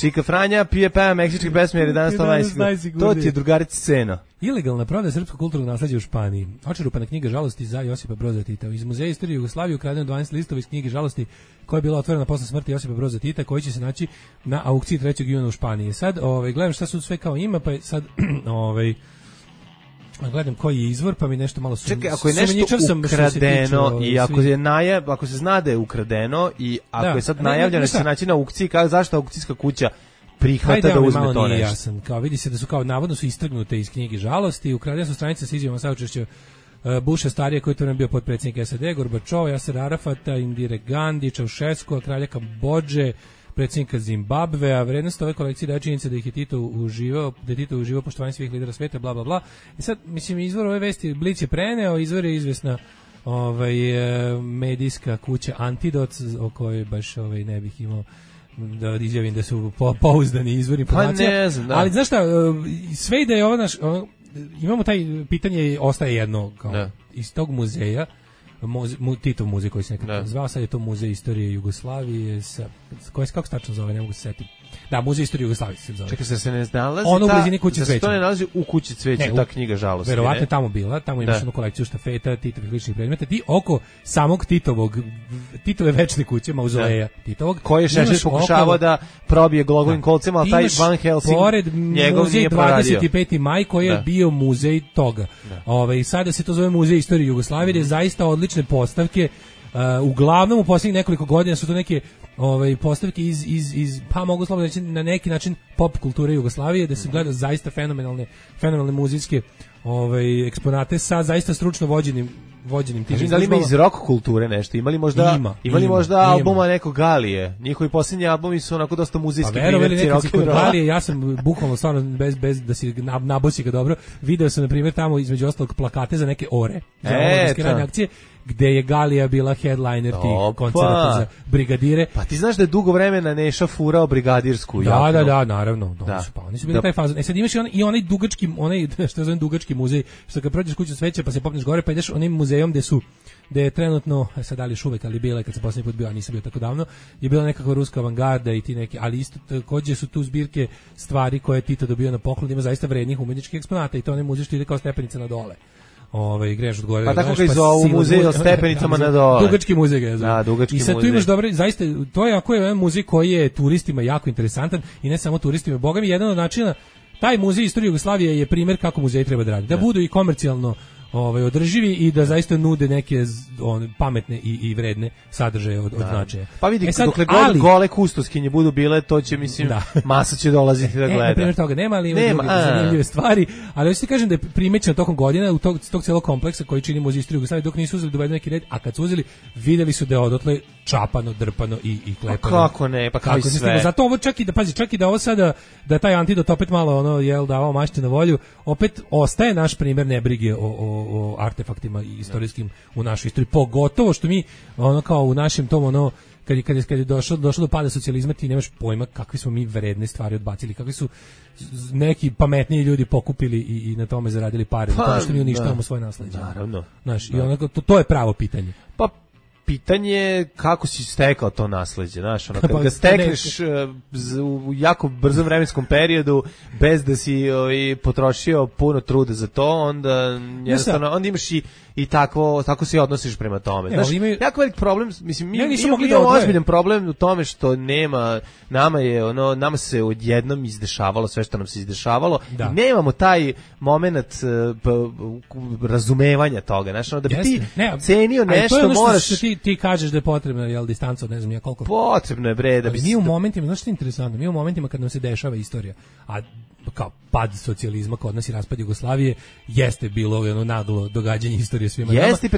Čika Franja peva meksičke pesme jer je danas to najsigurnije. To ti je drugarica scena. Ilegalna prodaja srpskog kulturnog nasleđa u Španiji. Očerupana knjiga Žalosti za Josipa Broza Tita. Iz Muzeja istorije Jugoslavije ukradeno 12 listova iz knjige Žalosti koja je bila otvorena posle smrti Josipa Broza Tita, koji će se naći na aukciji 3. juna u Španiji. Sad, gledam šta su sve kao ima, pa je sad gledam koji je izvor, pa mi nešto malo Čekaj, ako je nešto ukradeno i ako se zna da je ukradeno i ako je sad najavljeno da se naći na aukciji, zašto aukcijska kuća prihvata da uzme to nešto. Jasan. Kao vidi se da su kao navodno su istrgnute iz knjige žalosti, ukradene su stranice sa izjavama saučešća Busha starije koji je to bio potpredsjednik SAD, Gorbačova, Jaser Arafata, Indire Gandhi, Čaušesku, kralja Kambodže, predsjednika Zimbabvea. Vrednost ove kolekcije daje činjenica da ih je Tito uživao poštovanje svih lidera sveta, bla bla bla. I sad mislim izvor ove vesti Blic je preneo, izvor je izvesna medijska kuća Antidots, o kojoj baš ne bih imao da izjavim da su pouzdani izvori informacija. Pa ne znam, da. Ali znaš šta, sve da je ovo naš, imamo taj pitanje, ostaje jedno kao iz tog muzeja, Titov muzej koji se nekada zvao, sad je to muzej istorije Jugoslavije, kako se tačno zove, ne mogu se setiti. Da, muzej istorije Jugoslavije se zove. Čekaj, se ne nalazi ono u blizini Kuće cveća. To ne nalazi u Kući cveća, ta knjiga žalosti. Verovatno je tamo bila, tamo imaš jednu kolekciju štafeta, Titovih ličnih predmeta, ti oko samog Titove večne kuće, mauzoleja Titovog. Koji je Šešelj pokušavao da probije glogovim kolcima, ali taj Van Helsing njegov nije proradio. 25. maj koji je bio muzej toga. Sada se to zove muzej istorije Jugoslavije, gdje je zaista odlične postavke. Uglavnom u posljednjih nekoliko godina su to neke postavke iz pa mogu slobodno reći na neki način pop kulture Jugoslavije, da se gleda zaista fenomenalne muzejske eksponate sa zaista stručno vođenim tim. Da li ima iz rock kulture nešto? Imali možda albuma nekog Galije? Njihovi posljednji albumi su onako dosta muzejski primjerci rock and rolla. Galije, ja sam bukvalno stvarno bez da si nabosi ga dobro, video sam na primjer tamo između ostalog plakate za neke ore, za maskirane akcije, gde je Galija bila headliner tih koncerata za brigadire. Pa ti znaš da je dugo vremena Neša furao brigadirsku jaknu? Da, naravno. Pa oni su bili taj fazon. Sad imaš i onaj dugački, što zovem dugački muzej, što kad prođeš Kuću cveća pa se popneš gore, pa ideš onim muzejom gde je trenutno, sad da li još uvek, ali bila je kad sam posljednji put bio, a nisam bio tako davno, je bila nekakva ruska avangarda i ti neki, ali isto takođe su tu zbirke stvari koje je Tito dobio na poklon, ima zaista vrednih umetničkih eksponata i to onaj muzej što ide kao stepenica na dole. Greš od gore. Pa tako ga i zovu muzej o stepenicama na dole. Dugački muzej ga je zovu. Da, dugački muzej. I sad tu imaš dobro, zaista, to je ako je muzej koji je turistima jako interesantan i ne samo turistima, boga mi jedan od načina, taj muzej istorije Jugoslavije je primjer kako muzeji treba da radi. Da budu i komercijalno održivi i da zaista nude neke pametne i vredne sadržaje od značaja. Pa vidi, dokle god gole kustoskinje budu bile, to će, mislim, masa će dolaziti da gleda. Na primjer toga nema, ali ima druge zanimljive stvari, ali hoćete kažem da je primećeno tokom godina u tog celog kompleksa koji čini muzej istorije Jugoslavije, dok nisu uzeli dovedeni neki red, a kad su uzeli, videli su da je odotle čapano, drpano i klepano. Pa kako ne, pa kao i sve. Zato ovo čak i da ovo sada, da taj Antidot opet malo davao mašti na volju, opet ostaje naš primjer nebrige o artefaktima istorijskim u našoj istoriji, pogotovo što mi kao u našem tom kad je došlo do pada socijalizma, ti nemaš pojma kakve smo mi vredne stvari odbacili, kakvi su neki pametniji ljudi pokupili i na tome zaradili pare, na tome što mi uništavamo svoje nasleđe. Naravno. Znaš, i to je pravo pitanje. Pa pitanje je kako si stekao to nasleđe, znaš, kad ga stekneš u jako brzom vremenskom periodu bez da si potrošio puno truda za to, onda jednostavno, onda imaš i tako se odnosiš prema tome. Znaš, jako velik problem, mislim, mi imamo ozbiljan problem u tome što nama se odjednom izdešavalo sve što nam se izdešavalo i nemamo taj moment razumevanja toga, znaš, da bi ti cenio nešto, moraš... Ti kažeš da je potrebna distanca od ne znam ja koliko. Potrebno je bre da bi mi u momentima, znaš što je interesantno, mi u momentima kad nam se dešava istorija, a kao pad socijalizma kod nas i raspad Jugoslavije jeste bilo naglo događanje istorije svima nama. Jeste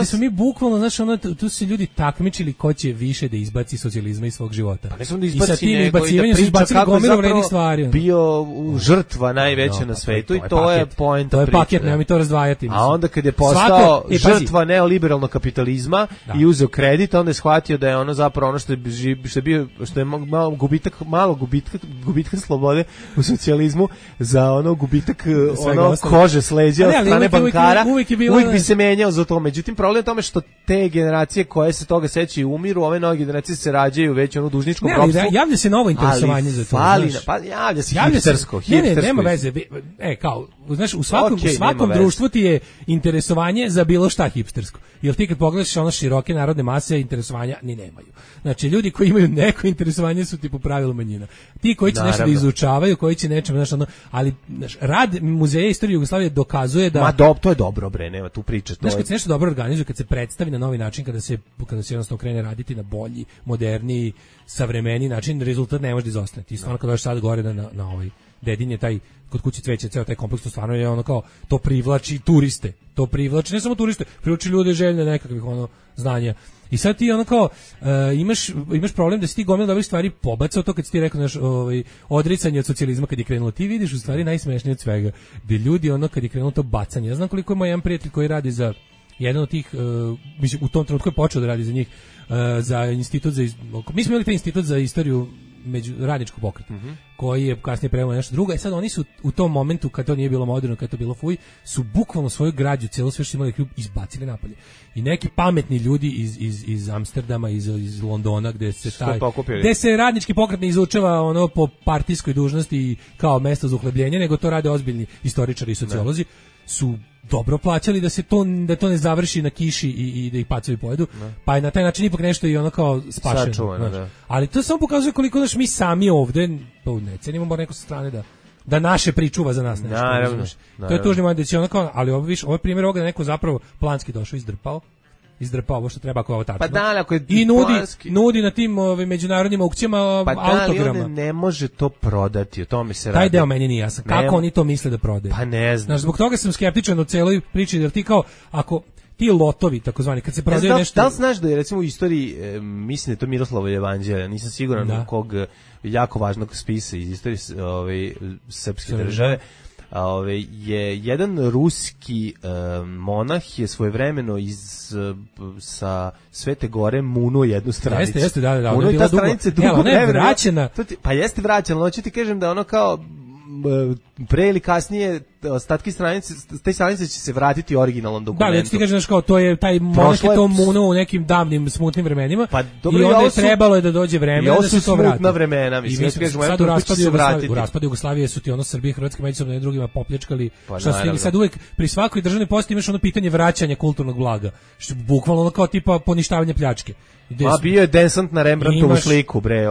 smo mi bukvalno, znaš, tu su ljudi takmičili ko će više da izbaci socijalizma iz svog života. Pa ne samo da izbaci, i sa tim izbacivanjem su izbacili gomilu vrednih stvari. Bio žrtva najveća na svetu i to je poenta priče. To je paket, nema mi to razdvajati. A onda kad je postao žrtva neoliberalnog kapitalizma i uzeo kredit, onda je shvatio da je zapravo ono što je malo gubitka slobode u socijalizmu za gubitak kože s leđa od strane bankara, uvijek bi se menjao za to. Međutim, problem je tome što te generacije koje se toga sećaju umiru, ove nove generacije se rađaju već u dužničkom ropstvu. Javlja se novo interesovanje za to. Pa javlja se hipstersko. Nema veze. Kao, znaš, u svakom društvu ti je interesovanje za bilo šta hipstersko. Jer ti kad pogledaš široke narodne mase, interesovanja ni nemaju. Znači, ljudi koji imaju neko interesovanje su ti po pravilu manjina. Ti koji će nešto da izučavaju, koji će nečem, znaš, ono, ali znaš, rad Muzeja istorije Jugoslavije dokazuje da... To je dobro, bre, nema tu priče. Znaš, kad se nešto dobro organizuje, kad se predstavi na novi način, kada se jednostavno krene raditi na bolji, moderniji, savremeniji način, rezultat ne može da izostane. Ti stvarno kad dođeš sad gore na ovaj Dedinje, taj kod kuće cveća, ceo taj kompleks, to stvarno je ono kao, to privlači turiste, to privlači ne samo turiste, privlači ljude željne nekakvih ono znanja. I sad ti ono kao imaš problem da si ti gomila dobrih stvari pobacao, to kad si ti rekao naš odricanje od socijalizma kad je krenulo, ti vidiš u stvari najsmešnije od svega, gde ljudi ono kad je krenulo to bacanje. Ja znam koliko je moj jedan prijatelj koji radi za jedan od tih, u tom trenutku je počeo da radi za njih, za institut za, mi smo imali taj institut za istoriju radničkog pokreta, koji je kasnije preveo nešto drugo. Sad oni su u tom momentu, kad to nije bilo moderno, kad to bilo fuj, su bukvalno svoju građu, celo sve što imali klub, izbacili napolje. I neki pametni ljudi iz Amsterdama, iz Londona, gde se radnički pokret ne izučava ono po partijskoj dužnosti kao mesto za uhlebljenje, nego to rade ozbiljni istoričari i sociolozi, su dobro plaćali da to ne završi na kiši i da ih pacovi pojedu, pa je na taj način ipak nešto i ono kao spašeno. Ali to samo pokazuje koliko mi sami ovde ne cenimo, mora neko sa strane da naše pričuva za nas nešto. Naravno. To je tužni moment da će ono kao, ali ovo je primjer ovoga da neko zapravo planski došao, izdrpao ovo što treba ako je ovo tačno. Pa da, ako je i nudi na tim međunarodnim aukcijama autograma. Pa ne može to prodati, o tome se radi. Taj deo meni nije jasan. Kako oni to misle da prodaju? Pa ne znam. Znaš, zbog toga sam skeptičan u celoj priči, jer ti kao, ako ti lotovi, takozvani, kad se prodaju nešto... Da li znaš da je, recimo, u istoriji, mislim da je to Miroslavljevo evanđelje, nisam siguran u kog jako važnog spisa iz istorije srpske države, je jedan ruski monah je svojevremeno sa Svete Gore munuo jednu stranicu. Jeste, da. Munuo i ta stranica dugo vremena. Ona je vraćena. Pa jeste vraćena, ali ću ti kažem da ono kao pre ili kasnije ostatki stranice, te stranice će se vratiti originalnom dokumentu. Da, ali ti kažeš kao to je taj monah je to munuo u nekim davnim smutnim vremenima, pa, dobro, i onda je trebalo je da dođe vreme da se to vrati. Smutna vremena, mislim, ja ti kažem, sad u raspadu Jugoslavije su ti ono Srbije i Hrvatske međusobno jedni drugima popljačkali, pa, što stigli sad uvek pri svakoj državnoj postavi imaš ono pitanje vraćanja kulturnog blaga, što bukvalno ono kao tipa poništavanje pljačke. Bio je desant na Rembrandtovu sliku, bre,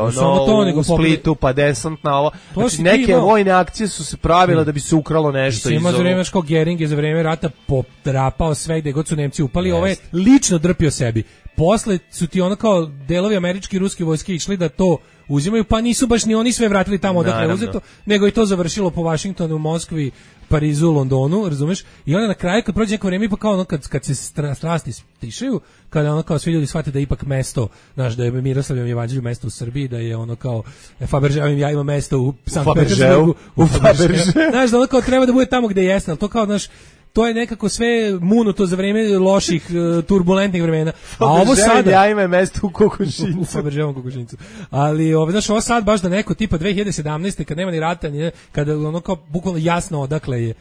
u Splitu, pa desant na ovo. Znači, neke vojne akcije su se pravile da bi se ukralo nešto iz za vreme kao Gering je za vreme rata podrapao sve gde god su Nemci upali, ovaj je lično drpio sebi. Posle su ti ono kao delovi američke i ruske vojske išli da to uzimaju, pa nisu baš ni oni sve vratili tamo odakle je uzeto, nego i to završilo po Vašingtonu, Moskvi, Parizu, Londonu, razumeš? I onda na kraju kad prođe neko vreme, pa kao ono kad se strasti stišaju, kada ono kao svi ljudi shvate da je ipak mesto, znaš, da je Miroslavljevom evanđelju mesto u Srbiji, da je ono kao Fabergéovim ja ima mesto u Sankt Petersburgu, u Fabergé. Znaš, da ono kao treba da bude tamo gde jeste, ali to kao, znaš, to je nekako sve munuto za vreme loših, turbulentnih vremena. A ovo sada... Ja ima mesto u Kokošincu. U Fabergéovom Kokošincu. Ali, znaš, ovo sad baš da neko tipa 2017. kad nema ni rata, kada ono kao bukvalno jasno odakle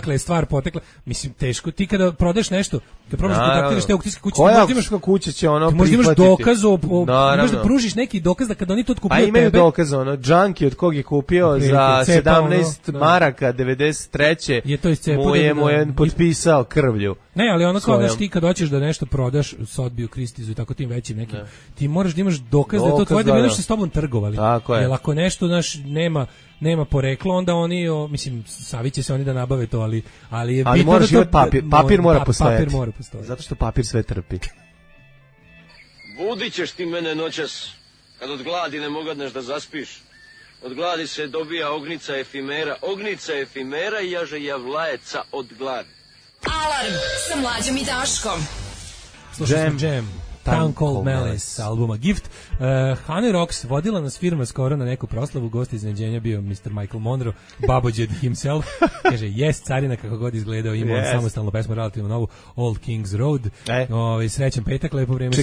je stvar potekla. Mislim, teško. Ti kada prodeš nešto, kad probaš kontaktiraš te aukcijske kuće, koja aukcijska kuća će ono prihvatiti? Možda imaš dokaz, možda pružiš neki dokaz da kada oni to otkupuju tebe... Pa imaju dokaz, ono, Junkie od kog je kupio za 17 maraka 93. Je to iz cepa. Mu je potpisao krvlju. Ne, ali ono kao znaš, ti kad hoćeš da nešto prodaš Sotheby'u, Christiesu i tako tim većim nekim, ti moraš da imaš dokaz da je to tvoje, da bi nešto s tobom trgovali. Jer ako nešto nema poreklo, onda oni, mislim, savit će se oni da nabave to, ali je bitno moraš da to... Papir mora postojati. Papir mora postojati. Zato što papir sve trpi. Budit ćeš ti mene noćas, kad od gladi ne mogadneš da zaspiš. Od gladi se dobija ognica efimera i jaže javlajeca od gladi. Alarm sa Mlađom i Daškom. Slušaj Jam. Town Called Malice, albuma Gift. Honey Rocks vodila nas firma skoro na neku proslavu, gost iznenađenja bio Mr. Michael Monroe, Babođed himself. Kaže, jes, carina kako god izgledao, ima on samostalnu pesmu, relativno novu, Old King's Road. Srećan petak, lepo vreme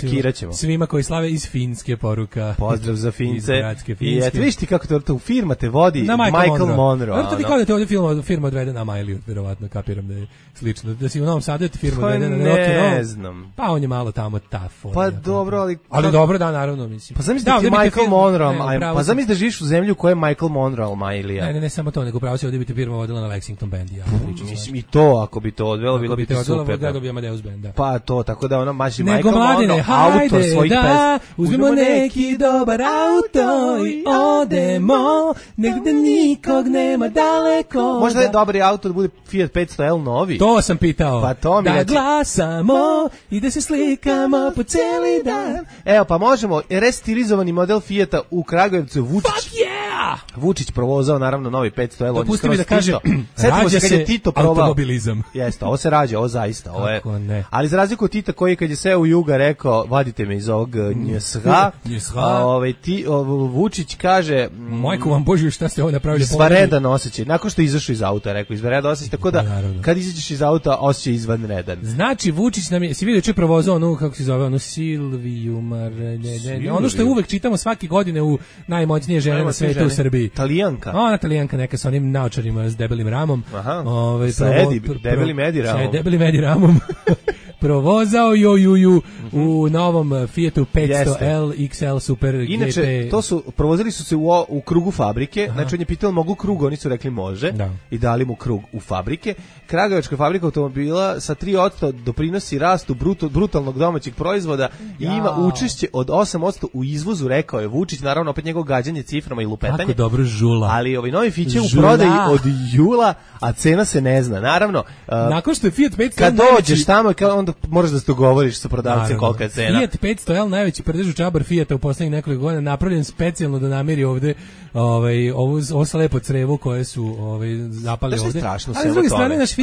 svima koji slave iz Finske poruka. Pozdrav za Fince. I eto, viš ti kako to firma te vodi, Michael Monroe. To ti kao da te ovdje firma odvede na Miley, verovatno, kapiram da je slično. Da si u Novom Sadu, firma odvede na Rocky Roll. Ne znam. Pa on je malo tamo tough. fora. Pa dobro, ali dobro, da, naravno, mislim. Pa zamisli da ti Michael Monroe, pa zamisli da živiš u zemlji u kojoj je Michael Monroe, Majlija. Ne samo to, nego pravo se ovdje bi te firma vodila na Lexington Band, ja pričam. Mislim i to, ako bi to odvelo, bilo bi ti super. Da bi Amadeus Band, da. Pa to, tako da ona maši Michael Monroe, autor svojih pesma. Uzmemo neki dobar auto i odemo, negde nikog nema daleko. Možda je dobri auto da bude Fiat 500L novi. To sam pitao. Pa to mi da glasamo i da se slikamo po cijeli dan. Evo, pa možemo restilizovani model Fijata u Kragujevcu Vučić. Fuck yeah! Vučić provozao naravno novi 500L. Dopusti mi da kaže, rađa se automobilizam. Jeste, ovo se rađa, ovo zaista. Ovo je. Ali za razliku od Tita koji kad je seo u Juga rekao, vadite me iz ovog njsha, Vučić kaže... Majko vam Božju, šta ste ovo napravili? Izvanredan osjećaj. Nakon što je izašao iz auta, rekao, izvanredan osjećaj, tako da kad izađeš iz auta, osjećaj izvanredan. Znači, Vučić nam je, si vidio če provozao onu, kako se zove, onu Silviju, ono što je uvek čitamo svake godine u najmoćnije žene na svetu u Srbiji. Italijanka. Ona Italijanka neka sa onim naočarima s debelim ramom. Aha, sa debelim Edi ramom. Sa debelim Edi ramom. Provozao u novom Fiatu 500L XL Super GT. Inače, provozili su se u krugu fabrike, znači on je pitao mogu krug, oni su rekli može i dali mu krug u fabrike. Kragujevačka fabrika automobila sa 3% doprinosi rastu brutalnog domaćeg proizvoda i ima učešće od 8% u izvozu, rekao je Vučić, naravno opet njegovo gađanje ciframa i lupetanje. Kako dobro žula. Ali ovi novi Fiće u prodaji od jula, a cena se ne zna. Naravno, nakon što je Fiat 500L kad dođeš tamo, onda moraš da se dogovoriš sa prodavcem kolika je cena. Fiat 500L, najveći prdež u čabar Fiata u poslednjih nekoliko godina, napravljen specijalno da namiri ovde ovo slepo crevo koje su zapali ovde. Strašno ali s druge strane naš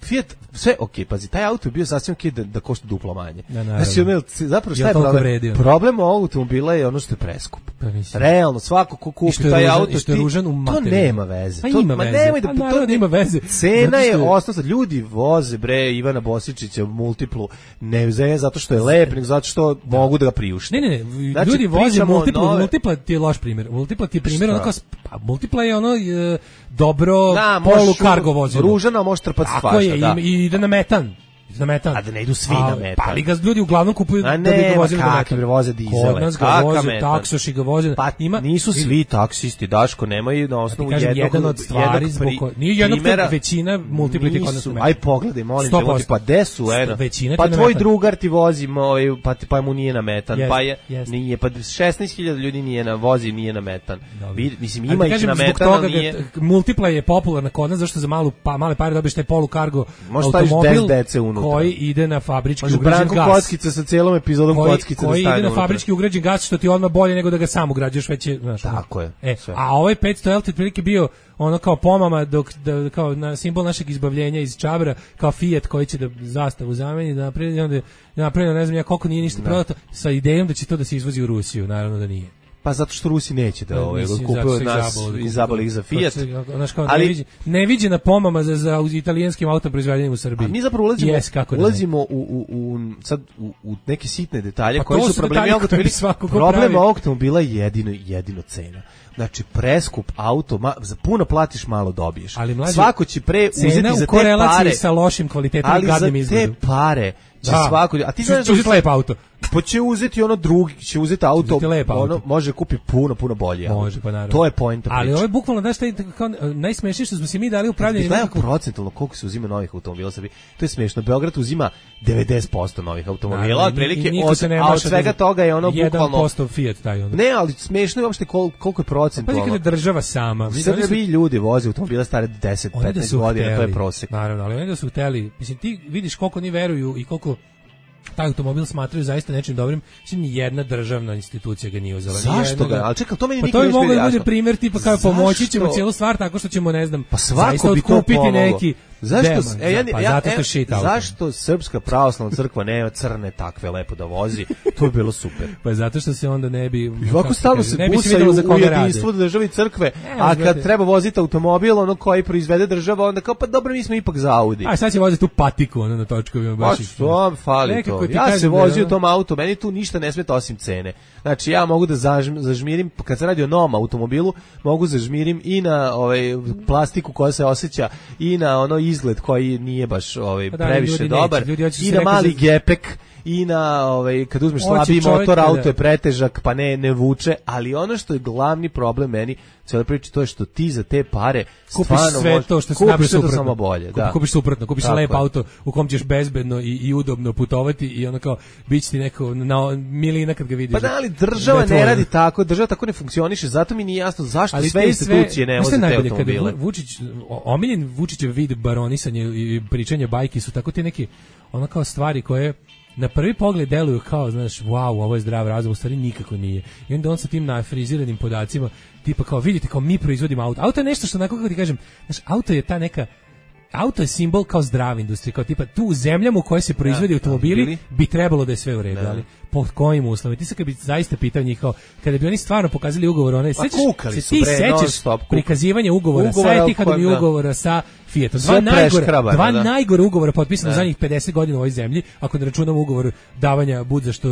Fiat, sve okej, pazi, taj auto je bio sasvim okej da košta duplo manje. Znači, zapravo šta je problem? Problem ovog automobila je ono što je preskup. Realno, svako ko kupi taj auto, to nema veze. Nema veze. Cena je osnovna, ljudi voze Ivana Bosičića multiplu, ne zato što je lep, nego zato što mogu da ga priušte. Ne, ljudi voze multipla ti je loš primjer. Multipla ti je primjer, multipla je ono dobro polu kargo vozilo. Ružano može trpati svašta. I ide na metan. A da ne idu svi na metan. Pa li ga ljudi uglavnom kupuju da bi ga vozili na metan. Voze dizele. Kod nas ga voze, taksoši ga voze. Pa nisu svi taksisti, Daško, nemaju na osnovu jedan od stvari nije jednog većina multipliti kod nas u metan. Aj pogledaj, molim te, pa gde su, pa tvoj drugar ti vozi, pa mu nije na metan, pa nije, pa 16.000 ljudi vozi, nije na metan. Mislim, ima ih na metan, ali nije. Multipla je popularna kod nas, zašto za male pare dobiješ taj polukargo automobil koji ide na fabrički ugrađen gas. Branko Kockica sa cijelom epizodom Kockica koji ide na fabrički ugrađen gas, što ti odmah bolje nego da ga sam ugrađuješ, već je, znaš. Tako je. A ovaj 500L ti otprilike bio ono kao pomama, kao na simbol našeg izbavljenja iz Čabra, kao Fiat koji će da zastavu zameni, da napravi, ne znam ja koliko nije ništa prodato, sa idejom da će to da se izvozi u Rusiju, naravno da nije. Pa zato što Rusi neće da kupuju od nas i zaboli ih za Fiat. Ali neviđena pomama za italijanskim autom proizvedenim u Srbiji. A mi zapravo ulazimo u neke sitne detalje koji su problemi automobila. Problem automobila je jedino cena. Znači, preskup auto, za puno platiš, malo dobiješ. Svako će uzeti za te pare. Cena u korelaciji sa lošim kvalitetom i gadnim izgledom. Ali za te pare će svako... A ti znaš da lep auto. Pa će uzeti ono drugi, će uzeti auto, ono može kupi puno bolje auto. Može, pa naravno. To je poenta priče. Ali ovo je bukvalno, znaš, najsmešnije što smo se mi dali upravljanje. Gledaj procentalno koliko se uzima novih automobila Srbiji. To je smiješno. Beograd uzima 90% novih automobila, otprilike, a od svega toga je ono bukvalno 1% Fiat taj ono. Ne, ali smiješno je uopšte koliko je procentualno. Pa kada država sama. Srbiji ljudi voze automobila stare 10-15 godina, to je prosek. Naravno, ali oni da su hteli, mislim, ti vidiš koliko oni veruju i koliko taj automobil smatraju zaista nečim dobrim, mislim, ni jedna državna institucija ga nije uzela. Zašto ga? Ali čekaj, to meni nikad ne bude jasno. Primjer tipa kao pomoći ćemo cijelu stvar tako što ćemo, ne znam, zaista otkupiti neki Zašto Srpska pravoslavna crkva nema crne takve lepo da vozi? To bi bilo super. Pa zato što se onda ne bi... Ovako stalno se busaju u jedinstvu države i crkve, a kad treba voziti automobil, ono koji proizvede država, onda kao, pa dobro, mi smo ipak za Audi. A sad će voziti tu patiku, ono na točkovima. Pa što fali to? Ja se vozio u tom auto, meni tu ništa ne smeta osim cene. Znači, ja mogu da zažmirim, kad se radi o novom automobilu, mogu zažmirim i na plastiku koja se osjeća, i na ono izgled koji nije baš previše dobar, i na mali gepek, i na kad uzmeš slabiji motor, auto je pretežak, pa ne vuče, ali ono što je glavni problem meni cijela priča, to je što ti za te pare kupiš sve to što se napravi suprotno. Samo bolje, da. Kupiš suprotno, kupiš lep auto u kom ćeš bezbedno i udobno putovati i ono kao biće ti neko na milina kad ga vidiš. Pa da, ali država ne radi tako, država tako ne funkcioniše, zato mi nije jasno zašto ali sve institucije ne voze te automobile. Omiljen Vučićev vid baronisanja i pričanje bajki su tako ti neki ono kao stvari koje na prvi pogled deluju kao, znaš, wow, ovo je zdrav razum, u stvari nikako nije. I onda on sa tim nafriziranim podacima, tipa kao, vidite, kao mi proizvodimo auto. Auto je nešto što, onako kako ti kažem, znaš, auto je ta neka, auto je simbol kao zdrave industrije, kao tipa tu u zemljama u kojoj se proizvodi automobili bi trebalo da je sve u redu, ali pod kojim uslovima? Ti se kad bi zaista pitao njih kao, kada bi oni stvarno pokazali ugovor, onaj, ti sećaš prikazivanje ugovora sa Etihadom i ugovora sa Fiatom. Dva najgore ugovora potpisana u zadnjih 50 godina u ovoj zemlji, ako ne računamo ugovor davanja budza što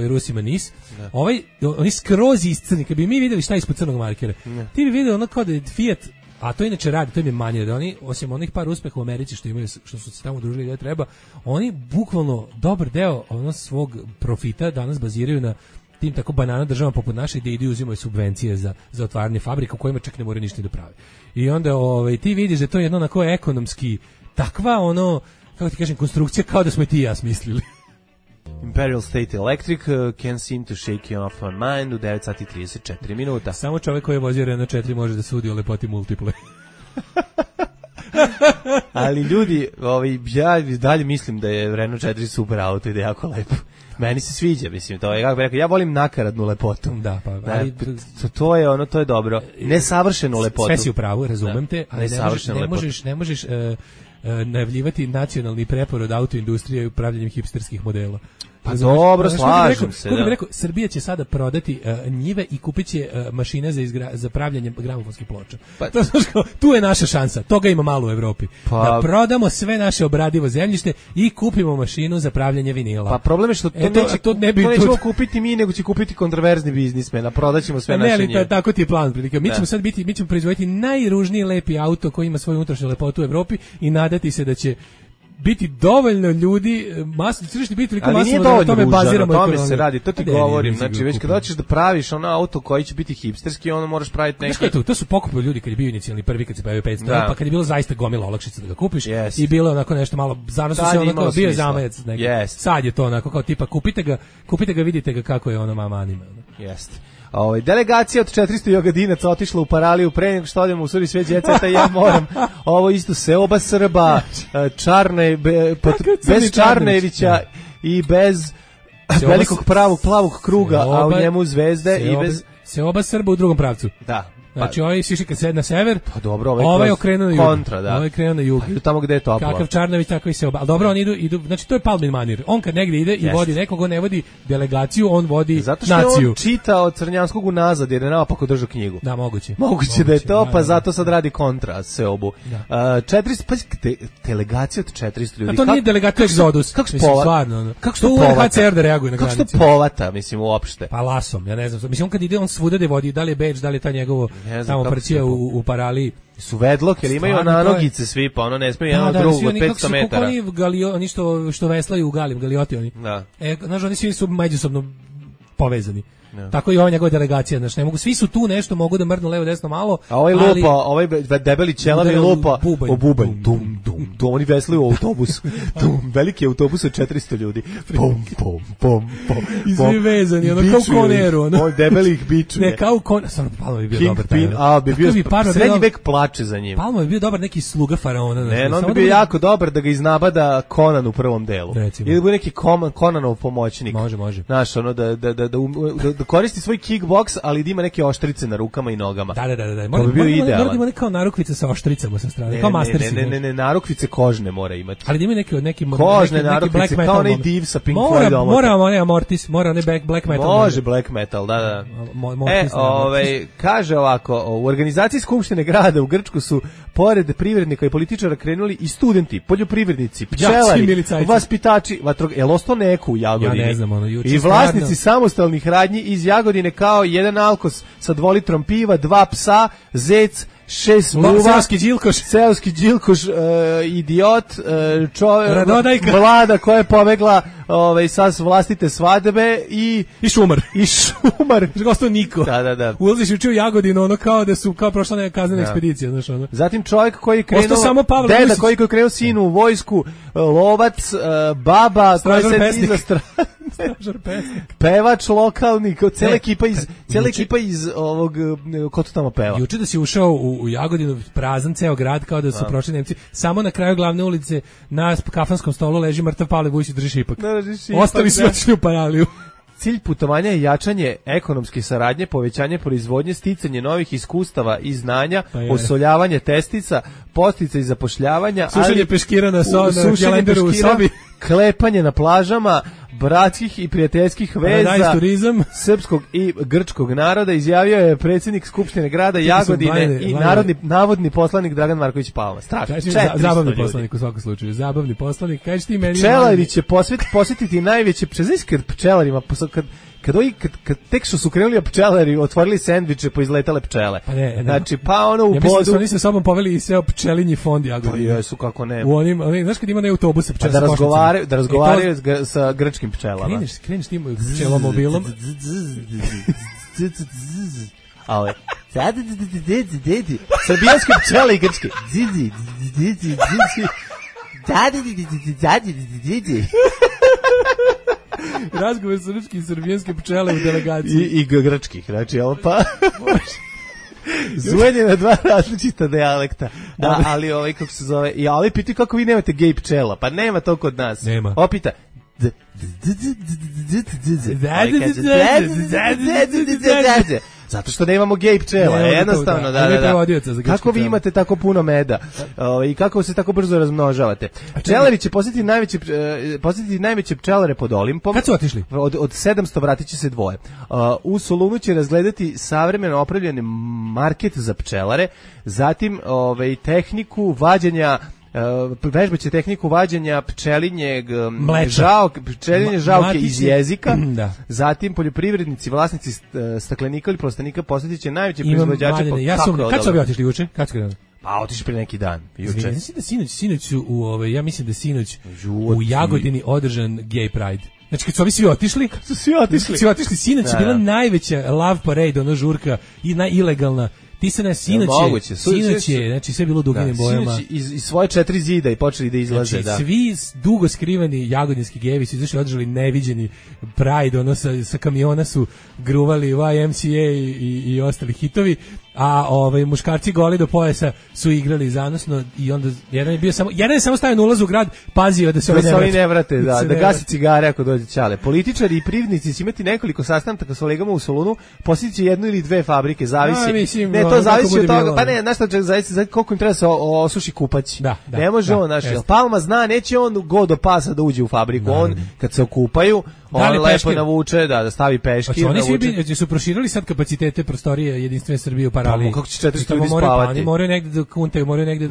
Rusima NIS. Oni skroz iscrni, kad bi mi videli šta je ispod crnog markera, ti bi videli ono kao da je Fiat, a to inače radi, to im je manje, da oni, osim onih par uspeha u Americi što imaju, što su se tamo udružili gdje treba, oni bukvalno dobar deo svog profita danas baziraju na tim tako banana državama poput naše gdje idu i uzimaju subvencije za otvaranje fabrika u kojima čak ne moraju ništa da prave. I onda ti vidiš da to je jedno onako ekonomski takva kako ti kažem, konstrukcija kao da smo i ti i ja smislili. Imperial State Electric can seem to shake you off my mind u 9 sati 34 minuta. Samo čovjek koji je vozio Renault 4 može da sudi o lepoti multiple. Ali ljudi, ja dalje mislim da je Renault 4 super auto i da je jako lepo. Meni se sviđa, mislim, to je kako bih rekao, ja volim nakaradnu lepotu. Da, pa ali to je dobro. Nesavršenu lepotu. Sve si u pravu, razumem te, ali ne možeš najavljivati nacionalni preporod autoindustrije i upravljanjem hipsterskih modela. Pa dobro, slažem se. Kako bih rekao, Srbija će sada prodati njive i kupit će mašine za pravljanje gramofonskih ploča. Tu je naša šansa, toga ima malo u Evropi. Da prodamo sve naše obradivo zemljište i kupimo mašinu za pravljanje vinila. Pa problem je što to nećemo kupiti mi, nego će kupiti kontroverzni biznismen, a prodaćemo sve naše njive. Ne, tako ti je plan. Mi ćemo proizvoditi najružniji lepi auto koji ima svoju unutrašnju lepotu u Evropi i nadati se da će biti dovoljno ljudi, tržište biti toliko masno da na tome baziramo ekonomiju. Tome se radi, to ti govorim. Znači, već kad hoćeš da praviš auto koji će biti hipsterski, ono moraš praviti neki... Znaš to su pokupili ljudi kad je bio inicijalni prvi, kad se pojavio 500, pa kad je bilo zaista gomila olakšica da ga kupiš i bilo onako nešto malo, zanosu se onako, bio je zamajac neki. Sad je to onako kao tipa, kupite ga, vidite ga kako je ono mama anime. Jeste. Delegacija od 400 jogadinaca otišla u Paraliju pre nego što odemo u Suri sve djeceta i ja moram ovo isto seoba Srba, bez Čarnevića i bez velikog plavog kruga, a u njemu zvezde i bez... Seoba Srba u drugom pravcu. Da. Znači, ovaj siši kad sed na sever, pa dobro, ovaj okrenuo na jug. Kontra, da. Ovaj krenuo na jug. Idu tamo gde je toplo. Kakav Čarnović, tako i se oba. Ali dobro, oni idu, znači to je Palmin manir. On kad negdje ide i vodi nekog, on ne vodi delegaciju, on vodi naciju. Zato što je on čitao od Crnjanskog unazad, jer je naopako držao knjigu. Da, moguće. Moguće da je to, pa zato sad radi kontra seobu. 400, pa delegacija od 400 ljudi. A to nije delegacija Exodus. Kako stvarno? Kako što UNHCR da reaguje na granici? Kako što povata, mislim, uopšte? Pa lasom, ja ne znam. Mislim, on kad ide, on svuda da vodi, da li je Beč, da li je ta njegovo tamo prcija u Paraliji. Su vedlok, jer imaju nanogice svi, pa ono ne smije jedan od drugog od 500 metara. Oni što veslaju u galioti oni. Da. Znaš, oni svi su međusobno povezani. Tako i ova njegova delegacija, znači ne mogu, svi su tu nešto, mogu da mrdnu levo desno malo, a ovaj lupa, ovaj debeli ćelavi lupa o bubanj, dum, oni veslaju u autobus, veliki autobus od 400 ljudi, pom, i svi vezani, ono kao koneru, ono debeli ih bičuje, ne kao stvarno Palma bi bio dobar taj, bi bio srednji vek plače za njim. Palma bi bio dobar neki sluga faraona, ne, on bi bio jako dobar da ga iznabada Conan u prvom delu, ili bi neki Conanov pomoćnik, može, znaš, ono da koristi svoj kickboks, ali da ima neke oštrice na rukama i nogama. Da. To bi bio idealan. Mora da ima kao narukvice sa oštricama sa strane, kao Mastersi. Ne, narukvice kožne mora imati. Ali da ima neki kožne narukvice, kao onaj div sa Pink Floydom. Mora onaj Amortis, mora onaj black metal. Može black metal, da. Kaže ovako, u organizaciji Skupštine grada u Grčku su, pored privrednika i političara, krenuli i studenti, poljoprivrednici, pčelari, vaspitači, jel ostao neko u Jagodini? Ja ne znam, i vlasnici samostalnih radnji iz Jagodine, kao jedan alkos sa 2 litrom piva, 2 psa, zec 6 muva, seoski đilkoš, idiot, Radodajka, vlada koja je pobegla sa vlastite svadbe i šumar. I šumar. Gostao niko. Da. Ulaziš učio Jagodinu, ono kao da su kao prošla neka kaznena ekspedicija, znaš ono. Zatim čovjek koji je krenuo, deda koji je krenuo sinu u vojsku, lovac, baba, koja se iza stražar pesnik. Pevač lokalni, cijela ekipa iz ovog, ko to tamo peva? Juče da si ušao u Jagodinu, prazan ceo grad, kao da su prošli Nemci, samo na kraju glavne ulice na kafanskom stolu leži mrtav Pavle Vujsić, drži šipak. Ostali su otišli u paraliju. Cilj putovanja je jačanje ekonomske saradnje, povećanje proizvodnje, sticanje novih iskustava i znanja, osoljavanje testica, podsticaj zapošljavanja, sušenje peškira na kalendaru u sobi, klepanje na plažama, bratskih i prijateljskih veza srpskog i grčkog naroda, izjavio je predsjednik Skupštine grada Jagodine i navodni poslanik Dragan Marković Palma. Strašno. Zabavni poslanik u svakom slučaju. Zabavni poslanik. Kažeš ti meni... Pčelari će posjetiti najveće... Znaš kad pčelarima... Kad tek što su krenuli pčelari, otvorili sendviče, poizletale pčele. Pa ne. Znači, pa ono u bodu... Ja mislim da su oni sa sobom poveli i sve pčelinji fond Jagodine. Pa jesu, kako ne. U onim, znaš kad ima ne autobuse pčela sa košnicama. Da razgovaraju sa grčkim pčelama. Kreneš tim pčelomobilom. Ale, srbijanske pčele i grčke. Razgovor sa srpskim i srbijanske pčele u delegaciji. I grčkih, znači ovo pa... Zujen je na dva različita dijalekta. Da, ali kako se zove... I ovi pitaju kako vi nemate gej pčela. Pa nema to kod nas. Nema. Opita... Zato što nemamo gej pčela, jednostavno, da. Kako vi imate tako puno meda i kako se tako brzo razmnožavate? Pčelari će posjetiti najveće pčelare pod Olimpom. Kad su otišli? Od 700 vratit će se dvoje. U Solunu će razgledati savremeno opravljeni market za pčelare, zatim tehniku vađenja vežbaće tehniku vađenja pčelinjeg žalke iz jezika. Da. Zatim poljoprivrednici, vlasnici staklenika ili plastenika posjetit će najveće proizvođače. Kad su ovi otišli juče? Kad su krenuli? Pa otišli prije neki dan. Juče. Ja mislim da sinoć u Jagodini održan Gay Pride. Znači kad su ovi svi otišli, sinoć je bila najveća love parade, ono žurka i ilegalna. Ti se sinoć je, znači sve bilo duginim bojama. Sinoć iz svoje 4 zida i počeli da izlaze, znači, svi dugo skriveni jagodinski gejevi su izašli, održali neviđeni Pride, ono sa kamiona su gruvali YMCA i ostali hitovi, a muškarci goli do pojasa su igrali zanosno i onda jedan je samo stavio na ulaz u grad, pazio da se oni ne vrate, da gasi cigare ako dođe ćale. Političari i privrednici će imati nekoliko sastanaka sa kolegama u Solunu, posjetit će 1 ili 2 fabrike, zavisi. To zavisi od toga, pa ne, znaš šta, zavisi koliko im treba se osuši kupać. Ne može on, znaš, Palma zna, neće on go do pasa da uđe u fabriku, on kad se okupaju, on lepo navuče, da stavi peškir. Oni svi su proširili sad kapacitete prostorije Jedinstvene Srbije u Paraliji. Kako će 400 ljudi spavati? Oni moraju negde da kuntaju, moraju negde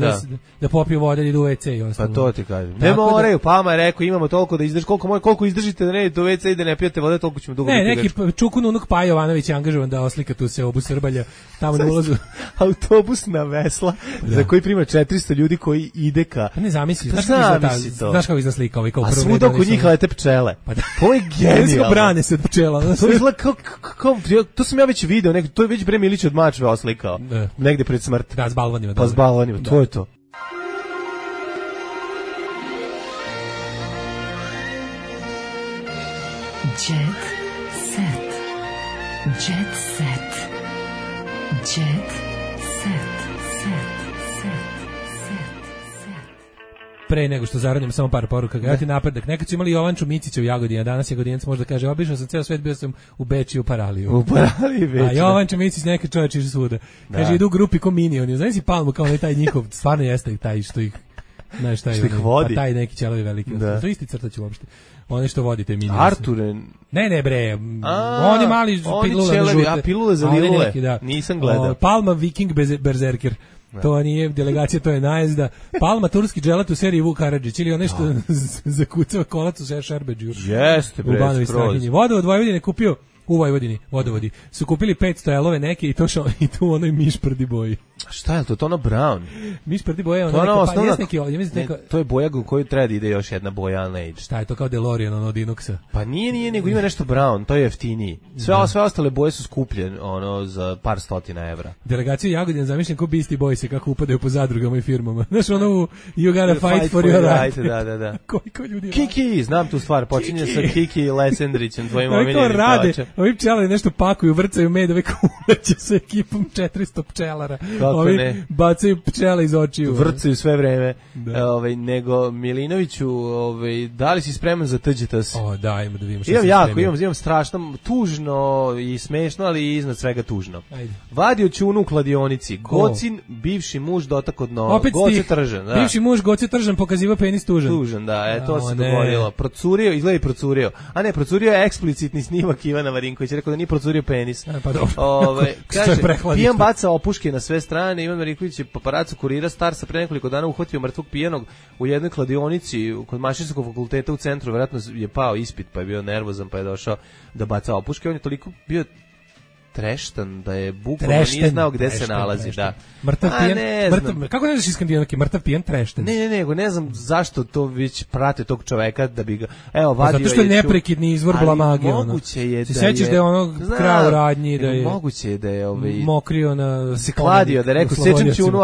da popiju vode i idu u WC i ostalo. Pa to ti kažem. Ne moraju, Palma je rekao, imamo toliko da izdrži, koliko izdržite da ne idete u WC i da ne pijete vode, toliko ćemo dugo biti. Ne, neki čukun unuk Paja Jovanović je angažovan da oslika tu seobu Srbalja tamo na ulazu. Autobus na vesla za koji prima 400 ljudi koji ide ka... Pa ne zamisli, znaš kako izgleda slika ovaj kao prvo. A svuda oko njih lete pčele. To je genijalno. Brane se od pčela. To izgleda kao, to sam ja već video, to je već Bre Milić od Mačve oslikao. Negde pred smrt. Da, s balvanima. Pa s balvanima, to je to. Jet set. Jet set. Jet set. Pre nego što zaradimo samo par poruka, gledati napredak. Nekad su imali Jovanču Micića u Jagodini, a danas Jagodinac može da kaže, obišao sam ceo svet, bio sam u Bečiju, u Paraliju. U Paraliji već. A Jovanča Micić neka čovječ iže svuda. Kaže, idu u grupi ko Minioni. Znaš si Palmu kao taj njihov, stvarno jeste taj što ih, znaš taj, što ih vodi. Pa taj neki ćelovi veliki. To isti crtać uopšte. Oni što vodite Minioni. Arturen. Ne bre, oni mali pilule na žute. A pilule za lilule, nisam gledao. Palma Viking Berzerker. To nije delegacija, to je najezda. Palma turski dželat u seriji Vuk Karadžić ili onaj što zakucava kolac u Šerbeđu. Jeste, bre, skroz. Vodovod Vojvodine kupio, u Vojvodini, vodovodi, su kupili 500 elove neke i to u onoj mišprdi boji. Šta je to? Tono Brown. Miš prdi boja, to ono osnovna, to je boja u koju treba da ide još jedna boja Age. Šta je to kao DeLorean ono od Inoxa? Pa nije, nego ima nešto Brown, to je jeftiniji. Sve ostale boje su skuplje, ono, za par stotina evra. Delegaciju Jagodina zamišljam ko Beastie Boysi, kako upadaju po zadrugama i firmama. Znaš, ono, you gotta fight for your right. Da. Koliko ljudi Kiki, znam tu stvar, počinje sa Kiki i Lesendrićem, tvojim omiljenim rade, ovi pčelari nešto pakuju, vrcaju med, ove kuleće sa ekipom 400 pčelara. Ovi bacaju pčele iz očiju. Vrcaju sve vreme. Nego, Milinoviću, da li si spreman za TGTS? Da, imamo da vidimo što imam strašno, tužno i smešno, ali i iznad svega tužno. Ajde. Vadio ćunu u kladionici. Gocin, bivši muž dotak od noga. Opet Goce Tržan. Da. Bivši muž Goce Tržan pokazivao penis tužan. Tužan, da, to se dogodilo. Procurio, izgleda i procurio. A ne, procurio je eksplicitni snimak Ivana Marinkovića, rekao da nije procurio penis. Pa dobro. Kaže, pijan baca opuške na sve strane, Ivan Marinković je paparacu kurira star sa pre nekoliko dana uhvatio mrtvog pijanog u jednoj kladionici kod Mašinskog fakulteta u centru, verovatno je pao ispit, pa je bio nervozan, pa je došao da baca opuške. On je toliko bio treštan da je bukvalno nije znao gde se nalazi. Da. Mrtav pijan, kako ne znaš iskandinavski, mrtav pijan trešten? Ne znam zašto to već prate tog čoveka da bi ga, vadio je. Zato što je neprekidni izvor blamage. Moguće je da se sećaš da je ono krao radnji, da je moguće je da je mokrio na se kladio, da je rekao sečem ćunu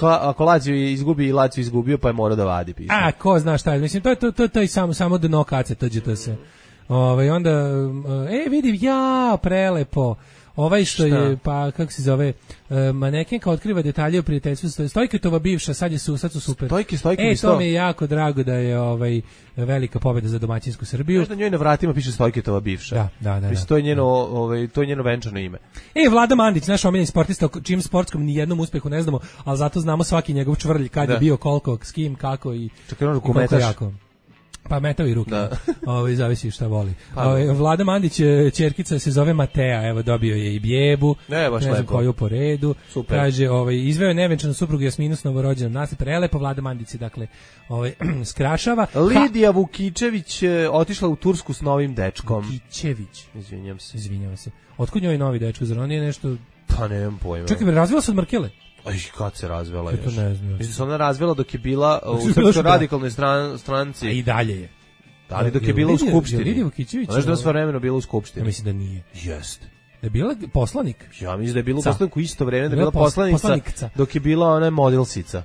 ako Lazio izgubi i Lazio izgubio, pa je morao da vadi pismo. A ko zna šta je, mislim to je samo dno kace tađete se. Onda vidim prelepo. Što je, pa kako se zove, manekenka otkriva detalje o prijateljstvu Stojketova bivša, sad su super. To mi je jako drago da je velika pobjeda za domaćinsku Srbiju. Znaš da njoj na vratima piše Stojketova bivša. Da. Mislim, to je njeno venčano ime. Vlada Mandić, naš omiljeni sportista, o čim sportskom nijednom uspehu ne znamo, ali zato znamo svaki njegov čvrlj, kad je bio, koliko, s kim, kako i koliko jako. Pa metao i ruke. Zavisi šta voli. Vlada Mandić, ćerkica se zove Matea, evo dobio je i bjebu, ne znam koju po redu. Super. Kaže, izveo je nevenčanu suprugu Jasminu s novorođenom nasled, prelepo. Vlada Mandić se dakle skrašava. Lidija Vukičević otišla u Tursku s novim dečkom. Vukičević. Izvinjam se. Otkud njoj novi dečko, zar on nije nešto? Pa nemam pojma. Čekaj, razvila se od Markele? Kad se razvela još? To ne znam. Mislim se ona razvela dok je bila u Srpskoj radikalnoj stranci. A i dalje je. Ali dok je bila u Skupštini. Lidija Vukičević? Znaš da je svojevremeno bila u Skupštini? Ja mislim da nije. Jeste. Da je bila poslanik? Ja mislim da je bila poslanik u isto vreme, da je bila poslanica dok je bila ona modelsica.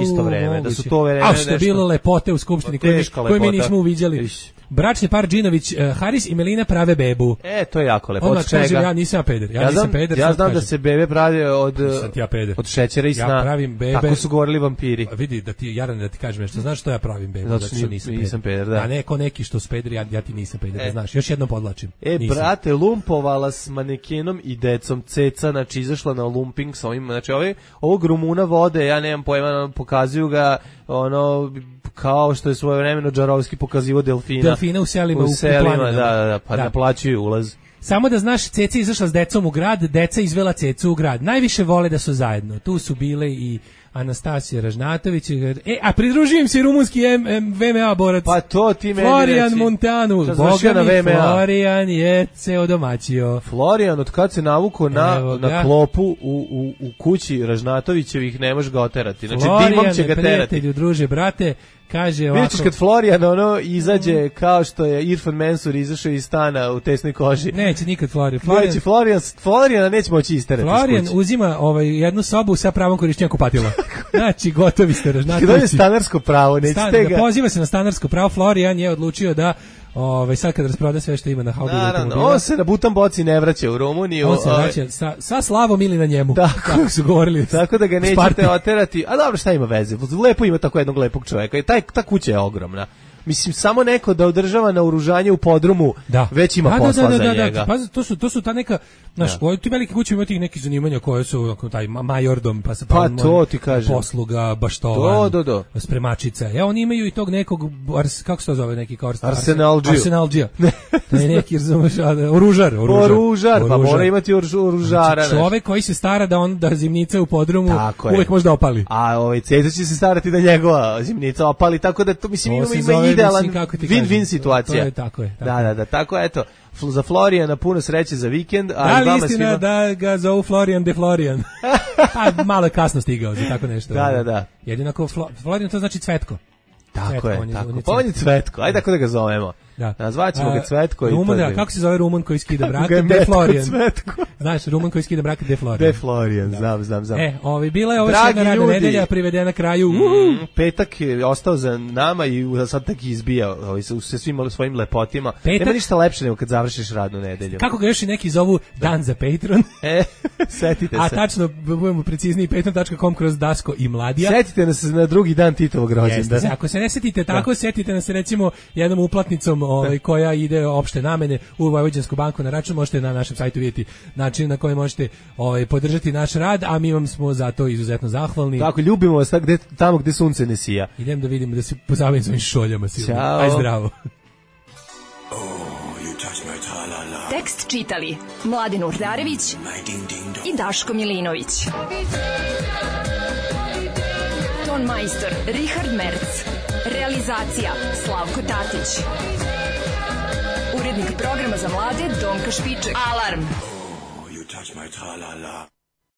Isto vreme, da su to vreme. A što je bilo lepote u Skupštini koje mi nismo uviđali. Bračni par Džinović, Haris i Melina prave bebu. To je jako lepo. Od čega? Ja nisam peder. Ja znam da se bebe prave od šećera i sna. Ja pravim bebe. Tako su govorili vampiri. Vidi, da ti kažem nešto. Znaš što ja pravim bebe? Zato što nisam peder, da. A neko neki što su pederi, ja ti nisam peder, znaš. Još jednom podlačim. Brate, lumpovala s manekenom i decom ceca, znači izašla na lumping sa ovim, znači ovog Rumuna vode, ja nemam pojma, pokazuju ga kao što je svojevremeno Džarovski pokazivao delfina u selima, da, pa naplaćuju ulaz. Samo da znaš, Ceca izašla s decom u grad, deca izvela Cecu u grad. Najviše vole da su zajedno. Tu su bile i Anastasija Ražnatović, a pridružujem se i rumunski VMA borac. Pa to ti meni Florian Montanu. Boga mi, Florian je ceo domaćio. Florian, od kad se navukao na klopu u kući Ražnatovićevih, ne može ga oterati. Znači, dimom će ga terati. Prijatelju, druže, brate, kaže ovako. Vidiš kad Florian izađe kao što je Irfan Mensur izašao iz stana u tesnoj koži. Neće nikad Florian. Floriana neće moći isterati. Florian uzima jednu sobu sa pravom korišćenja kupatila. Znači, gotovi ste Ražnatovići. Kada je stanarsko pravo, nećete ga. Poziva se na stanarsko pravo. Florian je odlučio da sad kad rasproda sve što ima na Haubilu automobila. On se na butan boci ne vraća u Rumuniju. On se vraća sa slavom ili na njemu. Kako su govorili. Tako da ga nećete oterati. A dobro, šta ima veze? Lepo ima tako jednog lepog čoveka. I ta kuća je ogromna. Mislim, samo neko da održava naoružanje u podrumu, već ima posla za njega. Pa to su ta neka, znaš, ti velike kuće imaju tih nekih zanimanja koje su taj majordom, pa se to ti kažem. Posluga, baštovan, spremačica. Oni imaju i tog nekog, kako se to zove, neki kao Arsenalđija. To je neki, oružar, pa mora imati oružara. Čovek koji se stara da zimnica u podrumu uvek može da opali. A Ceca će se starati da njegova zimnica opali, tako da to, mislim, ima idealan mislim, win-win situacija. To je tako je. Da, tako eto. Za Florijana puno sreće za vikend. Da li istina da ga zovu Florian de Florian? Pa malo je kasno stigao za tako nešto. Da. Jedinako Florian to znači Cvetko. Tako je, tako. Pa on je Cvetko, ajde tako da ga zovemo. Da. Nazvaćemo ga Cvetko. Kako se zove Rumun koji skida brak? De Florian. Znaš, Rumun koji skida brak De Florian. De Florian, znam. Bila je ova jedna radna nedelja privedena kraju. Petak je ostao za nama i sad tak izbija sa svim svojim lepotima. Nema ništa lepše nego kad završiš radnu nedelju. Kako ga još i neki zovu dan za Patreon. Setite se. A tačno, budemo precizniji, patreon.com kroz Dasko i Mladija. Setite nas na drugi dan Titovog rođendana. Ako se ne setite tako, setite nas recimo jednom uplatnicom koja ide opšte namene u Vojvođansku banku na račun. Možete na našem sajtu vidjeti način na koji možete podržati naš rad, a mi vam smo za to izuzetno zahvalni. Tako, ljubimo vas tamo gde sunce ne sija. Idem da vidimo da se pozabavim svojim šoljama. Ćao. Aj zdravo. Tekst čitali Mladin Urdarević i Daško Milinović. Ton majstor Richard Merc. Realizacija Slavko Tatić. Urednik programa za mlade Donka Špiček. Alarm!